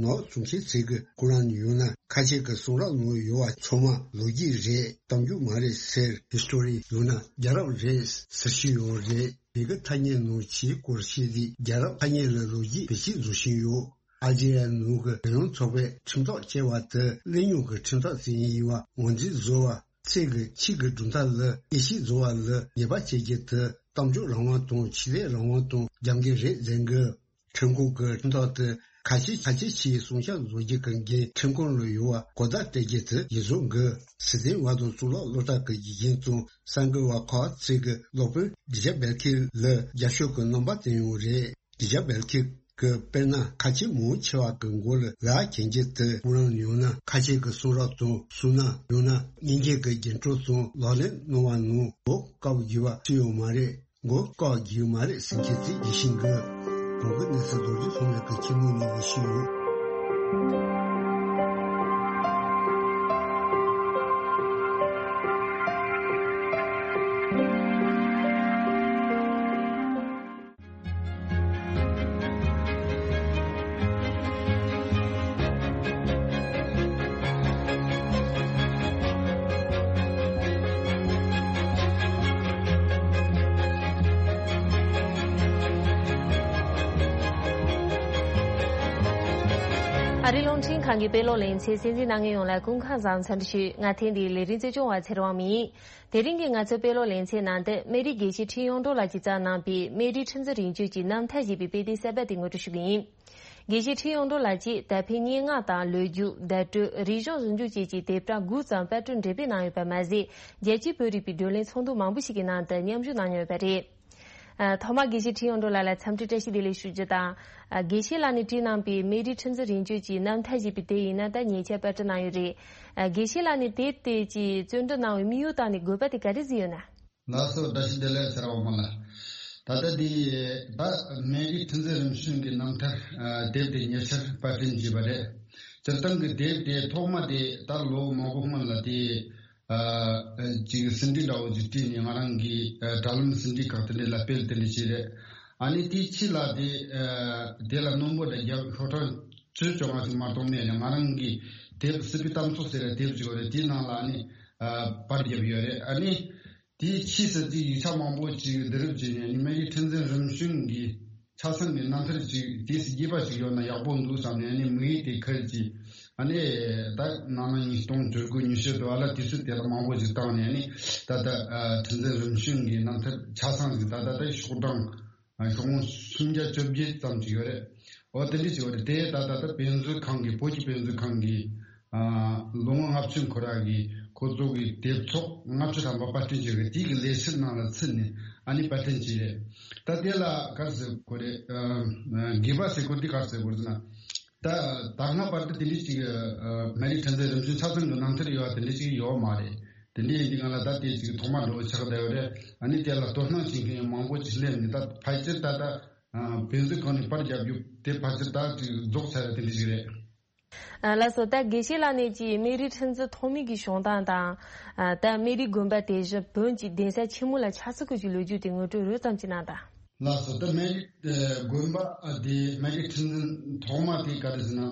ནག་བཙུགས་མཁན་ཚོས་ཀྱི་ཁོ་རང་ཡོད་ན་ཁ་ཆེ་གི་གསུང་རབ་ནང་ཡོད་པ་ཚང་མ་ལོ་རྒྱུས་རེད། གཏམ་རྒྱུད་མ་རེད་ཟེར། ཧི་སི་ཊོ་རི་ཡང་ན་རྒྱལ་རབས་རེད་ཟེར་བཞིན་ཡོད་རེད། བོད་ཀྱི་ཐ་སྙད་ནང་ཁྱིའི་སྐོར་བཤད་དུས་རྒྱལ་རབས་ཐ་སྙད་ལ་ལོ་རྒྱུས་བེད་སྤྱོད་བཟོ་བཞིན་ཡོད། ཨལ་ཇི་རི་ཡ་ནང་གི་རྒྱལ་ཡོངས་ཚོགས་པས་ཁྲིམས་ཐག་བཅད་པ་དེ་གླེང་རྙོག་གི་ཁྲིམས་ཐག་ཟིན་ཡིན་པ་ངོས་འཛིན་བཟོ་བ། ཚིག་གི་ཁྱི་གི་གྲུབ་མཐའ་ལ་དབྱེ་ཞིབ་བཟོ་བ་ལ་ཉེས་པ་བྱེད་རྒྱུ་དེ་གཏམ་བརྗོད་རང་དབང་དང་ཆོས་དད་རང་དབང་དང་རྒྱབ་འགལ་རེད་ཟེར་འགོད། ཁྲིམས་ཁང་གི་ཁྲིམས་ཐག་དེ་ཁ་ཆེ་ཁ་ཆེ་ཁྱིའི་སྲུང་སྐྱོབ་བཟོ་རྒྱུ་གི་འགན་ཁྲིམས་ཁང་ལ་ཡོད་པ་གོ་བརྡ་སྤྲད་རྒྱུ་དེ་ཡིད་བཟུང་དགོས། སྲིད་དོན་པ་དང་གཙུག་ལག་སློབ་གྲྭ་གི་དགེ་རྒན་དང་གསར་འགོད་པ་ཁག་ཚོས་ཀྱི་སློབ་དཔོན་ཌི་ཇ་བེལ་ཁིར་ལ་རྒྱབ་སྐྱོར་གྱི་རྣམ་པ་བསྟན་ཡོད་རེད། ཌི་ཇ་བེལ་ཁིར་ གི་དཔེར་ན་ཁ་ཆེ་མང་ཆེ་བ་གི་མགོ་ལ་ལ་གྱེན་གྱི་དུ་སྤུ་རང་ཡང་ན་ཁ་ཆེ་གི་གསུང་རབ་ཙམ་གསུང་ན་ཡང་ན་སྙིང་རྗེ་གི་རྒྱན་སྤྲོ་ཙམ་ལག་ལེན་གནང་བ་ནང་འོ་དཀའ་བ་བགྱིས་པ་སུ་ཡང་མ་རེད། མགོ་དཀའ་བ་བགྱིས་མ་རེད་ཟེར་མཁན་ཚིག་ཡིད་བཞིན་གི་གང་གི་གནས་ཚུལ་རྡོ་རྗེ་ལྷུང་བའི་གི་ཁྱི་མོ་ནས་ཡིད་བཞིན་ཡོད། ཨ་རིའི་རླུང་འཕྲིན་ཁང་གི་དཔེ་ཀློག་ལེ་ཚན་གསན་གཟིགས་གནང་མཁན་ཡོངས་ལ་སྐུ་ཁམས་བཟང་འཚམས་འདྲི་ཞུ། ང་ཐེངས་འདིའི་ལས་རིམ་གཙོ་སྐྱོང་བ་ཚེ་རིང་དབང་མོ་ཡིན། དེ་རིང་གི་ང་ཚོའི་དཔེ་ཀློག་ལེ་ཚན་ནང་དུ་སྨན་རིའི་དགེ་བཤེས་ཁྲི་གཡུང་དྲུང་ལགས་ཀྱིས་བརྩམས་གནང་པའི་སྨན་རིའི་ཁྲི་འཛིན་རིམ་བྱོན་གྱི་རྣམ་ཐར་ཞེས་པའི་དཔེ་དེབ་གསར་པ་དེ་ངོ་སྤྲོད་ཞུ་གི་ཡིན། དགེ་བཤེས་ཁྲི་གཡུང་དྲུང་ལགས་ཀྱིས་ད་ཕན་སྙན་ངག་དང་ལོ་རྒྱུས། བརྡ་སྤྲོད། རིག་གཞུང་ཟུང་འཇུག་བཅས་ཀྱི་དེབ་གྲངས་དགུ་ཙམ་པར་སྐྲུན་འགྲེམས་སྤེལ་གནང་ཡོད་པ་མ་ཟད། རྒྱལ་སྤྱིའི་བོད་རིག་པའི་བགྲོ་གླེང་ཚོགས་འདུ་མང་པོ་ཞིག་གི་ནང་དུ་མཉམ་ཞུགས་གནང་མྱོང་ཡོད་པ་རེད། ཨ། ཐོག་མར་དགེ་བཤེས་ཁྲི་གཡུང་དྲུང་ལགས་ལ་འཚམས་འདྲི་བཀྲ་ཤིས་བདེ་ལེགས་ཞུ་རྒྱུ་དང་། ཨ། དགེ་བཤེས་ལགས་ནས་བྲིས་གནང་པའི་སྨན་རིའི་ཁྲི་འཛིན་རིམ་བྱོན་གྱི་རྣམ་ཐར་ཞེས་པའི་དེབ་ཡིན་ན་ད་ཉེ་ཆར་པར་སྐྲུན་གནང་ཡོད་རེད། ཨ། དགེ་བཤེས་ལགས་ནས་དེབ་དེ་ཀྱི་རྩོམ་སྒྲིག་གནང་བའི་དམིགས་ཡུལ་དང་ནི་དགོས་པ་དེ་ག་རེ་གཟིགས་ཡོད་ན། ལགས་སོ། བཀྲ་ཤིས་བདེ་ལེགས་ཟེར་བ་མ་ལ། ད་ལྟ་འདི་ད་སྨན་རིའི་ཁྲི་འཛིན་རིམ་བྱོན་གྱི་རྣམ་ཐར་དེབ་དེ་ཉེ་ཆར་པར་སྐྲུན་བྱས་པ་རེད། སྤྱིར་བཏང་གི་དེབ་དེ་ཐོག་མ་དེ་ད་ལོ་མང་པོ་སྔོན་ལ་དེ་ཅིག་ཟིན་བྲིས་འདྲ་བོ་ཅིག་བྲིས་ནས་ང་རང་གི་དྲ་ལམ་ཟིན་བྲིས་ཁག་དེ་འདྲ་ལ་སྤེལ་དེ་འདྲ་བྱས་རེད། ཨ་ནི་དེའི་ཕྱི་ལ་དེ་དེ་ལ་རྣོན་པོ་འདྲ་རྒྱབ་ཤོག་གྲངས་བཅུ་བཅོ་ལྔ་ཞིག་མ་གཏོགས་མེད་ནས་ང་རང་གི་དེབ་སྲིད་པའི་གཏམ་ཚོགས་ཟེར་བའི་དེབ་ཅིག་ཡོད་རེད། དེའི་ནང་ལ་ཨ་ནི་པར་བརྒྱབ་ཡོད་རེད། ཨ་ནི། དེའི་ཕྱིས་སུ་དེའི་ཡིག་ཆ་མང་པོ་ཅིག་བསྡུ་རུབ་བྱས་ནས་ནི་སྨན་རིའི་ཁྲི་འཛིན་རིམ་བྱོན་གྱི་ཆ་ཚང་གི་རྣམ་ཐར་ཅིག་དེའི་སྲིད་རྒྱས་པ་ཞིག་ཡོད་ན་ཡག་པོ་འདུག་བསམ་ནས་ནི་དམིགས་ཡུལ་དེ་ཁུར་གྱིས་ཨ་ནི་ད་ནང་ལ་ཉིས་སྟོང་བཅུ་དགུ་ཉི་ཤུ་དུ་བ་ལ་དུས་ཚོད་དེ་ལ་མང་པོ་ཅིག་བཏང་ནས་ནི་ད་ལྟ་ཁྲི་འཛིན་རིམ་བྱོན་གྱི་རྣམ་ཐར་ཆ་ཚང་ཞིག་ད་ལྟ་ད་ཤོག་གྲངས་ཤོག་ངོས་སུམ་བརྒྱ་བཅོ་བརྒྱད་ཙམ་ཅིག་ཡོད་རེད། འོ་དེ་འདྲ་ཅིག་ཡོད་རེད། དེ་ད་ད་ལྟ་དཔེ་མཛོད་ཁང་གི་བོད་ཀྱི་དཔེ་མཛོད་ཁང་གི་ལོ་ངོ་ལྔ་བཅུ་འཁོར་ཡག་གི་ཁོ་ཚོ་གི་དེབ་ཚོགས་ལྔ་བཅུ་ཐམ་པ་པར་སྐྲུན་བྱས་པའི་དེ་གི་ལས་ཚུལ་ནང་ལ་ཚུད་ནས་ཨ་ནི་པར་སྐྲུན་བྱས་རེད། ད་དེ་ལ་ག་རེ་ཟེར་དགོས་རེད། དགོས་པ་ཟེར་དགོས་འདི་ག་རེ་ཟེར་དགོས་ཟེར་ན། ད་ད་སྔ་བར་དུ་དེ་འདྲ་ཅིག་སྨན་རིའི་ཁྲི་འཛིན་རིམ་བྱོན་ཆ་ཚང་གི་རྣམ་ཐར་ཡོད་པ་དེ་འདྲ་ཅིག་ཡོད་མ་རེད། དེ་འདྲ་ཡིན་དུས་ང་ལ་ད་དེ་ཅིག་ཐོག་མ་འགྲོ་ཆགས་བསྡད་ཡོད་རེད། ཨ་ནི་དེ་ལ་དོ་སྣང་བྱེད་མཁན་མང་པོ་ཅིག་སླེབས་ནས་ད་ཕལ་ཆེར་ད་ལྟ། དཔེ་མཛོད་ཁང་ནས་པར་བརྒྱབ་རྒྱུ་དེ་ཕལ་ཆེར་ད་ཅིག་རྫོགས་ཚར་བ་དེ་འདྲ་ཞིག་རེད། ལགས་སོ། ད་དགེ་བཤེས་ལགས་ནས་ཀྱི་སྨན་རིའི་ཁྲི་འཛིན་ཐོག་མའི་གི་བྱུང་སྟངས་དང་། ད་སྨན་རིའི་དགོན་པ་དེ་བཞིན་བོན་གྱི་གདན་ས་ཆེན་མོ་ལ་ཆགས་ཚུལ་སྐོར་གྱི་ལོ་རྒྱུས་དེ་ངོ་སྤྲོད་རོབ་ཙམ་ཅིག་གནང་དང་། ལགས་སོ། ད་སྨན་རིའི་དགོན་པ་དེ་སྨན་རིའི་ཁྲི་འཛིན་ཐོག་མ་དེ་ག་རེ་ཟེར་ན།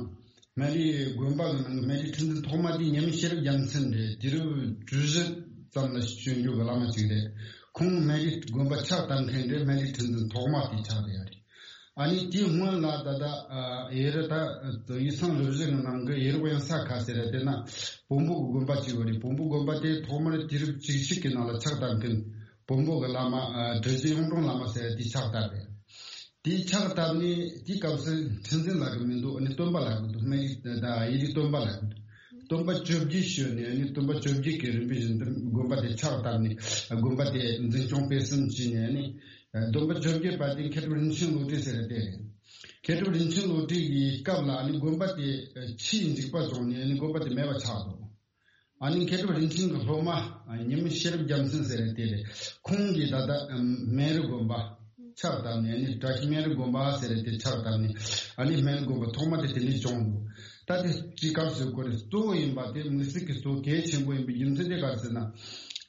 སྨན་རིའི་དགོན་པ་གི་ནང་གི་སྨན་རིའི་ཁྲི་འཛིན་ཐོག་མ་དེ་ཉི་མ་ཤེས་རབ་རྒྱལ་མཚན་རེད། དུས་རབས་བཅུ་བཞི་ཙམ་ལ་བྱོན་རྒྱུ་གི་བླ་མ་ཅིག་རེད། ཁོང་སྨན་རིའི་དགོན་པ་ཕྱག་བཏབ་མཁན་རེད། སྨན་རིའི་ཁྲི་འཛིན་ཐོག་མ་དེ་ཆགས་བསྡད་ཡོད་རེད། ཨ་ནི་དེའི་སྔོན་ལ་ད་ལྟ་ཡེ་རུ་ད་ཡིག་ཚང་རུ་བཞི་གི་ནང་གི་ཡེ་རུ་དབེན་ས་ཁ་ཟེར་རེད། དེ་ན་བོན་པོ་གི་དགོན་པ་ཅིག་ཡོད་རེད། བོན་པོ་དགོན་པ་དེ་ཐོག་མར་དུས་རབས་བཅུ་གཅིག་གི་ནང་ལ་ཕྱག་བཏབ་མཁན་བོན་པོ་གི་བླ་མ་གྲུ་བཞི་གཡུང་དྲུང་བླ་མ་ཟེར་དེ་ཕྱག་བཏབ་རེད། དེའི་ཕྱག་བཏབ་ནས་དེའི་སྐབས་སུ་ཁྲི་འཛིན་ལབ་ཀྱི་མི་འདུག་ཨ་ནི་སྟོན་པ་ལབ་ཀྱི་འདུག་སྨན་རིའི་ད་ཡེ་རུའི་སྟོན་པ་ལབ་ཀྱི་འདུག་སྟོན་པ་བཅོ་བརྒྱད་བྱོན་ནས་ཨ་ནི་སྟོན་པ་བཅོ་བརྒྱད་ཀྱི་རིམ་པ་བཞིན་དུ་དགོན་པ་དེ་ཕྱག་བཏབ་ནས་དགོན་པ་དེ་འཛིན་སྐྱོང་སྤེལ་གསུམ་བྱས་ནས་ཨ་ནི་སྟོན་པ་བཅོ་བརྒྱད་པ་དེ་མཁས་གྲུབ་རིན་ཆེན་བློ་གྲོས་ཟེར་བ་དེ་རེད། མཁས་གྲུབ་རིན་ཆེན་བློ་གྲོས་ཀྱི་སྐབས་ལ་ཨ་ནི་དགོན་པ་དེ་ཆུས་འཇིག་པ་བྱུང་ནས་ཨ་ནི་དགོན་པ་དེ་མེད་པ་ཆགས་འདུག་ཨ་ནི་མཁས་གྲུབ་རིན་ཆེན་གྱི་སློབ་མ་ཉི་མ་ཤེས་རབ་རྒྱལ་མཚན་ཟེར་བ་དེ་རེད། ཁོང་གིས་ད་ལྟ་སྨན་རི་དགོན་པ་ཕྱག་བཏབ་ནས་ཨ་ནི་བཀྲ་ཤིས་སྨན་རི་དགོན་པ་ཟེར་བ་དེ་ཕྱག་བཏབ་ནས་ཨ་ནི་སྨན་རི་དགོན་པ་ཐོག་མ་དེ་དེ་ནས་བྱུང་འདུག་ད་དེ་ཅི་སྐབས་སུ་གོ་རེ་གཙོ་བོ་ཡིན་པ་དེ་དམིགས་བསལ་གྱི་གཙོ་གལ་ཆེན་པོ་ཡིན་པའི་རྒྱུ་མཚན་དེ་ག་རེ་ཟེར་ན།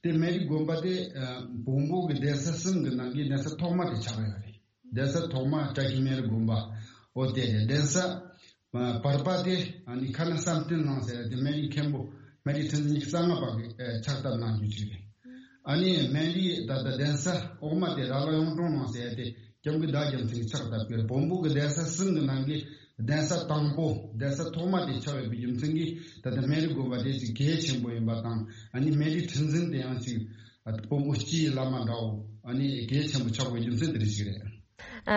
དེ་སྨན་རི་དགོན་པ་དེ་བོན་པོ་གི་གདན་ས་གསུམ་གི་ནང་གི་གདན་ས་ཐོག་མ་དེ་ཆགས་ཡོད་རེད། གདན་ས་ཐོག་མ་བཀྲ་ཤིས་སྨན་རི་དགོན་པ། འོ་དེ་རེད། གདན་ས་བར་པ་དེ་ཨ་ནི་ཁ་ན་བསམ་གཏན་གླིང་ཟེར་དེ་སྨན་རིའི་མཁན་པོ་སྨན་རིའི་ཁྲི་འཛིན་ཉི་ཤུ་རྩ་ལྔ་པ་གིས་ཕྱག་བཏབ་གནང་རྒྱུ་ཅིག་རེད། ཨ་ནི་སྨན་རིའི་ད་ལྟ་གདན་ས་འོག་མ་དེ་ར་ལ་གཡུང་དྲུང་གླིང་ཟེར་དེ་སྐྱབས་མགོན་ཟླ་རྒྱལ་མཚན་གྱིས་ཕྱག་བཏབ་ཀྱི་རེད། བོན་པོ་གི་གདན་ས་གསུམ་གི་ནང་གི་གདན་ས་དང་པོ་གདན་ས་ཐོག་མ་དེ་ཆགས་ཡོད་པའི་རྒྱུ་མཚན་གྱིས་ད་ལྟ་སྨན་རི་དགོན་པ་དེ་ཅིག་གལ་ཆེན་པོ་ཡིན་པ་དང་ཨ་ནི་སྨན་རིའི་ཁྲི་འཛིན་དེ་ཡང་ཅིག་བོན་པོ་སྤྱིའི་བླ་མ་འདྲ་བོ་ཨ་ནི་གལ་ཆེན་པོ་ཆགས་པའི་རྒྱུ་མཚན་དེ་རེད་ཅིག་རེད།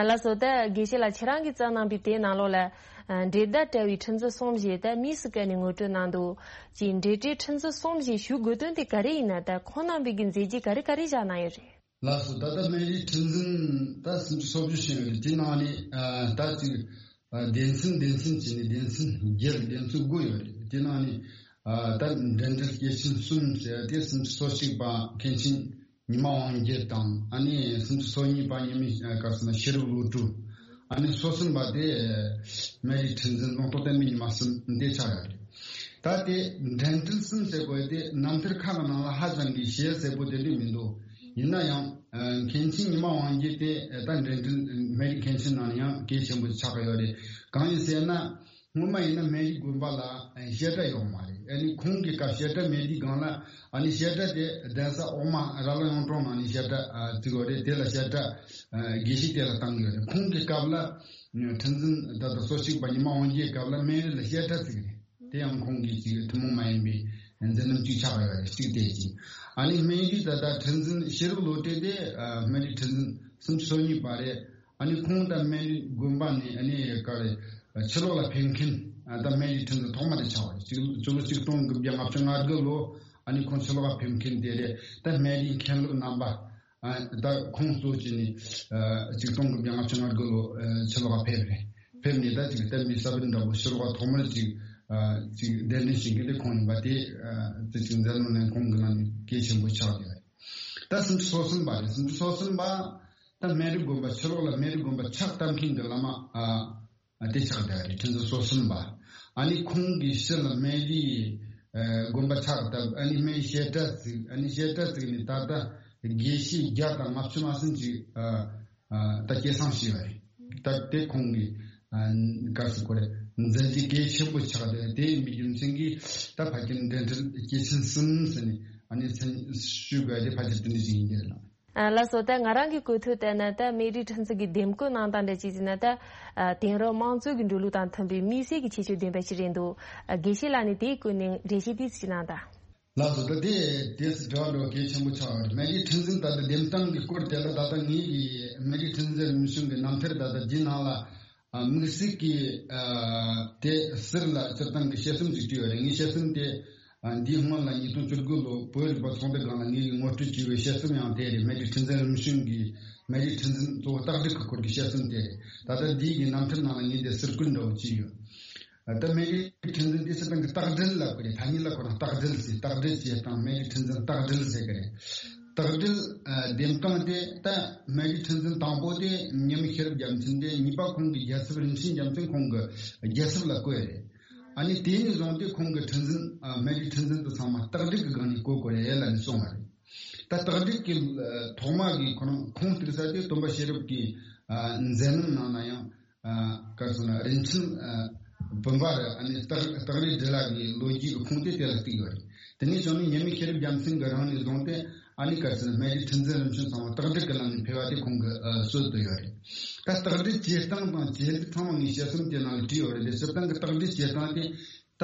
ལགས་སོ། ད་དགེ་བཤེས་ལགས་ཁྱེད་རང་གིས་བརྩམས་གནང་པའི་དེབ་ནང་ལོགས་ལ། འགྲེལ་བརྡ་བཀྲལ་བའི་ཁྲི་འཛིན་གསུམ་ཞེས་ད་དམིགས་སུ་བཀར་ནས་ངོ་སྤྲོད་གནང་འདུག་ཅིག་འགྲེལ་བཀྲལ་ཁྲི་འཛིན་གསུམ་ཞེས་ཞུ་དགོས་དོན་དེ་ག་རེ་ཡིན་ན། ད་ཁོང་རྣམ་པའི་གི་མཛད་རྗེས་ག་རེ་ག་རེ་བཞག་གནང་ཡོད་རེད། ལགས་སོ། ད་ལྟ་སྨན་རིའི་ཁྲི་འཛིན་ད་སུམ་ཅུ་སོ་བཞི་ཕྱིན་ཡོད་རེད། དེ་ནང་ནས་ཨ་ད་ཅིག་ཨ་སྡེ་ཚན་སྡེ་ཚན་བྱས་ནས་སྡེ་ཚན་བརྒྱད་སྡེ་ཚན་དགུ་ཡོད་རེད། དེ་ནང་ནས་ཨ་ད་འགྲན་བྲལ་སྐྱེས་ཆེན་གསུམ་ཟེར་ཏེ་སུམ་ཅུ་སོ་གཅིག་པ་མཁན་ཆེན་ཉི་མ་དབང་རྒྱལ་དང་། ཨ་ནི་སུམ་ཅུ་སོ་གཉིས་པ་ཉི་མ་ག་ཟེར་ན་ཤེས་རབ་བློ་གྲོས། ཨ་ནི་སོ་གསུམ་པ་དེ་སྨན་རིའི་ཁྲི་འཛིན་ལུང་རྟོགས་བསྟན་པའི་ཉི་མ་གསུམ་དེ་ཆགས་ཡོད་རེད། ད་དེ་འགྲན་བྲལ་གསུམ་ཟེར་དགོས་དེ་རྣམ་ཐར་ཁག་གི་ནང་ལ་ཧ་ཅང་གི་ཞེ་གསལ་པོ་དེ་འདྲ་མི་འདུག་ཡིན་ན་ཡང་ཨ་མཁན་ཆེན་ཉི་མ་དབང་རྒྱལ་དེ་ད་འགྲན་བྲལ་སྨན་རིའི་མཁན་ཆེན་ནང་ཡང་གལ་ཆེན་པོ་ཆགས་ཀྱི་ཡོད་རེད། གང་ཡིན་ཟེར་ན། སྔོན་མ་ཡིན་ན་སྨན་རིའི་དགོན་པ་ལ་ཨ་བཤད་གྲྭ་ཡོད་མ་རེད། ཨ་ནི་ཁོང་གི་སྐབས་བཤད་གྲྭ་མེད་དུས་སྒང་ལ་ཨ་ནི་བཤད་གྲྭ་དེ་གདན་ས་འོག་མ་ར་ལ་གཡུང་དྲུང་ནང་ནས་བཤད་གྲྭ་ཨ་བཙུགས་ཡོད་རེད། དེ་ལ་བཤད་གྲྭ་ཨ་དགེ་བཤེས་དེ་ལ་བཏང་ཡོད་རེད། ཁོང་གི་སྐབས་ལ་ཁྲི་འཛིན་ད་ལྟ་སོ་གཅིག་པ་ཉི་མ་དབང་རྒྱལ་སྐབས་ལ་སྨན་རི་ལ་བཤད་གྲྭ་བཙུགས་རེད། དེ་ཡང་ཁོང་གི་ཅིག་ཐུན་མོང་མ་ཡིན་པའི་མཛད་རྣམ་གཅིག་ཆགས་ཡོད་རེད། གཅིག་དེ་གཅིག་ཨ་ནི་སྨན་རིའི་ད་ལྟ་ཁྲི་འཛིན་ཤེས་རབ་བློ་གྲོས་དེ་ཨ་སྨན་རིའི་ཁྲི་འཛིན་སུམ་ཅུ་སོ་གཉིས་པ་རེད། ཨ་ནི་ཁོང་ད་སྨན་རིའི་དགོན་པ་ནས་ཨ་ནི་ག་རེ་ཕྱི་ལོགས་ལ་ཕེབས་མཁན་ཨ་ད་སྨན་རིའི་ཁྲི་འཛིན་ཐོག་མ་དེ་ཆགས་པ་རེད། ཕྱི་ལོ་ཆིག་སྟོང་དགུ་བརྒྱ་ལྔ་བཅུ་ང་དགུ་ལོ་ཨ་ནི་ཁོང་ཕྱི་ལོགས་ལ་ཕེབས་མཁན་དེ་རེད། ད་སྨན་རིའི་མཁན་སློབ་རྣམ་པ་ཨ་ད་ཁོང་གཙོ་བྱས་ནས་ཨ་ཆིག་སྟོང་དགུ་བརྒྱ་ལྔ་བཅུ་ང་དགུ་ལོ་ཨ་ཕྱི་ལོགས་ལ་ཕེབས་རེད། ཕེབས་ནས་ད་ཅིག་བསྟན་པའི་ས་བོན་འདྲ་པོ་ཕྱི་ལོགས་ལ་ཐོག་མར་ཅིག་ཨ་ཅིག་གདན་འདྲེན་བྱེད་མཁན་དེ་ཁོང་ཡིན་པ་དེ་ཨ་དེ་ཅིག་མཛད་རྣམ་ནས་ཁོང་གི་ནང་ནས་གལ་ཆེན་པོ་ཆགས་ཡོད་རེད། ད་སུམ་ཅུ་སོ་གསུམ་པ་རེད། སུམ་ཅུ་སོ་གསུམ་པ། ད་སྨན་རིའི་དགོན་པ་ཕྱི་ལོགས་ལ་སྨན་རིའི་དགོན་པ་ཕྱག་བཏབ་མཁན་གྱི་བླ་མ་ཨ་ཨ་དེ་ཆགས་བསྡད་རེད། ཁྲི་འཛིན་སོ་གསུམ་པ། ཨ་ནི་ཁོང་གི་ཕྱི་ལ་སྨན་རིའི་ཨ་དགོན་པ་ཕྱག་བཏབ། ཨ་ནི་སྨན་རིའི་བཤད་གྲྭ་བཙུགས། ཨ་ནི་བཤད་གྲྭ་བཙུགས་ནས་ད་ལྟ་དགེ་བཤེས་བརྒྱ་དང་ལྔ་བཅུ་མ་ཟིན་ཅིག་ཨ་ཨ་ད་སྐྱེད་སྲིང་བྱས་པ་རེད། ད་དེ་ཁོང་གི་ཨ་ག་རེ་ཟེར་དགོས་རེད། མཛད་རྗེས་གལ་ཆེན་པོ་ཆགས་བསྡད་དེ་ཡིན་པའི་རྒྱུ་མཚན་གྱིས་ད་ཕལ་ཆེར་འགྲན་བྲལ་སྐྱེས་ཆེན་གསུམ་ཟེར་ནས་ཨ་ནི་མཚན་ཞུ་དགོས་དེ་ཕལ་ཆེར་དེ་འདྲ་ཞིག་ཡིན་གྱི་རེད། ཨ་ལགས་སོ། ད་ང་རང་གི་གོ་ཐོས་ལྟར་ན་ད་སྨན་རིའི་ཁྲི་འཛིན་གྱི་འདེམས་བསྐོ་གནང་སྟངས་འདྲ་ཅིག་ཟེར་ན་ད་ཨ་དེང་རབས་དམངས་གཙོ་གི་འགྲོ་ལུགས་དང་མཐུན་པའི་དམིགས་བསལ་གྱི་ཁྱད་ཆོས་ལྡན་པ་ཞིག་རེད་འདུག་ཨ་དགེ་བཤེས་ལགས་ནས་དེའི་སྐོར་ནས་འགྲེལ་བཤད་ཏོག་ཙམ་ཅིག་གནང་དང་། ལགས་སོ། ད་དེ་དེ་དྲི་བ་འདྲ་བོ་གལ་ཆེན་པོ་ཆགས་པ་རེད། སྨན་རིའི་ཁྲི་འཛིན་ད་ལྟ་འདེམས་སྟངས་ཀྱི་སྐོར་དེ་ལ་ད་ལྟ་ངེད་ཀྱིས་སྨན་རིའི་ཁྲི་འཛིན་རིམ་བྱོན་གྱི་རྣམ་ཐར་ད་ལྟ་འདིའི་ནང་ལ་ཨ་དམིགས་བསལ་གྱི་ཨ་དེ་ཟུར་ལ་སྤྱིར་བཏང་གི་དཔྱད་རྩོམ་ཞིག་བྲིས་ཡོད་རེད། ངའི་དཔྱད་རྩོམ་དེ་ཨ་འདིའི་སྔོན་ལ་ཉིས་སྟོང་བཅུ་དགུ་ལོ་བོད་རིག་པ་ཚོགས་སྡེ་སྒང་ལ་ངེད་ཀྱིས་ངོ་སྤྲོད་བྱས་པའི་དཔྱད་རྩོམ་ཡང་དེ་རེད། སྨན་རིའི་ཁྲི་འཛིན་རིམ་བྱོན་གྱི་སྨན་རིའི་ཁྲི་འཛིན་གཙོ་བོ་རྟགས་སྒྲིག་གི་སྐོར་གྱི་དཔྱད་རྩོམ་དེ་རེད། ད་ལྟ་འདིའི་གི་རྣམ་ཐར་ནང་ལ་ངས་དེ་ཟུར་བཀོད་འདྲ་བོ་བྱས་ཡོད། ད་སྨན་རིའི་ཁྲི་འཛིན་དེ་སྤྱིར་བཏང་གི་རྟགས་སྒྲིལ་ལབ་ཀྱི་རེད། ཐ་སྙད་ལ་ཁོ་རང་རྟགས་སྒྲིལ་ཟེར། རྟགས་སྒྲིལ་བྱེད་སྟངས་སྨན་རིའི་ཁྲི་འཛིན་རྟགས་སྒྲིལ་ཟེར་གི་རེད། རྟགས་སྒྲིལ་ཨ་འདེམས་སྟངས་དེ་ད་སྨན་རིའི་ཁྲི་འཛིན་དང་པོ་དེ་མཉམ་མེད་ཤེས་རབ་རྒྱལ་མཚན་རེད། གཉིས་པ་ཁོང་གི་རྒྱལ་ཚབ་རིན་ཆེན་རྒྱལ་མཚན་ཁོང་གི་རྒྱལ་ཚབ་ལ་བསྐོས་རེད། ཨ་ནི་དེ་ནས་བཟུང་སྟེ་ཁོང་གི་ཁྲི་འཛིན་ཨ་སྨན་རིའི་ཁྲི་འཛིན་དེ་ཚང་མ་རྟགས་སྒྲིག་གི་སྒང་ནས་བསྐོ་དགོས་རེད་ལབ་ནས་གསུངས་པ་རེད། ད་རྟགས་སྒྲིག་གི་ཨ་ཐོག་མ་གི་ཁོ་རང་ཁུངས་གཏུགས་ས་དེ་སྟོན་པ་ཤེས་རབ་ཀྱི་ཨ་མཛད་རྣམ་ནང་ན་ཡང་། ཨ་ག་རེ་ཟེར་ན་རིན་ཆེན་ཨ་བུམ་པ་རེད། ཨ་ནི་སྟག་སྟག་རི་བྲིས་ལ་གི་ལོ་རྒྱུས་ཀྱི་ཁུངས་དེ་དེ་ལ་གཏུགས་ཡོད་རེད། དེ་ནས་བྱུང་ནས་མཉམ་མེད་ཤེས་རབ་རྒྱལ་མཚན་གྱི་རིང་ནས་བཟུང་སྟེ་ཨ་ནི་ག་རེ་ཟེར་ན་སྨན་རིའི་ཁྲི་འཛིན་རིམ་བྱོན་ཚང་མ་རྟགས་སྒྲིག་གི་ལམ་ནས་ཕེབས་པ་དེ་ཁོང་གི་ཨ་སྲོལ་དུ་ཡོད་རེད། ད་རྟགས་སྒྲིག་བྱེད་སྟངས་དང་བྱེད་ལུགས་ཚང་མ་ངས་དཔྱད་རྩོམ་དེ་ནང་ལ་བྲིས་ཡོད་རེད། དེ་སྤྱིར་བཏང་གི་རྟགས་སྒྲིག་བྱེད་སྟངས་དེ་ད་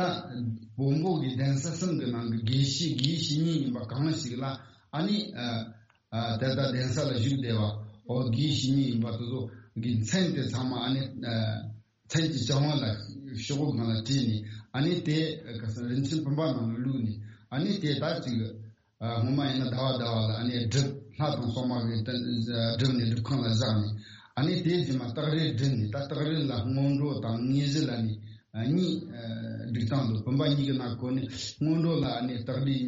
བོན་པོ་གི་གདན་ས་གསུམ་གི་ནང་གི་དགེ་བཤེས་དགེ་བཤེས་གཉིས་ཡིན་པ་གང་ཞིག་ལ་ཨ་ནི་ཨ། ཨ་དེ་ལྟར་གདན་ས་ལ་བཞུགས་བསྡད་པ་འོ་དགེ་བཤེས་གཉིས་ཡིན་པ་དེ་ཚོ་གི་མཚན་དེ་ཚང་མ་ཨ་ནི་ཨ་མཚན་གྱི་བྱ་བ་ལ་ཤོག་གུ་སྒང་ལ་བྲིས་ནས་ཨ་ནི་དེ་ག་ས་རིན་ཆེན་བུམ་པ་ནང་ལ་བླུགས་ནས་ཨ་ནི་དེ་ད་ཅིག་ཨ་སྔོན་མ་ཡིན་ན་ཟླ་བ་ཟླ་བ་ལ་ཨ་ནི་སྒྲུབ། ལྷ་དང་སྲུང་མ་གི་སྒྲུབ་ནས་སྒྲུབ་ཁང་ལ་བཞག་ནས་ཨ་ནི་དེ་རྗེས་མ་རྟགས་རིས་བསྒྲིལ་ནས་ད་རྟགས་རིས་ལ་སྔོན་འགྲོ་དང་དངོས་གཞི་ལ་ནི། གཉིས་སྒྲིག་སྟངས་འདུག་བུམ་པ་གཉིས་ཀྱི་ནང་གོ་ནས་སྔོན་འགྲོ་ལ་ནི་རྟགས་སྒྲིག་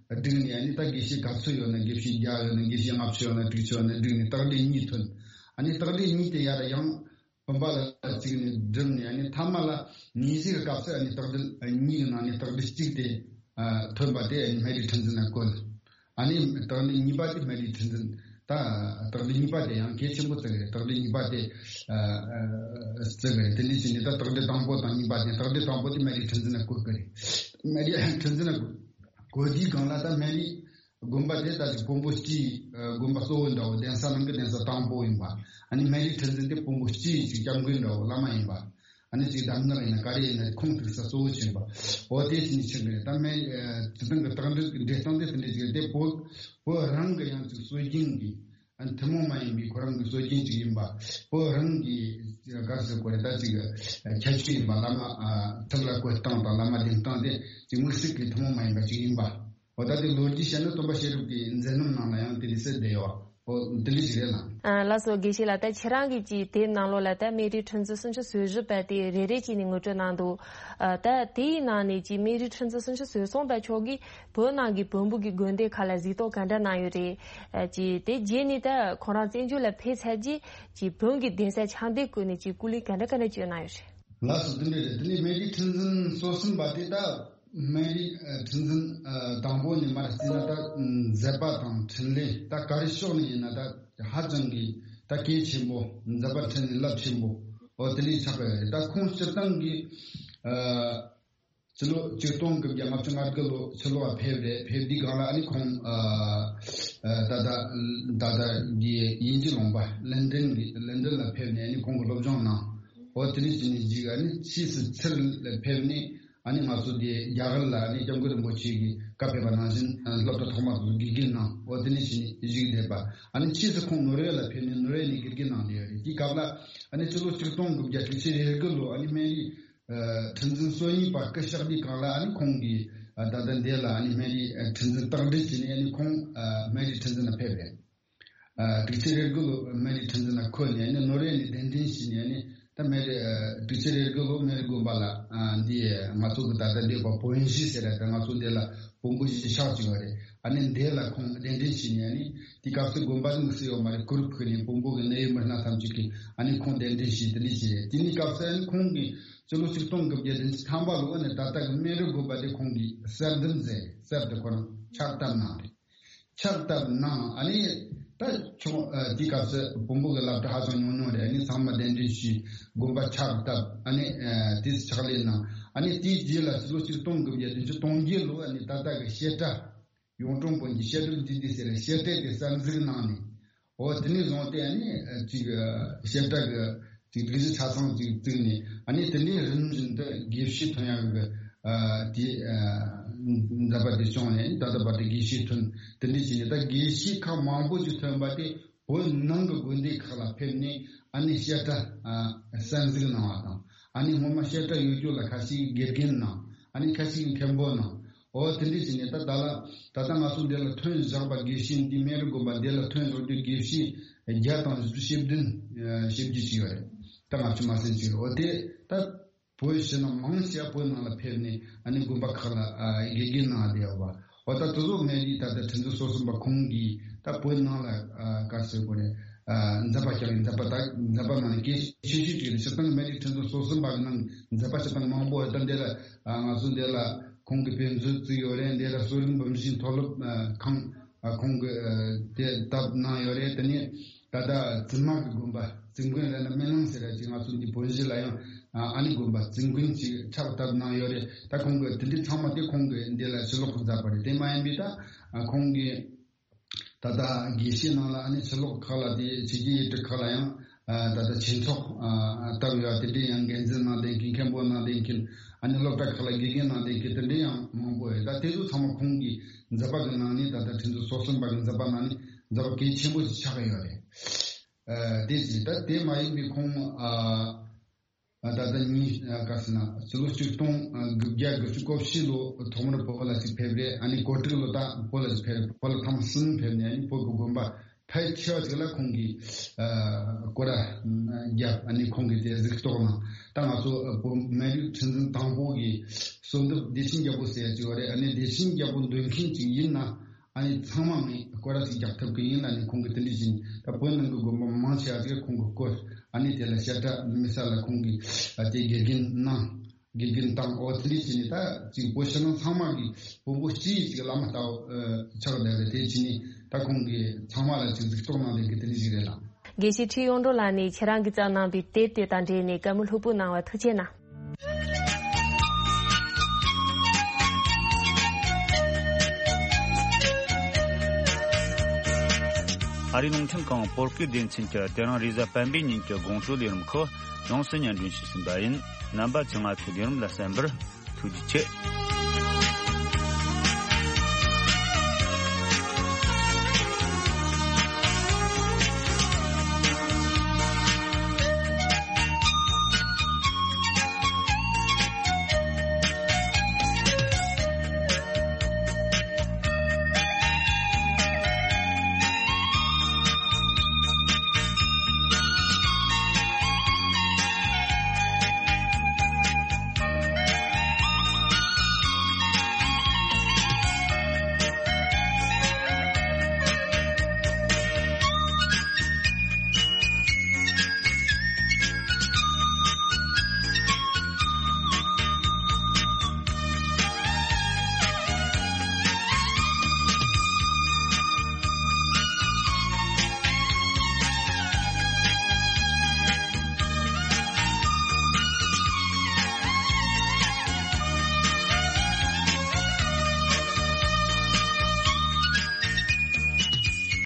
བསྒྲིགས་ནས་ནི་ད་དགེ་བཤེས་ག་ཚོད་ཡོད་ན་དགེ་བཤེས་བརྒྱ་ཡོད་ན་དགེ་བཤེས་ལྔ་བཅུ་ཡོད་ན་དྲུག་ཅུ་ཡོད་ན་བསྒྲིགས་ནས་རྟགས་སྒྲིག་གཉིས་ཐོན། ཨ་ནི་རྟགས་སྒྲིག་གཉིས་དེ་ཡར་ཡང་བུམ་པ་ལ་བརྩིགས་ནས་བསྒྲིལ་ནས་ཨ་ནི་ཐ་མ་ལ་ནི་ཞིག་གི་སྐབས་སུ་ཨ་ནི་རྟགས་སྒྲིག་གཉིས་ཀྱི་ནང་ནས་རྟགས་སྒྲིག་གཅིག་དེ་ཐོན་པ་དེ་ཨ་ནི་སྨན་རིའི་ཁྲི་འཛིན་ལ་བཀོད། ཨ་ནི་རྟགས་སྒྲིག་གཉིས་པ་དེ་སྨན་རིའི་ཁྲི་འཛིན། ད་རྟགས་སྒྲིག་གཉིས་པ་དེ་ཡང་གལ་ཆེན་པོ་བརྩི་གི་རེད། རྟགས་སྒྲིག་གཉིས་པ་དེ་ཨ་ཨ་བརྩི་གི་རེད། དེ་འདྲ་བྱས་ནས་ད་རྟགས་སྒྲིག་དང་པོ་དང་གཉིས་པ་དེ་རྟགས་སྒྲིག་དང་པོ་དེ་སྨན་རིའི་ཁྲི་འཛིན་ལ་བཀོད་གི་རེད། སྨན་རིའི་ཁྲི་འཛིན་ལ་བཀོད་དུས་སྒང་ལ་ད་སྨན་རིའི་དགོན་པ་དེ་ད་ཅིག་བོན་པོ་སྤྱིའི་དགོན་པ་གཙོ་བོ་འདྲ་བོ་གདན་ས་ནང་གི་གདན་ས་དང་པོ་ཡིན་པ། ཨ་ནི་སྨན་རིའི་ཁྲི་འཛིན་དེ་བོན་པོ་སྤྱིའི་ཅིག་སྐྱབས་མགོན་འདྲ་བོ་བླ་མ་ཡིན་པ། ཨ་ནི་ཅིག་གདམས་ངག་ཡིན་ན་ག་རེ་ཡིན་ན་ཁུངས་གཏུགས་ས་གཙོ་བོ་བྱེད་པ། འོ་དེ་ཅིག་ནི་ཆགས་ཀྱི་རེད། ད་སྨན་ཨ་སྤྱིར་བཏང་གི་རྟགས་འགྲེལ་འགྲེལ་སྟངས་དེ་དེ་འདྲ་ཅིག་རེད། དེ་བོད་བོད་རང་གི་ཡང་ཅིག་སྲོལ་རྒྱུན་གྱི་ཨ་ཐུན་མོང་མ་ཡིན་པའི་ཁོ་རང་གི་སྲོལ་རྒྱུན་ཅིག་ཡིན་པ། བོད་རང་གི་ག་རེ་ཟེར་དགོས་རེད། ད་ཅིག་ཁྱད་ཆོས་ཡིན་པ། བླ་མ་ཨ་ཐུགས་ལ་བཀོད་སྟངས་དང་བླ་མ་གདམས་སྟངས་དེ་ཅིག་དམིགས་བསལ་གྱི་ཐུན་མོང་མ་ཡིན་པ་ཅིག་ཡིན་པ། འོ་ད་དེ་ལོ་རྒྱུས་བཤད་ན་སྟོན་པ་ཤེས་རབ་ཀྱི་མཛད་རྣམ་ནང་ལ་ཡང་དེ་འདྲ་གསལ་བསྡད་ཡོད། ཨོ་དེ་འདྲ་ཞིག་རེད་ལ། ཨ་ལགས་སོ། དགེ་བཤེས་ལགས། ད་ཁྱེད་རང་གིས་ཅིག་དེབ་ནང་ལོགས་ལ་ད་སྨན་རིའི་ཁྲིམས་འཛིན་སུམ་ཅུ་སོ་བཞི་པ་དེ་རེ་རེ་བྱས་ནས་ངོ་སྤྲོད་གནང་འདུག་ཨ་ད་དེའི་ནང་ནས་ཅིག་སྨན་རིའི་ཁྲིམས་འཛིན་སུམ་ཅུ་སོ་གསུམ་པ་མཆོག་གིས་བོད་ནང་གི་བོན་པོ་གི་དགོན་སྡེ་ཁག་ལ་གཟིགས་རྟོག་ག་འདྲ་གནང་ཡོད་རེད། ཨ་ཅིག་དེ་རྗེས་ནས་ད་ཁོང་རང་བཙན་བྱོལ་ལ་ཕེབས་ཚར་རྗེས་ཅིག་བོན་གྱི་གདན་ས་ཆགས་འདེབས་སྐོར་ནས་ཅིག་སྐུ་ལས་ག་འདྲ་ག་འདྲ་བསྐྱོན་གནང་ཡོད་རེད། ལགས་སོ། དེ་འདྲ་རེད། དེ་ནས་སྨན་རིའི་ཁྲིམས་འཛིན་སོ་གསུམ་པ་དེ་ད་སྨན་རིའི་ཨ་ཁྲིམས་འཛིན་ཨ་དང་པོ་ནས་མར་བརྩིས་ན་ད་མཛད་པ་དང་འཕྲིན་ལས་ད་ག་རེ་ཕྱོགས་ནས་ཡིན་ན་ད་ཧ་ཅང་གི་ད་གལ་ཆེན་པོ། མཛད་པ་འཕྲིན་ལས་རླབས་ཆེན་པོ། འོ་དེ་འདྲ་ཆགས་པ་རེད། ད་ཁོང་སྤྱིར་བཏང་གི་ཨ་ཕྱི་ལོ་ཆིག་སྟོང་དགུ་བརྒྱ་ལྔ་བཅུ་ང་དགུ་ལོ་ཕྱི་ལོ་བ་ཕེབས་རེད། ཕེབས་དུས་སྒང་ལ་ཨ་ནི་ཁོང་ཨ་ཨ་ད་ད་ད་ད་གི་དབྱིན་ཇི་ལུང་པ་ལན་ཀྲན་གི་ལན་ཀྲན་ལ་ཕེབས་ནས་ཨ་ནི་ཁོང་གི་སློབ་སྦྱོང་གནང་། འོ་དེ་འདྲ་བྱས་ནས་གཞིས་ཨ་ནི་ཕྱིས་སུ་ཚུར་ལ་ཕེབས་ནས་ཨ་ནི་ང་ཚོ་དེ་རྒྱ་གར་ལ་ཨ་ནི་སྐྱབས་མགོན་རིན་པོ་ཆེ་གི་བཀའ་ཕེབས་པ་ནང་བཞིན་ཨ་སློབ་གྲྭ་ཐོག་མ་དེ་ཚོ་དགེ་རྒན་གནང་། འོ་དེ་འདྲ་བྱས་ནས་བཞུགས་བསྡད་པ། ཨ་ནི་ཕྱིས་སུ་ཁོང་ནོར་ཝེ་ལ་ཕེབས་ནས་ནོར་ཝེ་ནས་དགེ་རྒན་གནང་བསྡད་ཡོད་རེད། དེའི་སྐབས་ལ་ཨ་ནི་ཕྱི་ལོ་ཆིག་སྟོང་དགུ་བརྒྱ་དྲུག་ཅུ་རེ་དགུ་ལོ་ཨ་ནི་སྨན་རིའི་ཨ་ཁྲིམས་འཛིན་སོ་གཉིས་པ་སྐུ་གཤེགས་དུས་སྒང་ལ་ཨ་ནི་ཁོང་གིས་ཨ་ད་ལྟ་འདི་ལ་ཨ་ནི་སྨན་རིའི་ཨ་ཁྲིམས་འཛིན་རྟགས་འདྲི་བྱས་ནས་ཨ་ནི་ཁོང་ཨ་སྨན་རིའི་ཁྲིམས་འཛིན་ལ་ཕེབས་རེད། ཨ་དྲུག་ཅུ་རེ་དགུ་ལོ་སྨན་རིའི་ཁྲིམས་འཛིན་ལ་འཁོད་ནས་ཨ་ནི་ནོར་ཝེ་ནས་གདན་འདྲེན་བྱས་ནས་ཨ་ནི་ད་སྨན་རི་ཨ་དྲུག་ཅུ་རེ་དགུ་ལོ་སྨན་རི་དགོན་པ་ལ་ཨ་འདི་ང་ཚོ་གི་ད་ལྟ་འདི་བ་བོན་གཞིས་ཟེར་ཡ་ད་ང་ཚོ་འདི་ལ་བོན་པོ་གཞིས་ཆགས་བཅུག་པ་རེད། ཨ་ནི་འདི་ལ་ཁོང་གདན་འདྲེན་བྱས་ནས་ཨ་ནི་དེ་སྐབས་སུ་དགོན་པ་དམིགས་སུ་ཡོད་མ་རེད། གུར་ཕུབ་ནས་བོན་པོ་གི་གནད་ཡོད་མི་སྣ་ཐམས་ཅད་ཀྱིས་ཨ་ནི་ཁོང་གདན་འདྲེན་བྱས། དེ་འདྲ་བྱས་རེད། དེ་ནས་སྐབས་སུ་ཨ་ནི་ཁོང་གིས་སྤྱི་ལོ་ཆིག་སྟོང་དགུ་བརྒྱ་བདུན་ཅུ་ཐམ་པ་ལོ་ཨ་ནི་ད་ལྟ་གི་སྨན་རི་དགོན་པ་དེ་ཁོང་གིས་གསར་འདེབས་མཛད། གསར་དུ་ཁོ་རང་ཕྱག་བཏབ་གནང་རེད། ཕྱག་བཏབ་གནང་། ཨ་ནི་ད་ཆུང་ཨ་དེའི་སྐབས་སུ་བོན་པོ་གི་སློབ་གྲྭ་ཧ་ཅང་ཉུང་ཉུང་རེད། ཨ་ནི་ཚང་མ་གདན་འདྲེན་ཞུས། དགོན་པ་ཕྱག་བཏབ། ཨ་ནི་ཨ་དེ་ཕྱག་ལས་གནང་། ཨ་ནི་དེའི་རྗེས་ལ་ཕྱི་ལོ་ཆིག་སྟོང་དགུ་བརྒྱ་བདུན་ཅུ་དོན་བརྒྱད་ལོ་ཨ་ནི་ད་ལྟ་གི་བཤད་གྲྭ་གཡུང་དྲུང་བོན་གྱི་བཤད་སྒྲུབ་འདུས་སྡེ་ཟེར་བཤད་གྲྭ་དེ་གསར་འཛུགས་གནང་ནས། འོ་དེ་ནས་བཟུང་སྟེ་ཨ་ནི་ཅིག་བཤད་གྲྭ་གི་ཅིག་སྒྲིག་གཞི་ཆ་ཚང་ཅིག་བཙུགས་ནས། ཨ་ནི་དེ་འདྲའི་རིམ་བཞིན་དུ་དགེ་བཤེས་ཐོན་ཡག་གི་ཨ་དེ་ཨ་མཛད་པ་དེ་བྱུང་ནས། ད་ལྟ་བར་དུ་དགེ་བཤེས་ཐོན། དེ་འདྲ་བྱས་ནས་ད་དགེ་བཤེས་ཁག་མང་པོ་ཅིག་ཐོན་པ་དེ་བོད་ནང་གི་དགོན་སྡེ་ཁག་ལ་ཕེབས་ནས་ཨ་ནི་བཤད་གྲྭ་ཨ་གསར་འཛུགས་གནང་བ་དང་། ཨ་ནི་སྔོན་མ་བཤད་གྲྭ་ཡོད་རྒྱུ་ལ་ཁ་ཤས་དགེ་རྒན་གནང་། ཨ་ནི་ཁ་ཤས་མཁན་པོ་གནང་། འོ་དེ་འདྲ་བྱས་ནས་ད་ད་ལ་ད་ལྟ་ང་ཚོ་འདི་ལ་ཐོན་བཞག་པ་དགེ་བཤེས་འདི་སྨན་རི་དགོན་པ་འདི་ལ་ཐོན་བཞག་རྒྱུ་དགེ་བཤེས་བརྒྱ་དང་བཞི་བཅུ་ཞེ་བདུན་ཞེ་བརྒྱད་ཅིག་ཡོད་རེད། ད་ལྔ་བཅུ་མ་ཟིན་ཅིག་འོ་དེ་ད་བོད་ཕྱི་ནང་མང་ཆེ་བ་བོད་ནང་ལ་ཕེབས་ནས་ཨ་ནི་དགོན་པ་ཁག་ལ་ཨ་དགེ་རྒན་གནང་བསྡད་ཡོད་པ། འོ་ད་དེ་ཚོ་སྨན་རིའི་ད་ལྟ་ཁྲིམས་འཛིན་སོ་གསུམ་པ་ཁོང་གིས་ད་བོད་ནང་ལ་ཨ་ག་ཟེར་དགོས་རེད། ཨ་མཛད་པ་བསྐྱངས། མཛད་པ་ད་མཛད་པ་ནང་ནས་གལ་ཆེ་ཤོས་ཅིག་རེད། སྤྱིར་བཏང་སྨན་རིའི་ཁྲིམས་འཛིན་སོ་གསུམ་པ་གི་ནང་མཛད་པ་སྤྱིར་བཏང་མང་པོ་ཡོད། ད་འདི་ལ་ཨ་ང་ཚོ་འདི་ལ་ཁོང་གི་དཔེ་མཛོད་བཙུགས་ཡོད་རེད། འདི་ལ་གསོ་རིག་འབུམ་བཞིའི་མཐོ་སློབ་ཨ་ཁང་ཨ་ཁོང་གི་ཨ་དེ་བཏབ་གནང་ཡོད་རེད། དེ་ནས་ད་ལྟ་བཙུན་མ་གི་དགོན་པ་བཙུན་དགོན་རེད་ན་སྨོན་ལམ་ཟེར་ཡ་ཅིག་ང་ཚོ་འདི་བོད་གཞིས་ལ་ཡང་ཨ་ཨ་ནི་དགོན་པ་བཙུན་དགོན་ཅིག་ཕྱག་བཏབ་གནང་ཡོད་རེད། ད་ཁོང་གི་དེ་འདྲའི་ཚང་མ་དེ་ཁོང་གིས་འདི་ལ་ཕྱི་ལོགས་མཛད་པ་རེད། དེ་མ་ཡིན་པའི་ད་ཨ་ཁོང་གིས་ད་ལྟ་དགེ་བཤེས་ནང་ལ་ཨ་ནི་ཕྱི་ལོགས་ཁག་ལ་དེ་ཕྱི་རྒྱལ་ཡུལ་གྲུ་ཁག་ལ་ཡང་ཨ་ད་ལྟ་ཆོས་ཚོགས་ཨ་བཏབ་ཡོད། དེ་འདྲའི་ཡང་འགན་འཛིན་གནང་བསྡད་མཁན་མཁན་པོ་གནང་བསྡད་མཁན་ཨ་ནི་སློབ་གྲྭ་ཁག་ལ་དགེ་རྒན་གནང་བསྡད་མཁན་དེ་འདྲའི་ཡང་མང་པོ་ཡོད། ད་དེ་ཚོ་ཚང་མ་ཁོང་གིས་མཛད་པ་གི་ནང་ནས་ད་ལྟ་ཁྲིམས་འཛིན་སོ་གསུམ་པ་གི་མཛད་པ་ནང་ནས་མཛད་པ་གལ་ཆེན་པོ་ཞིག་ཆགས་ཀྱི་ཡོད་རེད། ཨ་དེ་ཅི་ད་དེ་མ་ཡིན་པའི་ཁོང་ཨ་ཨ་ད་ལྟ་ཉིན་ཨ་ག་ཟེར་ན་ཕྱི་ལོ་ཆིག་སྟོང་དགུ་བརྒྱ་དགུ་བཅུ་གོ་བཞི་ལོ་ཐོག་མར་བོད་ལ་ཅིག་ཕེབས་རེད། ཨ་ནི་གོ་དྲུག་ལོ་ད་བོད་ལ་ཅིག་ཕེབས་རེད། བོད་ལ་ཐེངས་གསུམ་ཕེབས་ནས་ཨ་ནི་བོད་ཀྱི་དགོན་པ་ཕལ་ཆེ་བ་ཅིག་ལ་ཁོང་གིས་ཨ་སྐོར་ར་བརྒྱབ། ཨ་ནི་ཁོང་གིས་དེ་གཟིགས་རྟོག་གནང་། ད་ང་ཚོ་ཨ་བོད་སྨན་རིའི་ཁྲིམས་འཛིན་དང་པོ་གི་གསོལ་འདེབས་བདེ་ཆེན་རྒྱལ་པོ་ཟེར་ཡ་ཅིག་ཡོད་རེད། ཨ་ནི་བདེ་ཆེན་རྒྱལ་པོ་འདོན་མཁན་ཅིག་ཡིན་ན། ཨ་ནི་ཚང་མ་ངས་སྐོར་ར་ཅིག་རྒྱག་ཐུབ་ཀྱི་ཡིན་ལ་ནི་ཁོང་གིས་དེ་འདྲ་བྱས་ནས་ད་བོད་ནང་གི་དགོན་པ་མང་ཆེ་བ་ཅིག་ཁོང་གིས་བསྐོར། ཨ་ནི་དེ་ལ་བཤད་གྲྭ་མི་ས་ལ་ཁོང་གིས་ཨ་དེ་དགེ་རྒན་གནང་། དགེ་རྒན་བཏང་། འོ་དེ་འདྲ་བྱས་ནས་ད་ཅིག་བོད་ཕྱི་ནང་ཚང་མ་གི་བོན་པོ་སྤྱི་ཡི་ཅིག་བླ་མ་ལྟ་བུ་ཨ་ཆགས་བསྡད་རེད། དེ་བྱས་ནས་ད་ཁོང་གིས་ཚང་མ་ལ་ཅིག་གཟིགས་རྟོག་གནང་བསྡད་མཁན་དེ་འདྲ་ཞིག་རེད་ལ། དགེ་བཤེས་ཁྲི་གཡུང་དྲུང་ལགས་ནས་ཁྱེད་རང་གིས་བརྩམས་གནང་བའི་དེབ་དེ་དང་འབྲེལ་ནས་བཀའ་མོལ་ལྷུག་པོ་གནང་བར་ཐུགས་རྗེ་གནང་། ཨ་རིའི་རླུང་འཕྲིན་ཁང་བོད་སྐད་སྡེ་ཚན་གྱིས་དེ་རིང་རེས་གཟའ་སྤེན་པའི་ཉིན་གྱི་དགོང་དྲོའི་ལས་རིམ་ཁག་ཡོངས་སུ་སྙན་སྒྲོན་ཞུས་ཟིན་པ་ཡིན། རྣམ་པ་ཚོས་ང་ཚོའི་ལས་རིམ་ལ་གསན་པར་ཐུགས་རྗེ་ཆེ།